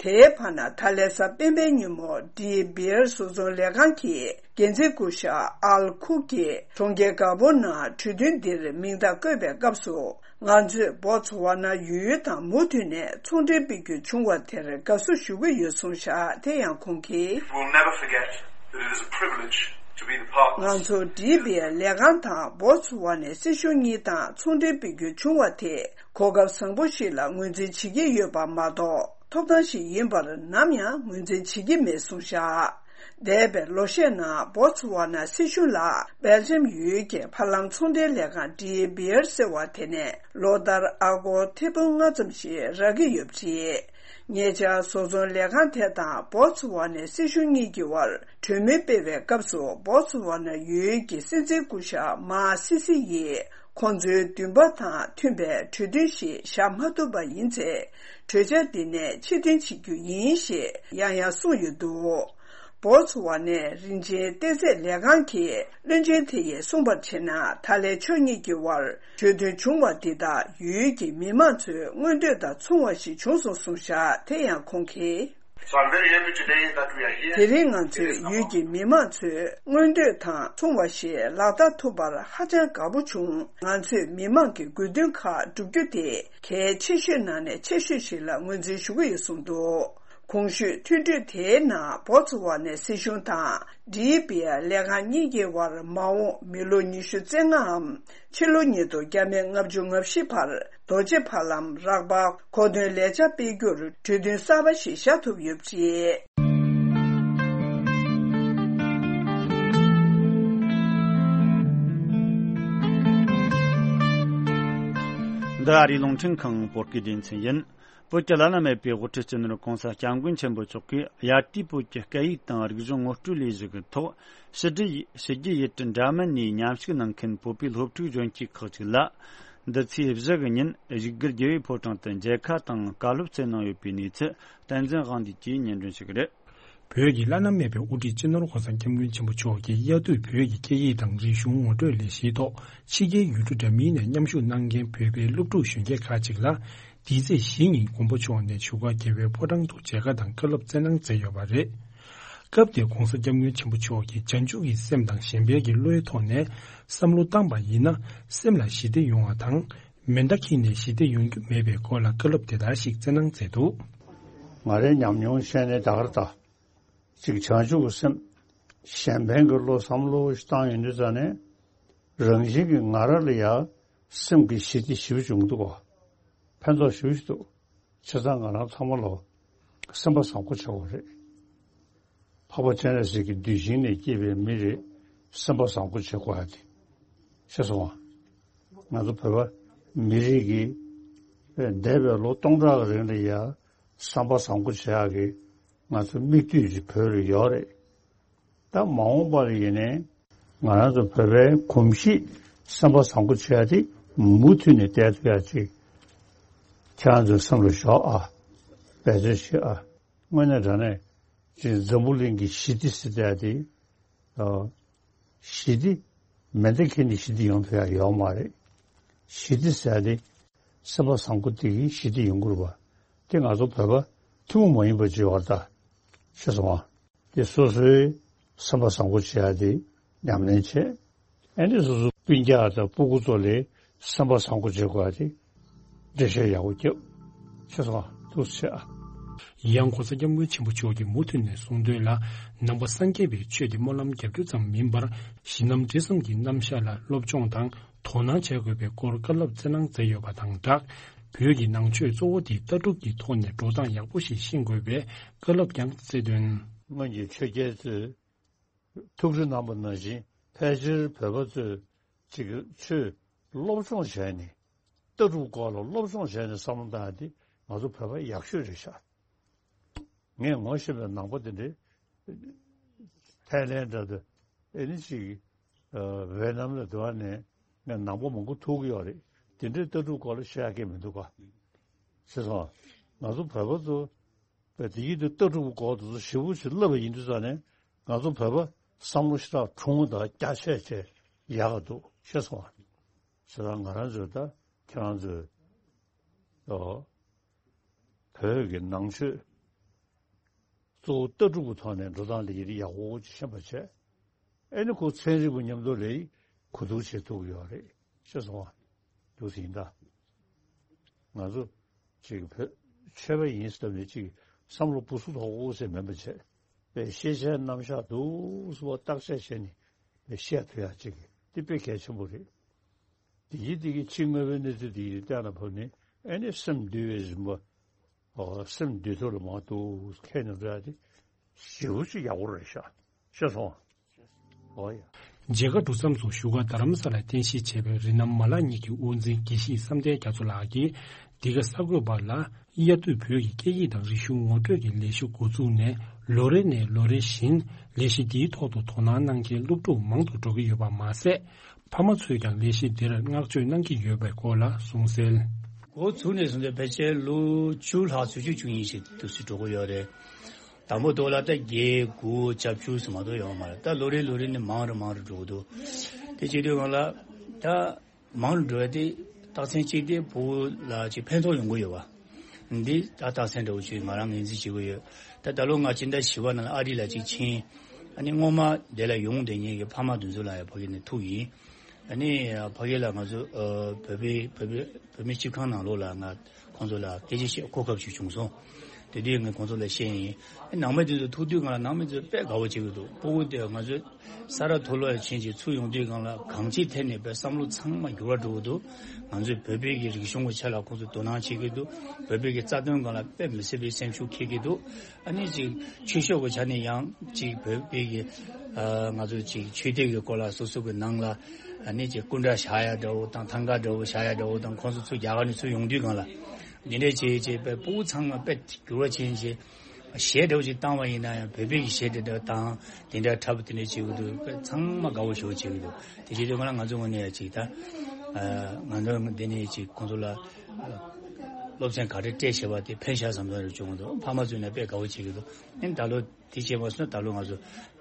དེའི་བར་ན། ད་ལན་གཟའ་སྤེན་པའི་ཉིན་མོ། ཌི་བི་ཨར་བཟོ་ཚོང་ལས་ཁང་གི་འགན་འཛིན་སྐུ་ཞབས་ཨལ་ཁུག་གིས་གྲོང་ཁྱེར་ག་བོ་ནང་གྲོས་མཐུན་འདིར་མིང་རྟགས་བཀོད་པའི་སྐབས་སུ། ང་ཚོས་བོ་ཚུ་ཝ་ན་ཡུལ་དང་མུ་མཐུད་ནས་ཚོང་འབྲེལ་སྤེལ་རྒྱུ་བྱུང་བ་དེར་དགའ་བསུ་ཞུ་གི་ཡོད་གསུངས་བཞག་དེ་ཡང་ཁོང་གིས། We'll never forget that it is a privilege to be the partners. ང་ཚོ་ཌི་བི་ཨར་ལས་ཁང་དང་བོ་ཚུ་ཝ་ནའི་སྲིད་གཞུང་གཉིས་དང་ཚོང་འབྲེལ་སྤེལ་རྒྱུ་བྱུང་བ་དེ། གོ་སྐབས་བཟང་པོ་ཞིག་ལ་ངོས་འཛིན་བྱེད་ཀྱི་ཡོད་པ་མ་གཏོགས། ཐོབ་ཐང་ཞིག་ཡིན་པར་ནམ་ཡང་ངོས་འཛིན་བྱེད་ཀྱི་མེད་གསུངས་བཞག་འདས་པའི་ལོ་ཤས་ནང་བོ་ཚུ་ཝ་ན་སྲིད་གཞུང་ལ་སྦེལ་ཇམ་ཡུལ་གྱི་ཕ་ལམ་ཚོང་དོན་ལས་ཁང་ཌི་ཨེ་བི་ཨར་ཟེར་བ་དེ་ནས་ལོ་ལྟར་ཨ་སྒོར་ཐེར་འབུམ་ལྔ་ཙམ་ཞིག་རག་གི་ཡོད་པ་རེད། ཉེ་ཆར་བཟོ་ཚོང་ལས་ཁང་དེ་དང་བོ་ཚུ་ཝ་ནའི་སྲིད་གཞུང་གཉིས་ཀྱི་དབར་གྲོས་མོལ་སྤེལ་བའི་སྐབས་སུ་བོ་ཚུ་ཝ་ན་ཡུལ་གྱི་སྲིད་འཛིན་སྐུ་ཞབས་མཱ་སི་སི་ཡིས། ཁོང་ཚོའི་འདུན་པ་དང་མཐུན་པའི་གྲོས་མཐུན་ཞིག་བཞག་མ་ཐུབ་པ་ཡིན་ཚེ། གྲོས་འཆར་འདི་ནས་ཕྱིར་འཐེན་བྱེད་རྒྱུ་ཡིན་ཞེས་ཡང་ཡང་གསུངས་ཡོད་འདུག་བོ་ཚུ་ཝ་ནའི་རིན་ཆེན་གཏེར་རྫས་ལས་ཁང་གི་བློན་ཆེན་དེ་ཡིས་གསུངས་པར་བྱས་ན། ད་ལན་ཕྱོགས་གཉིས་ཀྱི་དབར་གྲོས་མཐུན་བྱུང་བ་འདི་དག་ཡུལ་གྱི་མི་མང་ཚོའི་མངོན་འདོད་དང་མཚུངས་པ་ཞིག་བྱུང་སོང་གསུངས་བཞག་དེ་ཡང་ཁོང་གིས། So I'm very happy today that we are here. དེ་རིང་ང་ཚོས་ཡུལ་གྱི་མི་མང་ཚོའི་མངོན་འདོད་དང་མཚུངས་པ་ཞིག་ལག་བསྟར་ཐུབ་པར་ཧ་ཅང་དགའ་པོ་བྱུང་། ང་ཚོས་མི་མང་གི་དགོས་འདུན་ཁག་བསྒྲུབ་རྒྱུ་དེ་གལ་ཆེ་ཤོས་ནང་ནས་ཆེ་ཤོས་ཤིག་ལ་ངོས་འཛིན་ཞུ་གི་ཡོད་གསུངས་འདུག་གོང་ཞུས་མཐུན་གྲོས་དེའི་ནང་བོ་ཚུ་ཝ་ནའི་སྲིད་གཞུང་དང་ཌི་ཨེ་བི་ཨར་ལས་ཁང་གཉིས་ཀྱི་དབར་མ་འོངས་མི་ལོ་ཉི་ཤུ་རྩ་ལྔའམ་ཕྱི་ལོ་ཉིས་སྟོང་ཉེར་བཞི་བར་རྡོ་རྗེ་ཕ་ལམ་རག་པ་མཁོ་འདོན་ལས་འཆར་སྤེལ་རྒྱུར་གྲོས་མཐུན་གསར་པ་ཞིག་བཞག་ཐུབ་ཡོད་པ་རེད། འདི་ཨ་རིའི་རླུང་འཕྲིན་ཁང་བོད་སྐད་སྡེ་ཚན་ཡིན། བོད་ཀྱི་བླ་ན་མེད་པའི་དབུ་ཁྲིད་སྤྱི་ནོར་༸གོང་ས་༸སྐྱབས་མགོན་ཆེན་པོ་མཆོག་གིས་ཡར་ཏིའི་བོད་ཀྱི་སྐད་ཡིག་དང་རིག་གཞུང་ངོ་སྤྲོད་ལས་གཞི་གི་ཐོག་ཕྱི་དྲིལ་ཕྱི་རྒྱལ་ཡུལ་གྲུ་འདྲ་མིན་ནས་མཉམ་ཞུགས་གནང་མཁན་བོད་པའི་སློབ་ཕྲུག་གཞོན་སྐྱེས་ཁག་ཅིག་ལ། འདི་ཚེས་བཞི་གི་ཉིན་བཞུགས་སྒར་རྒྱལ་བའི་ཕོ་བྲང་དུ་མཇལ་ཁ་དང་བཀའ་སློབ་སྩལ་གནང་ཡོད་པའི་གནས་ཚུལ་བསྟན་འཛིན་དབང་འདུས་ཀྱིས་སྙན་སྒྲོན་ཞུ་གི་རེད། བོད་ཀྱི་བླ་ན་མེད་པའི་དབུ་ཁྲིད་སྤྱི་ནོར་༸གོང་ས་༸སྐྱབས་མགོན་ཆེན་པོ་མཆོག་གིས་དབྱར་དུས་བོད་ཀྱི་སྐད་ཡིག་དང་རིག་གཞུང་ངོ་སྤྲོད་ལས་གཞིའི་ཐོག་ཕྱི་རྒྱལ་ཡུལ་གྲུ་འདྲ་མིན་ནས་མཉམ་ཞུགས་གནང་མཁན་བོད་པའི་སློབ་ཕྲུག་གཞོན་སྐྱེས་ཁག་ཅིག་ལ། འདི་ཚེས་བཞི་ཉིན་མགོན་པོ་མཆོག་ནས་བཞུགས་སྒར་རྒྱལ་བའི་ཕོ་བྲང་དུ་མཇལ་ཁ་དང་བཀའ་སློབ་སྩལ་གནང་མཛད་ཡོད་པ་རེད། སྐབས་དེར་༸གོང་ས་༸སྐྱབས་མགོན་ཆེན་པོ་མཆོག་གིས་བྱང་ཆུབ་ཀྱི་སེམས་དང་གཞན་ཕན་གྱི་བློའི་ཐོག་ནས་བསམ་བློ་བཏང་པ་ཡིན་ན། སེམས་ལ་ཞི་བདེ་ཡོང་བ་དང་། མེ་མདའ་འཁྱེར་ནས་ཞི་བདེ་ཡོང་རྒྱུ་མེད་པའི་སྐོར་ལ་བཀའ་སློབ་དེ་ལྟར་ཞིག་སྩལ་གནང་མཛད་འདུག་ང་རའི་ཉམས་མྱོང་བཤད་ནས་ད་གར་ད། གཅིག་བྱང་ཆུབ་ཀྱི་སེམས། གཞན་ཕན་གྱི་བློ་བསམ་བློ་ཞིག་བཏང་ཡོང་དུས་ཙ་ནས། རང་བཞིན་གྱིས་ང་རང་ལ་ཡང་སེམས་ཀྱི་ཞི་བདེ་ཞེ་པོ་བྱུང་འདུག་གོ། ཕན་ཐོགས་ཞེ་པོ་ཞིག་འདུག་བྱས་ཙང་ང་རང་ཚང་མ་ལོ་སེམས་པ་བཟང་པོ་བྱེད་དགོས་རེད། འཕགས་པ་སྤྱན་རས་གཟིགས་ཀྱི་གདུལ་ཞིང་ནས་སྐྱེས་པའི་མི་རེད། སེམས་པ་བཟང་པོ་བྱེད་དགོས་ཡ་དེ། ཤེས་སོང་ང་། ང་ཚོ་བོད་པ་མི་རིགས་ཀྱི་འདས་པའི་ལོ་སྟོང་ཕྲག་གི་རིང་ལ་ཡ་བསམ་པ་བཟང་པོ་བྱེད་ཡག་གི་ང་ཚོ་མིག་ལྟོས་ཅིག་བོད་ལ་ཡོད་རེད། ད་མ་འོངས་པ་ལ་ཡིན་ནའི་ང་རང་ཚོ་བོད་པའི་གོམས་གཤིས་བསམ་པ་བཟང་པོ་བྱེད་ཡག་དེ་མུ་མཐུད་ནས་བསྡད་ཐུབ་ཡག་ཅིག་ཁྱེད་རང་ཚོའི་སེམས་ལ་ཞོག་ཨ། འབད་བརྩོན་བྱེད་ཨ། དངོས་གནས་དྲང་གནས་ཅིག་འཛམ་བུ་གླིང་གི་ཞི་བདེ་ཟེར་བསྡད་ཡག་དེ། ཨ། ཞི་བདེ། མེ་མདའ་འཁྱེར་ནས་ཞི་བདེ་ཡོང་ཐུབ་ཡག་ཡོད་མ་རེད། ཞི་བདེ་ཟེར་ཡག་དེ། སེམས་པ་བཟང་པོ་དེ་གིས་ཞི་བདེ་ཡོང་གི་རེད་པ། དེ་ང་ཚོ་བོད་པ་ཐུན་མོང་མ་ཡིན་པ་ཅིག་ཡོད་རེད་ད། ཤེས་སོང་ང་། དེ་སོ་སོའི་སེམས་པ་བཟང་པོ་བྱེད་ཡག་དེ་ཉམས་ལེན་བྱེད། ཨ་ནི་སོ་སོ་སྤུན་ཀྱག་དང་སྤུ་གུ་ཚོ་ལ་སེམས་པ་བཟང་པོ་བྱེད་དགོས་ཡག་དེ། འགྲེལ་བཤད་ཡག་པོ་རྒྱབ། ཤེས་སོང་ང་། ཐུགས་རྗེ་ཆེ་ཨ། ཡང་༸གོང་ས་༸སྐྱབས་མགོན་ཆེན་པོ་མཆོག་གིས་མུ་མཐུད་ནས་གསུངས་དོན་ལ། ནང་པ་སངས་རྒྱས་པའི་ཆོས་དེ་སྨོན་ལམ་རྒྱབ་རྒྱུ་ཙམ་མིན་པར། གཞི་རྣམ་འབྲེལ་ཟམ་གྱི་རྣམ་གཞག་ལ་སློབ་སྦྱོང་དང་དོ་སྣང་བྱེད་དགོས་པའི་སྐོར་བཀའ་སློབ་སྩལ་གནང་མཛད་ཡོད་པ་དང་སྦྲགས། བོད་ཀྱི་ནང་ཆོས་གཙོ་བོ་དེ་ལྟ་གྲུབ་ཀྱི་ཐོག་ནས་འགྲོ་སྟངས་ཡག་པོ་ཞིག་ཤེས་དགོས་པའི་བཀའ་སློབ་ཀྱང་སྩལ་དོན། སྔོན་གྱི་ཆོས་རྒྱལ་ཚོས་ཐུགས་རྗེ་གནང་པ་ནང་བཞིན་ཕལ་ཆེར་བོད་པ་ཚོས་ཅིག་ཆོས་སློབ་སྦྱོང་བྱས་ནས་ལྟ་གྲུབ་སྐོར་ལ་སློབ་སྦྱོང་བྱས་ནས་བསམ་བློ་བཏང་ཡག་དེ་ང་ཚོ་བོད་པ་ཡག་ཤོས་རེད་ཤག་ངས་ངོ་ཤེས་པའི་ནང་པ་དེ་འདྲའི་ཐའི་ལེན་འདྲ་དུ་ཨེ་ནི་ཅིག་ཝེ་ནམ་ལ་འདུག་ནས་ངས་ནང་པ་མང་པོ་ཐུག་གི་ཡོད་རེད། དེ་འདྲའི་ལྟ་གྲུབ་སྐོར་ལ་བཤད་ཡག་གི་མི་འདུག་ག་ཤེས་སོང་། ང་ཚོ་བོད་པ་ཚོ་བས་དེ་ཡིད་དུ་ལྟ་གྲུབ་སྐོར་དུ་ཞིབ་པོ་ཞིག་བསླབ་པ་ཡིན་དུས་ཙང་ནས་ང་ཚོ་བོད་པ་བསམ་བློ་ཞེ་དྲག་གྲུང་དང་རྒྱ་ཆེ་ཆེ་ཡག་ག་འདུག་ཤེས་སོང་བ། ཞེ་དྲག་ང་རང་ཚོས་ད་ཁྱེད་རང་ཚོས་ཨོ། བོད་ཀྱི་ནང་ཆོས་གཙོ་བོ་ལྟ་གྲུབ་ཀྱི་ཐོག་ནས་འགྲོ་སྟངས་ལ་ཡིད་ཡག་པོ་ཅིག་ཤེས་པ་བྱས། ཨེ་ནི་ཁོ་ཚན་རིག་པ་མཉམ་དུ་ལས་གོ་བསྡུར་བྱེད་ཐུབ་ཀྱི་ཡོད་རེད་ཤེས་སོང་བ། འདུག་ཟིན་ད། ང་ཚོ་ཅིག་བོད་ཆོས་པ་ཡིན་སྟབས་ནས་ཅིག་བསམ་བློ་སྦུ་སུ་དོག་པོ་ཟེར་མིན་པ་བྱས། པའི་ཤེས་བྱའི་རྣམ་གཞག་འདུག་སུ་བ་བརྟག་དཔྱད་བྱས་ནས་པའི་བཤད་ཐུབ་ཡག་ཅིག་འདི་དཔེ་གལ་ཆེན་པོ་རེད། དེ་ཡིན་དེ་གི་ཕྱི་དངོས་པོའི་གནས་ཚུལ་དེ་ཡིན་གཏན་ལ་ཕབ་ནས་ཨེ་ནི་སེམས་འདུལ་བའི་རིམ་པ། ཨོ་སེམས་འདུལ་ཐུབ་ལ་མ་གཏོགས་ཁས་ནས་འགྲོ་ཡག་དེ། ཞེ་པོ་ཅིག་ཡག་པོ་རེད་ཤག་ཤེས་སོང་། ཨོ་ཡ། མཇལ་ཁ་གྲུབ་མཚམས་སུ་བཞུགས་སྒར་རྡ་རམ་ས་ལར་རྟེན་གཞི་བྱས་པའི་རི་ནང་མ་ལག་གཉིས་ཀྱི་དབུ་འཛིན་དགེ་བཤེས་བསམ་གཏན་རྒྱ་མཚོ་ལགས་ཀྱིས། འདི་ག་གསར་འགོད་པ་ལ། དབྱར་དུས་བོད་ཀྱི་སྐད་ཡིག་དང་རིག་གཞུང་ངོ་སྤྲོད་ཀྱི་ལས་གཞི་འགོ་བཙུགས་ནས་ལོ་རེ་ནས་ལོ་རེ་བཞིན་ལས་གཞི་འདིའི་ཐོག་ཏུ་དོ་སྣང་གནང་མཁན་སློབ་ཕྲུག་མང་དུ་འགྲོ་གི་ཡོད་པ་མ་ཟད། ཕ་མ་ཚོས་ཀྱང་ལས་གཞི་འདིར་བསྔགས་བརྗོད་གནང་གི་ཡོད་པའི་སྐོར་ལ་གསུངས་གསལ། འགོ་ཚུགས་ནས་བཟུང་སྟེ་ཕལ་ཆེར་ལོ་བཅུ་ལྷག་ཙམ་ཅིག་བཅུ་གཉིས་ཤིག་ཏུ་སུ་འགྲོ་གི་ཡོད་རེད། དང་པོ་དོ་ལ་ད་བརྒྱད་དགུ་བཅུ་ཙམ་མ་གཏོགས་ཡོད་མ་རེད། ད་ལོ་རེ་ལོ་རེ་ནས་མང་རུ་མང་རུ་འགྲོ་གི་འདུག་དེ་བྱེད་དུས་སྒང་ལ་ད་མང་རུ་འགྲོ་བ་དེ་རྟགས་མཚན་གཅིག་དེ་ཕྲུ་གུ་ལ་ཅིག་ཕན་ཐོགས་ཡོང་གི་ཡོད་པ། འདི་ད་རྟགས་མཚན་འདྲ་བོ་ཅིག་ང་རང་ངོས་འཛིན་བྱེད་ཀྱི་ཡོད། ད་ད་ལོ་ང་ཕྱི་ཟླ་བཞི་པ་ནང་ལ་ཨ་རི་ལ་ཅིག་ཕྱིན། ཨ་ནི་སྔོན་མ་དེ་ལ་ཡོང་བསྡད་མཁན་གྱི་ཕ་མ་དེ་ཚོ་ལ་ཡང་ཕ་གི་ནས་ཐུག་ཡིན། ཨ་ནི་ཕ་གི་ལ་ང་ཚོ་ཨ་བོད་པའི་བོད་པའི་བོད་མི་སྤྱི་ཁང་ནང་ལོགས་ལ་ང་ཁོང་ཚོ་ལ་སྐད་ཆ་བཤད་གོ་སྐབས་ཅིག་བྱུང་སོང་། དེ་དུས་ངས་ཁོང་ཚོ་ལ་བཤད་ཡིན། ཨ་ནང་མི་དེ་ཚོ་ཐུག་དུས་སྒང་ལ་ནང་མི་ཚོས་དཔེ་དགའ་བོ་བྱེད་ཀྱི་འདུག་ཕྲུ་གུ་དེ་ང་ཚོའི་ས་རཱ་མཐོ་སློབ་ལ་ཕྱིན་ཅིག་ཚུར་ཡོང་དུས་སྒང་ལ་གང་ཅིའི་ཐད་ནས་དཔེ་བསམ་བློ་ཚང་མ་འགྱུར་བ་འགྲོ་གི་འདུག་ང་ཚོས་བོད་པའི་གི་རིག་གཞུང་གི་ཆ་ལ་ཁོང་ཚོས་དོ་སྣང་བྱེད་ཀྱི་འདུག་བོད་པའི་གི་རྩ་དོན་སྒང་ལ་དཔེ་མི་སྲིད་པའི་སེམས་ཤུགས་འཁྱེར་གྱི་འདུག་ཨ་ནི་ཅིག་ཆོས་ཕྱོགས་ཀྱི་ཆ་ནས་ཡང་ཅིག་བོད་པའི་གི་ཨ་ང་ཚོ་ཅིག་ཆོས་སྡེ་གི་སྐོར་ལ་སོ་སོ་གི་ནང་ལ་ཨ་ནི་ཅིག་སྐུ་འདྲ་བཞག་ཡ་འདྲ་བོ་དང་ཐང་ག་འདྲ་བོ་བཞག་ཡ་འདྲ་བོ་དང་ཁོང་ཚོ་ཚུར་རྒྱ་གར་ནས་ཚུར་ཡོང་དུས་སྒང་ལ་འདི་འདྲས་བྱས་བྱས་དཔེ་ཕྲུ་གུ་ཚང་མ་དཔེ་འགྱུར་བ་ཕྱིན་བྱས། གཞས་འདྲ་བོ་ཅིག་བཏང་བ་ཡིན་ན་ཡང་བོད་པའི་གཞས་དེ་འདྲ་བཏང་དེ་འདྲ་འཁྲབ་དེ་འདྲ་བྱེད་ཀྱི་འདུག་ཚང་མ་དགའ་བོ་ཞེ་པོ་བྱེད་ཀྱི་འདུག་དེ་བྱེད་དུས་ང་ལ་ང་ཚོ་ངོས་ནས་ཡང་ཅིག་ད་ང་ཚོ་འདི་ནས་ཅིག་ཁོང་ཚོ་ལ་སློབ་ཚན་ག་རེ་སྤྲད་བྱས་པ་དེ་ཕན་ཤག་བསམ་བསམ་རེ་བྱུང་འདུག་ཕ་མ་ཚོས་ནས་དཔེ་དགའ་བོ་བྱེད་ཀྱི་འདུག་ཨ་ནི་ད་ལོ་དེ་བྱས་མ་སོང་ད་ལོ་ང་ཚོ་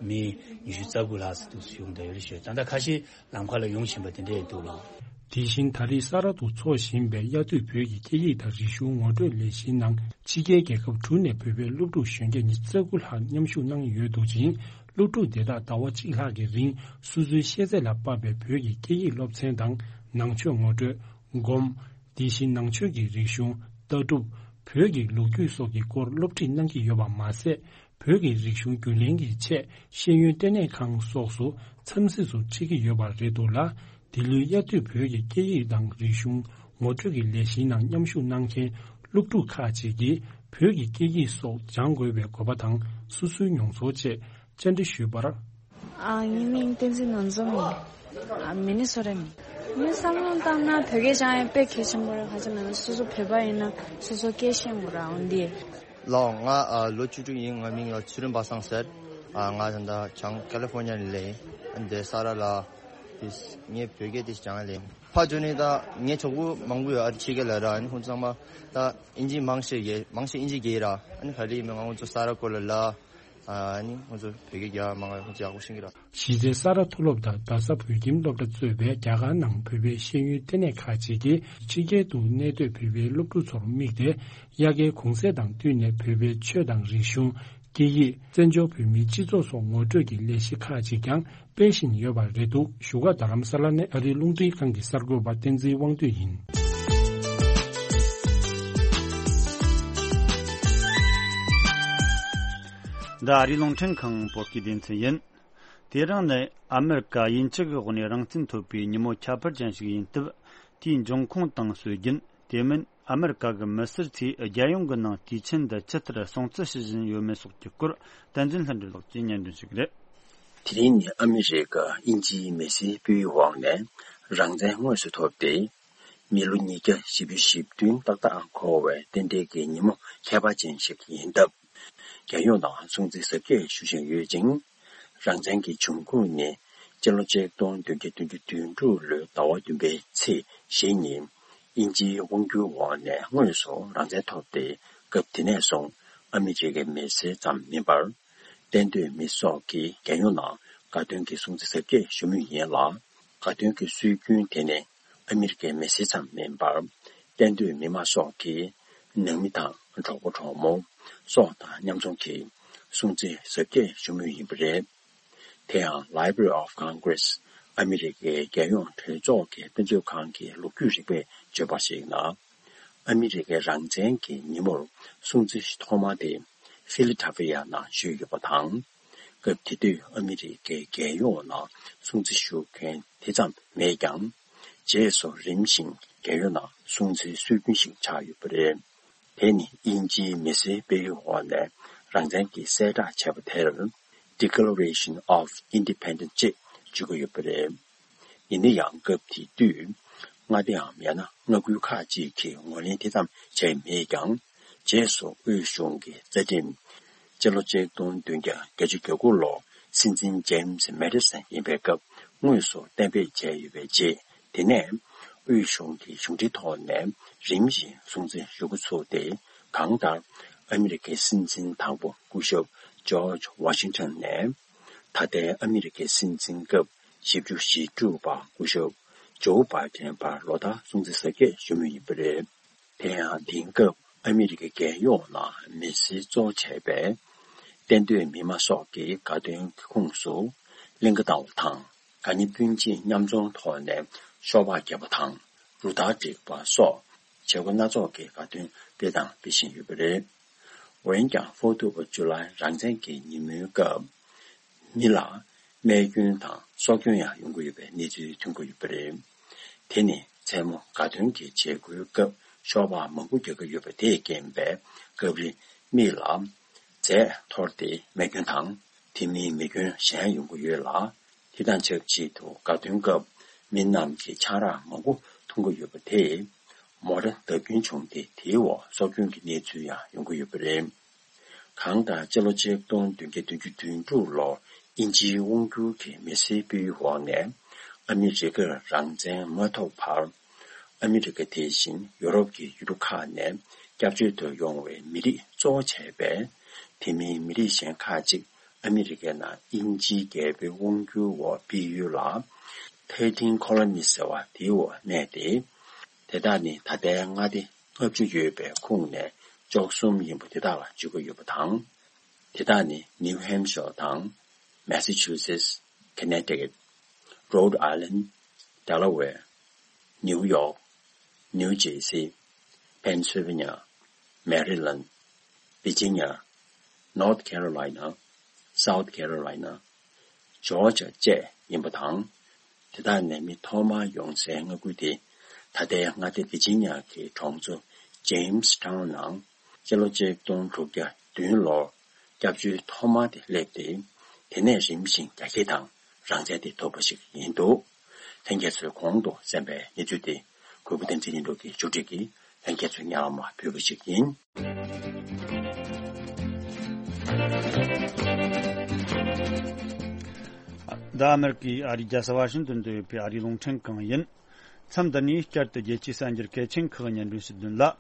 མི་ཉི་ཤུ་རྩ་དགུ་ལྷག་ཙམ་འདུག་ཡོང་བསྡད་ཡོད་རེད་ཤག་ད་ལྟ་ཁ་ཤས་ལམ་ཁ་ལ་ཡོང་བཞིན་པ་དེ་འདྲ་ཡང་འདུག་ལགས། དེ་བཞིན་ད་རེས་ས་རཱ་དུ་འཚོགས་བཞིན་པའི་དབྱར་དུས་བོད་ཀྱི་སྐད་ཡིག་དང་རིག་གཞུང་ངོ་སྤྲོད་ལས་གཞིའི་ནང་ཕྱི་རྒྱལ་རྒྱལ་ཁབ་དྲུག་ནས་བོད་པའི་སློབ་ཕྲུག་གཞོན་སྐྱེས་ཉི་ཤུ་རྩ་དགུ་ལྷག་མཉམ་ཞུགས་གནང་ཡོད་འདུག་ཅིང་། སློབ་ཕྲུག་དེ་དག་ཟླ་བ་གཅིག་ལྷག་གི་རིང་སོ་སོའི་ཤེས་ཚད་ལ་དཔག་པའི་བོད་ཀྱི་སྐད་ཡིག་སློབ་ཚན་དང་ནང་ཆོས་ངོ་སྤྲོད། སྒོམ། དེ་བཞིན་ནང་ཆོས་ཀྱི་རིག་གཞུང་། ལྟ་གྲུབ། བོད་ཀྱི་ལོ་རྒྱུས་སོགས་ཀྱི་སྐོར་སློབ་ཁྲིད་གནང་གི་ཡོད་པ་མ་ཟད། བོད་ཀྱི་རིག་གཞུང་རྒྱུན་ལེན་གྱི་ཆེད་ཤེས་ཡོན་ལྟེ་གནས་ཁང་སོགས་སུ་འཚམས་གཟིགས་སུ་ཁྲིད་ཀྱི་ཡོད་པ་རེད་འདུག་ལ། འདི་ལོའི་དབྱར་དུས་བོད་ཀྱི་སྐད་ཡིག་དང་རིག་གཞུང་ངོ་སྤྲོད་ཀྱི་ལས་གཞིའི་ནང་མཉམ་ཞུགས་གནང་མཁན་སློབ་ཕྲུག་ཁག་ཅིག་གིས་བོད་ཀྱི་སྐད་ཡིག་སོགས་སྦྱང་དགོས་པའི་དགོས་པ་དང་སོ་སོའི་མྱོང་ཚོར་བཅས་བཅར་འདྲི་ཞུས་པར། ཨ། ངའི་མིང་བསྟན་འཛིན་ནོར་འཛོམས་ཡིན། ཨ། མི་ནི་སོ་ཊ་ནས། ངའི་བསམ་བློ་བཏང་ན་བོད་སྐད་སྦྱང་ཡ་དཔེ་གལ་ཆེན་པོ་རེད། ག་ཅི་ལབ་ན་སོ་སོ་བོད་པ་ཡིན་ན་སོ་སོ་སྐད་ཤེས་དགོས་ར་འོན་ཏེ། ལགས། ང་ཨ་ལོ་བཅུ་དྲུག་ཡིན། ང་མིང་ལ་ཚུལ་ཁྲིམས་པ་སངས་ཟེར། ཨ། ང་ད་ལྟ་བྱང་ཀ་ལི་ཧྥོར་ཉ་ནས་སླེབས་ཡིན། འདི་ས་རཱ་ལ་དེ་ངས་བོད་སྐད་དེ་སྦྱང་ཡ་སླེབས་ཡིན། ཕར་འགྱོ་ནས་ད་ངའི་གྲོགས་པོ་མང་པོ་ཡོད། ཨ་རི་ཕྱི་རྒྱལ་ལ་ར། ཨ་ནི་ཁོང་ཚོ་ཚང་མ་ད་ཨིན་ཇི་མང་ཤོས་ཡོད། མང་ཤོས་ཨིན་ཇི་སྐད་ར། ཨ་ནི་ག་རེ་ཡིན་མིན་ང་ཁོང་ཚོ་ས་རཱ་སྐོར་ལ་ལ། ཨ་ནི་ང་ཚོ་བོད་སྐད་རྒྱག་མང་ང་ཚོ་ཡག་པོ་ཤེས་ཀྱི་རེད། གཞི་རྩའི་ས་རཱ་མཐོ་སློབ་དང་རྡ་ས་བོད་ཁྱིམ་སློབ་གྲྭ་གཙོས་པའི་རྒྱ་གར་ནང་བོད་པའི་ཤེས་ཡོན་ལྟེ་གནས་ཁག་ཅིག་གིས་ཕྱི་རྒྱལ་དུ་གནས་སྡོད་བོད་པའི་སློབ་ཕྲུག་ཚོར་དམིགས་ཏེ། དབྱར་ཁའི་གུང་སེང་དང་བསྟུན་ནས་བོད་པའི་ཆོས་དང་རིག་གཞུང་། སྐད་ཡིག་བཙན་བྱོལ་བོད་མིའི་སྤྱི་ཚོགས་སོགས་ངོ་སྤྲོད་ཀྱི་ལས་གཞི་ཁག་ཅིག་ཀྱང་སྤེལ་བཞིན་ཡོད་པ་རེད་འདུག་བཞུགས་སྒར་རྡ་རམ་ས་ལ་ནས་ཨ་རིའི་རླུང་འཕྲིན་ཁང་གི་གསར་འགོད་པ་བསྟན་འཛིན་དབང་འདུས་ཡིན། འདི་ཨ་རིའི་རླུང་འཕྲིན་ཁང་བོད་སྐད་སྡེ་ཚན་ཡིན། དེ་རིང་ནི་ཨ་མེ་རི་ཀ་དབྱིན་ཇི་གི་འོག་ནས་རང་བཙན་ཐོབ་པའི་ཉིན་མོ་ཁྱད་པར་ཅན་ཞིག་ཡིན་སྟབས། དེའི་འབྱུང་ཁུངས་དང་སྲོལ་རྒྱུན། དེ་མིན་ཨ་མེ་རི་ཀ་གི་མི་སེར་ཚོས་རྒྱལ་ཡོངས་ཀྱི་ནང་དུས་ཆེན་འདི་ཇི་ལྟར་སྲུང་བརྩི་ཞུ་བཞིན་ཡོད་མེད་སོགས་ཀྱི་སྐོར། བསྟན་འཛིན་ལྷུན་གྲུབ་ལགས་ཀྱིས་སྙན་སྒྲོན་ཞུ་གི་རེད། དེ་རིང་ནི་ཨ་མེ་རི་ཀ་དབྱིན་ཇིའི་མི་སེར་སྤེལ་འོག་ནས་རང་བཙན་དངོས་སུ་ཐོབ་སྟེ། མི་ལོ་ཉིས་བརྒྱ་བཞི་བཅུ་ཞེ་བདུན་ཏག་ཏག་འཁོར་བའི་རྟེན་འབྲེལ་གྱི་ཉིན་མོ་ཁྱད་པར་ཅན་ཞིག་ཡིན་སྟབས། རྒྱལ་ཡོངས་ནང་སྲུང་བརྩི་གཟབ་རྒྱས་ཞུ་བཞིན་ཡོད་ཅིང་། རང་བཙན་གྱི་འབྱུང་ཁུངས་ནི་སྤྱི་ལོ་ཆིག་སྟོང་བདུན་བརྒྱ་དོན་ལྔ་ཟླ་བ་བདུན་པའི་ཚེས་བཞི་ཉིན་དབྱིན་ཇིའི་དབང་སྒྱུར་འོག་ནས་དངོས་སུ་རང་བཙན་ཐོབ་སྟེ། སྐབས་དེ་ནས་བཟུང་ཨ་མི་རི་ཀའི་མི་སེར་ཙམ་མིན་པར། གཏན་སྡོད་མི་སོགས་ཀྱིས་རྒྱལ་ཡོངས་ནང་དགའ་སྟོན་གྱི་སྲུང་བརྩི་གཟབ་རྒྱས་ཞུ་མུས་ཡིན་ལ། དགའ་སྟོན་གྱི་སྲོལ་རྒྱུན་དེ་ནི་ཨ་མི་རི་ཀའི་མི་སེར་ཙམ་མིན་པར། གཏན་སྡོད་མི་མང་སོགས་ཀྱི་ནང་མི་དང་གྲོགས་པོ་གྲོགས་མོ་སོགས་དང་མཉམ་འཛོམས་ཀྱིས་སྲུང་བརྩི་གཟབ་རྒྱས་ཞུ་མུས་ཡིན་པ་རེད། དེ་ཡང་Library of Congress ཨ་མི་རི་ཀའི་རྒྱལ་ཡོངས་གྲོས་ཚོགས་ཀྱི་དཔེ་མཛོད་ཁང་གི་ལོ་རྒྱུས་རིག་པས་བརྗོད་པར་གཞིགས་ན། ཨ་མི་རི་ཀའི་རང་བཙན་གྱི་ཉིན་མོར་སྲུང་བརྩི་ཐོག་མ་དེ་ཕི་ལི་ཌེལ་ཕི་ཡ་ནང་ཞུས་ཡོད་པ་དང་། སྐབས་དེ་དུས་ཨ་མི་རི་ཀའི་རྒྱལ་ཡོངས་ནང་སྲུང་བརྩི་ཞུ་མཁན་དེ་ཙམ་མེད་ཀྱང་། རྗེས་སུ་རིམ་བཞིན་རྒྱལ་ཡོངས་ནང་སྲུང་བརྩིའི་སྲོལ་རྒྱུན་ཞིག་ཆགས་ཡོད་པ་རེད། དེ་ནི་དབྱིན་ཇིའི་མི་སེར་སྤེལ་ཡུལ་འོག་ནས་ རང་བཙན་གྱི་གསལ་བསྒྲགས་བྱས་པ་དེར་Declaration of Independence ཅེས་བརྗོད་ཀྱི་ཡོད་པ་རེད། ཡིན་ན་ཡང་སྐབས་དེ་དུས་མངའ་སྡེའམ་ཡང་ན་མངའ་ཁུལ་ཁག་ཅིག་གིས་ངོས་ལེན་དེ་ཙམ་བྱས་མེད་ཀྱང་། རྗེས་སུ་དབུས་གཞུང་གི་རྩ་ཁྲིམས་སྤྱི་ལོ་ཆིག་སྟོང་བདུན་བརྒྱ་བརྒྱད་ཅུ་གྱ་དགུ་ལོར་སྲིད་འཛིན་James Madison ཡིན་པའི་སྐབས་དངོས་སུ་གཏན་འབེབས་བྱས་ཡོད་པའི་རྗེས། དེ་ནས་དབུས་གཞུང་གི་གཞུང་འབྲེལ་ཐོག་ནས་རིམ་བཞིན་སྲུང་བརྩི་ཞུ་འགོ་ཚུགས་ཏེ། གང་ལྟར་ཨ་མི་རི་ཀའི་སྲིད་འཛིན་དང་པོ་སྐུ་ཞབས་George Washington ནས་ད་ལྟའི་ཨ་མི་རི་ཀའི་སྲིད་འཛིན་སྐབས་བཞི་བཅུ་ཞེ་དྲུག་པ་སྐུ་ཞབས་Joe Biden བར་ལོ་ལྟར་སྲུང་བརྩི་གཟབ་རྒྱས་ཞུ་མུས་ཡིན་པ་རེད། དེ་ཡང་དེང་སྐབས་ཨ་མི་རི་ཀའི་རྒྱལ་ཡོངས་ནང་མི་སེར་གཙོ་བྱས་པའི་གཏན་སྡོད་མི་མང་སོགས་ཀྱི་དགའ་སྟོན་གྱི་ཁོངས་སུ་གླིང་ག་བཏང་བ་དང་། དགའ་ཉེ་སྤུན་མཆེད་མཉམ་འཛོམས་ཐོག་ནས་ཤོག་སྦག་བརྒྱབ་པ་དང་། རུ་སྟར་བསྒྲིགས་པ་སོགས་བྱེད་སྒོ་སྣ་ཚོགས་ཀྱི་དགའ་སྟོན་སྤེལ་དང་སྤེལ་བཞིན་ཡོད་པ་རེད། འོན་ཀྱང་Fourth of July རང་བཙན་གྱི་ཉིན་མོའི་སྐབས་མི་ལ་རྨས་སྐྱོན་དང་སྲོག་སྐྱོན་ཡང་ཡོང་གི་ཡོད་པའི་གནས་ཚུལ་ཐོན་གྱི་ཡོད་པ་རེད། དེ་ནི་མཚན་མོ་དགའ་སྟོན་གྱི་བྱེད་སྒོའི་སྐབས་ཤོག་སྦག་མང་པོ་རྒྱག་གི་ཡོད་པ་དེས་རྐྱེན་པས། སྐབས་རེ་མི་ལ་རྫས་འཐོར་ཏེ་རྨས་སྐྱོན་དང་། དེ་མིན་མེ་སྐྱོན་གཞན་ཡོང་གི་ཡོད་ལ། དེ་དང་ཆབས་ཅིག་ཏུ་དགའ་སྟོན་སྐབས་མི་རྣམས་ཀྱིས་ཆང་རག་མང་པོ་འཐུང་གི་ཡོད་པ་དེས་མོ་ཊ་བརྡབ་སྐྱོན་བྱུང་སྟེ། དེའི་འོག་སྲོག་སྐྱོན་གྱི་གནས་ཚུལ་ཡང་ཡོང་གི་ཡོད་པ་རེད། གང་ལྟར་སྤྱི་ལོ་ཆིག་སྟོང་བདུན་བརྒྱ་དོན་དྲུག་ལོར་དབྱིན་ཇིའི་དབང་སྒྱུར་གྱི་མི་སེར་སྤེལ་ཡུལ་འོག་ནས་ཨ་མི་རི་ཀར་རང་བཙན་མ་ཐོབ་བར། ཨ་མི་རི་ཀ་དེ་བཞིན་ཡོ་རོབ་ཀྱི་ཡུལ་གྲུ་ཁག་ནས་སྐྱབས་བཅོལ་དུ་ཡོང་བའི་མི་རིགས་གཙོ་བོ་བྱས་པའི་དེ་མིན་མི་རིགས་གཞན་ཁག་ཅིག་ཨ་མི་རི་ཀའི་ནང་དབྱིན་ཇིའི་རྒྱལ་པོའི་དབང་སྒྱུར་འོག་སྤེལ་ཡུལ་ལ་Thirteen Colonies ཟེར་བ་དེའི་འོག་གནས་ཏེ། དེ་དག་ནི་ད་ལྟའི་མངའ་སྡེ་ལྔ་བཅུ་ཡོད་པའི་ཁོངས་ནས་བཅུ་གསུམ་ཡིན་པ་དེ་དག་ལ་བརྗོད་ཀྱི་ཡོད་པ་དང་། དེ་དག་ནི་New Hampshire དང་། Massachusetts, Connecticut, Rhode Island, Delaware, New York, New Jersey, Pennsylvania, Maryland, Virginia, North Carolina, South Carolina, Georgia བཅས་ཡིན་པ་དང་། དེ་དག་ནས་མི་ཐོག་མར་ཡོང་སའི་མངའ་ཁུལ་དེ་ད་ལྟའི་མངའ་སྡེ་ཝི་ཇི་ནི་ཡ་གི་གྲོང་ཚོ་Jamestown ནང་སྤྱི་ལོ་ཆིག་སྟོང་དྲུག་བརྒྱ་བདུན་ལོར་སྐྱབས་བཅོལ་ཐོག་མ་དེ་སླེབས་ཏེ། དེ་ནས་རིམ་བཞིན་རྒྱ་སྐྱེད་དང་རང་བཙན་དེ་ཐོབ་པ་ཞིག་ཡིན་འདུག་ལྷན་རྒྱས་ཚོས་གོང་དུ་གསན་པའི་གནས་ཚུལ་དེ་གུས་པ་བསྟན་འཛིན་ལྷུན་གྲུབ་ཀྱིས་བསྒྱུར་བསྒྲིགས་ཀྱིས་ལྷན་རྒྱས་ཚོའི་སྙན་ལམ་ལ་ཕུལ་བ་ཞིག་ཡིན། འདི་ཨ་མེ་རི་ཀའི་ཨ་རིའི་རྒྱལ་ས་ཝ་ཤིང་ཏོན་དུ་ཡོད་པའི་ཨ་རིའི་རླུང་འཕྲིན་ཁང་ཡིན། མཚམས་འདི་ནས་བསྐྱར་དུ་རྒྱལ་སྤྱིའི་གསར་འགྱུར་གལ་ཆེན་ཁག་སྙན་སྒྲོན་ཞུ་དོན་ལ།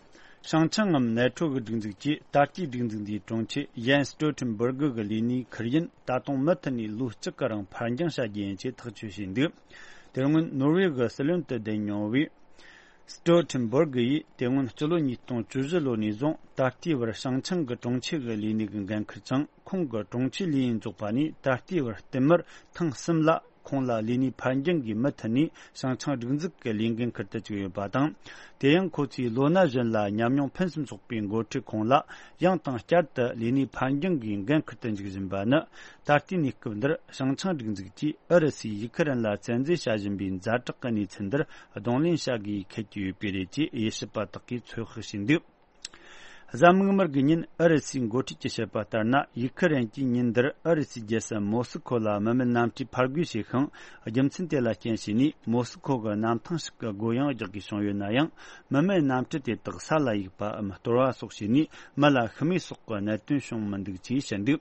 ཧྲང་ཆིང་ངམ་ནེ་ཁྲོ་གི་སྒྲིག་འཛུགས་ཀྱིས་ད་ལྟའི་སྒྲིག་འཛུགས་འདིའི་དྲུང་ཆེ་ཡན་སི་ཏོལ་ཐེན་སྦུར་གི་གི་ལས་གནས་ཁུར་ཡུན་ད་དུང་མུ་མཐུད་ནས་ལོ་གཅིག་གི་རིང་ཕར་འགྱངས་བྱ་རྒྱུ་ཡིན་ཅེས་ཐག་གཅོད་བྱས་འདུག་དེ་སྔོན་ནོར་ཝེ་གི་སྲིད་བློན་དུ་བསྡད་མྱོང་བའི་སི་ཏོལ་ཐེན་སྦུར་གི་ཡིས་དེ་སྔོན་སྤྱི་ལོ་ཉིས་སྟོང་བཅུ་བཞི་ལོ་ནས་བཟུང་ད་ལྟའི་བར་ཧྲང་ཆིང་གི་དྲུང་ཆེ་གི་ལས་གནས་ཀྱི་འགན་འཁུར་ཅིང་། ཁོང་གི་དྲུང་ཆེ་ལས་ཡུན་རྫོགས་པ་ནས་ད་ལྟའི་བར་བསྟུད་མར་ཐེངས་གསུམ་ལ་ཁོང་ལ་ལས་གནས་ཕར་འགྱངས་ཀྱིས་མུ་མཐུད་ནས་ཧྲང་ཆིང་སྒྲིག་འཛུགས་ཀྱི་ལས་འགན་འཁུར་དུ་བཅུག་ཡོད་པ་དང་། དེ་ཡང་ཁོ་ཚོས་ལོ་ན་གཞོན་ལ་ཉམས་མྱོང་ཕུན་སུམ་ཚོགས་པའི་འགོ་ཁྲིད་ཁོང་ལ་ཡང་དང་བསྐྱར་དུ་ལས་གནས་ཕར་འགྱངས་ཀྱི་འགན་འཁུར་དུ་འཇུག་བཞིན་པ་ནི། ད་ལྟའི་གནས་སྐབས་འདིར་ཧྲང་ཆིང་སྒྲིག་འཛུགས་ཀྱིས་ཨུ་རུ་སུས་ཡུག་ཁི་རན་ལ་བཙན་འཛུལ་བྱ་བཞིན་པའི་ཛ་དྲག་གི་གནས་ཚུལ་འདིར་གདོང་ལེན་བྱ་དགོས་འཁེལ་གྱི་ཡོད་པས་རེད་ཅེས་དབྱེ་ཞིབ་པ་དག་གིས་ཚོད་དཔག་བྱས་འདུག་གཟའ་མིག་དམར་གྱི་ཉིན་ཨུ་རུ་སུའི་འགོ་ཁྲིད་ཀྱིས་བཤད་པ་ལྟར་ན། ཡུག་ཁི་རན་གྱིས་ཉིན་འདིར་ཨུ་རུ་སུའི་རྒྱལ་ས་མོ་སི་ཁོ་ལ་མི་མེད་གནམ་གྲུའི་ཕར་རྒོལ་བྱས་ཤིང་། རྒྱུ་མཚན་དེ་ལ་རྐྱེན་བྱས་ནས་མོ་སི་ཁོ་གི་གནམ་ཐང་ཞིག་གི་སྒོ་ཡང་རྒྱག་དགོས་བྱུང་ཡོད་ན་ཡང་། མི་མེད་གནམ་གྲུ་དེ་དག་ས་ལ་གཡུགས་པའམ་གཏོར་བ་སོགས་བྱས་ནས་མི་ལ་ཤི་རྨས་སོགས་ཀྱི་གནད་དོན་བྱུང་མི་འདུག་ཅེས་བཤད་འདུག་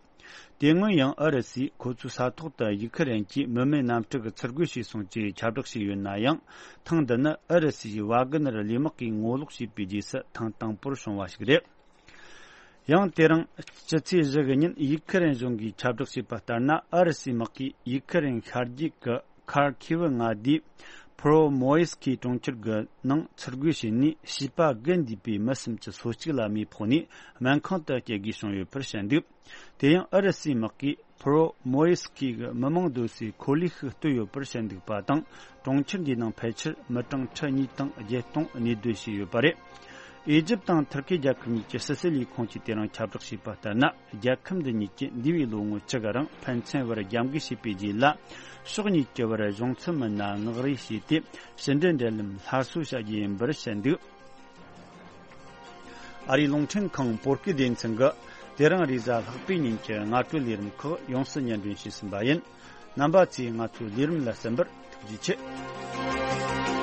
དེ་སྔོན་ཡང་ཨུ་རུ་སུས་ཁོ་ཚོའི་ས་ཐོག་ཏུ་ཡུག་ཁི་རན་གྱིས་མི་མེད་གནམ་གྲུ་གིས་ཚུར་རྒོལ་བྱས་སོང་ཅེས་ཁྱབ་བསྒྲགས་བྱས་ཡོད་ན་ཡང་། ཐེངས་འདི་ནི་ཨུ་རུ་སུའི་ཝཱ་གི་ནར་ལས་དམག་གིས་ངོ་ལོག་བྱས་པའི་རྗེས་སུ་ཐེངས་དང་པོར་བྱུང་བ་ཞིག་རེད། ཡང་དེ་རིང་སྤྱི་ཚེས་བཞི་གི་ཉིན་ཡུག་ཁི་རན་གཞུང་གིས་ཁྱབ་བསྒྲགས་བྱས་པ་ལྟར་ན། ཨུ་རུ་སུའི་དམག་གིས་ཡུག་ཁི་རན་ཤར་རྒྱུད་ཀྱི་ཁར་ཁི་ཝི་མངའ་སྡེའི་ཕུ་རོ་མོ་ཡེ་སི་ཁི་གྲོང་ཁྱེར་གྱི་ནང་ཚུར་རྒོལ་བྱས་ནས། བྱིས་པ་དགུ་འདུས་པའི་མི་སུམ་ཅུ་སོ་གཅིག་ལ་རྨས་ཕོག་ནས་སྨན་ཁང་དུ་སྐྱེལ་དགོས་བྱུང་ཡོད་པར་བཤད་འདུག་དེ་ཡང་ཨུ་རུ་སུའི་དམག་གིས་ཕུ་རོ་མོ་ཡེ་སི་ཁི་གི་མི་མང་སྡོད་སའི་ཁོར་ལོའི་ཤུགས་བཏོད་ཡོད་པར་བཤད་འདུག་པ་དང་། གྲོང་ཁྱེར་འདིའི་ནང་ཕལ་ཆེར་མི་གྲངས་ཁྲི་གཉིས་དང་བརྒྱད་སྟོང་གནས་སྡོད་བྱས་ཡོད་པ་རེད། ཨི་ཇིབ་དང་ཐུར་ཁེ་རྒྱལ་ཁབ་གཉིས་ཀྱི་ཕྱི་སྲིད་ལས་ཁུངས་ཀྱིས་དེ་རིང་ཁྱབ་བསྒྲགས་བྱས་པ་ལྟར་ན། རྒྱལ་ཁབ་འདི་གཉིས་ཀྱིས་འདས་པའི་ལོ་ངོ་བཅུ་གི་རིང་ཕན་ཚུན་བར་རྒྱབ་འགལ་བྱས་པའི་རྗེས་ལ། ཕྱོགས་གཉིས་ཀྱི་བར་གཞུང་ཚབ་མི་སྣ་མངགས་རེས་བྱས་ཏེ། ཕྱི་འབྲེལ་འབྲེལ་ལམ་སླར་གསོ་བྱ་རྒྱུ་ཡིན་པར་བཤད་འདུག་ཨ་རིའི་རླུང་འཕྲིན་ཁང་བོད་སྐད་སྡེ་ཚན་གྱིས་ དེ་རིང་རེས་གཟའ་ལྷག་པའི་ཉིན་གྱི་སྔ་དྲོའི་ལས་རིམ་ཁག་ཡོངས་སུ་སྙན་སྒྲོན་ཞུས་ཟིན་པ་ཡིན། རྣམ་པ་ཚོས་ང་ཚོའི་ལས་རིམ་ལ་གསན་པར་ཐུགས་རྗེ་ཆེ།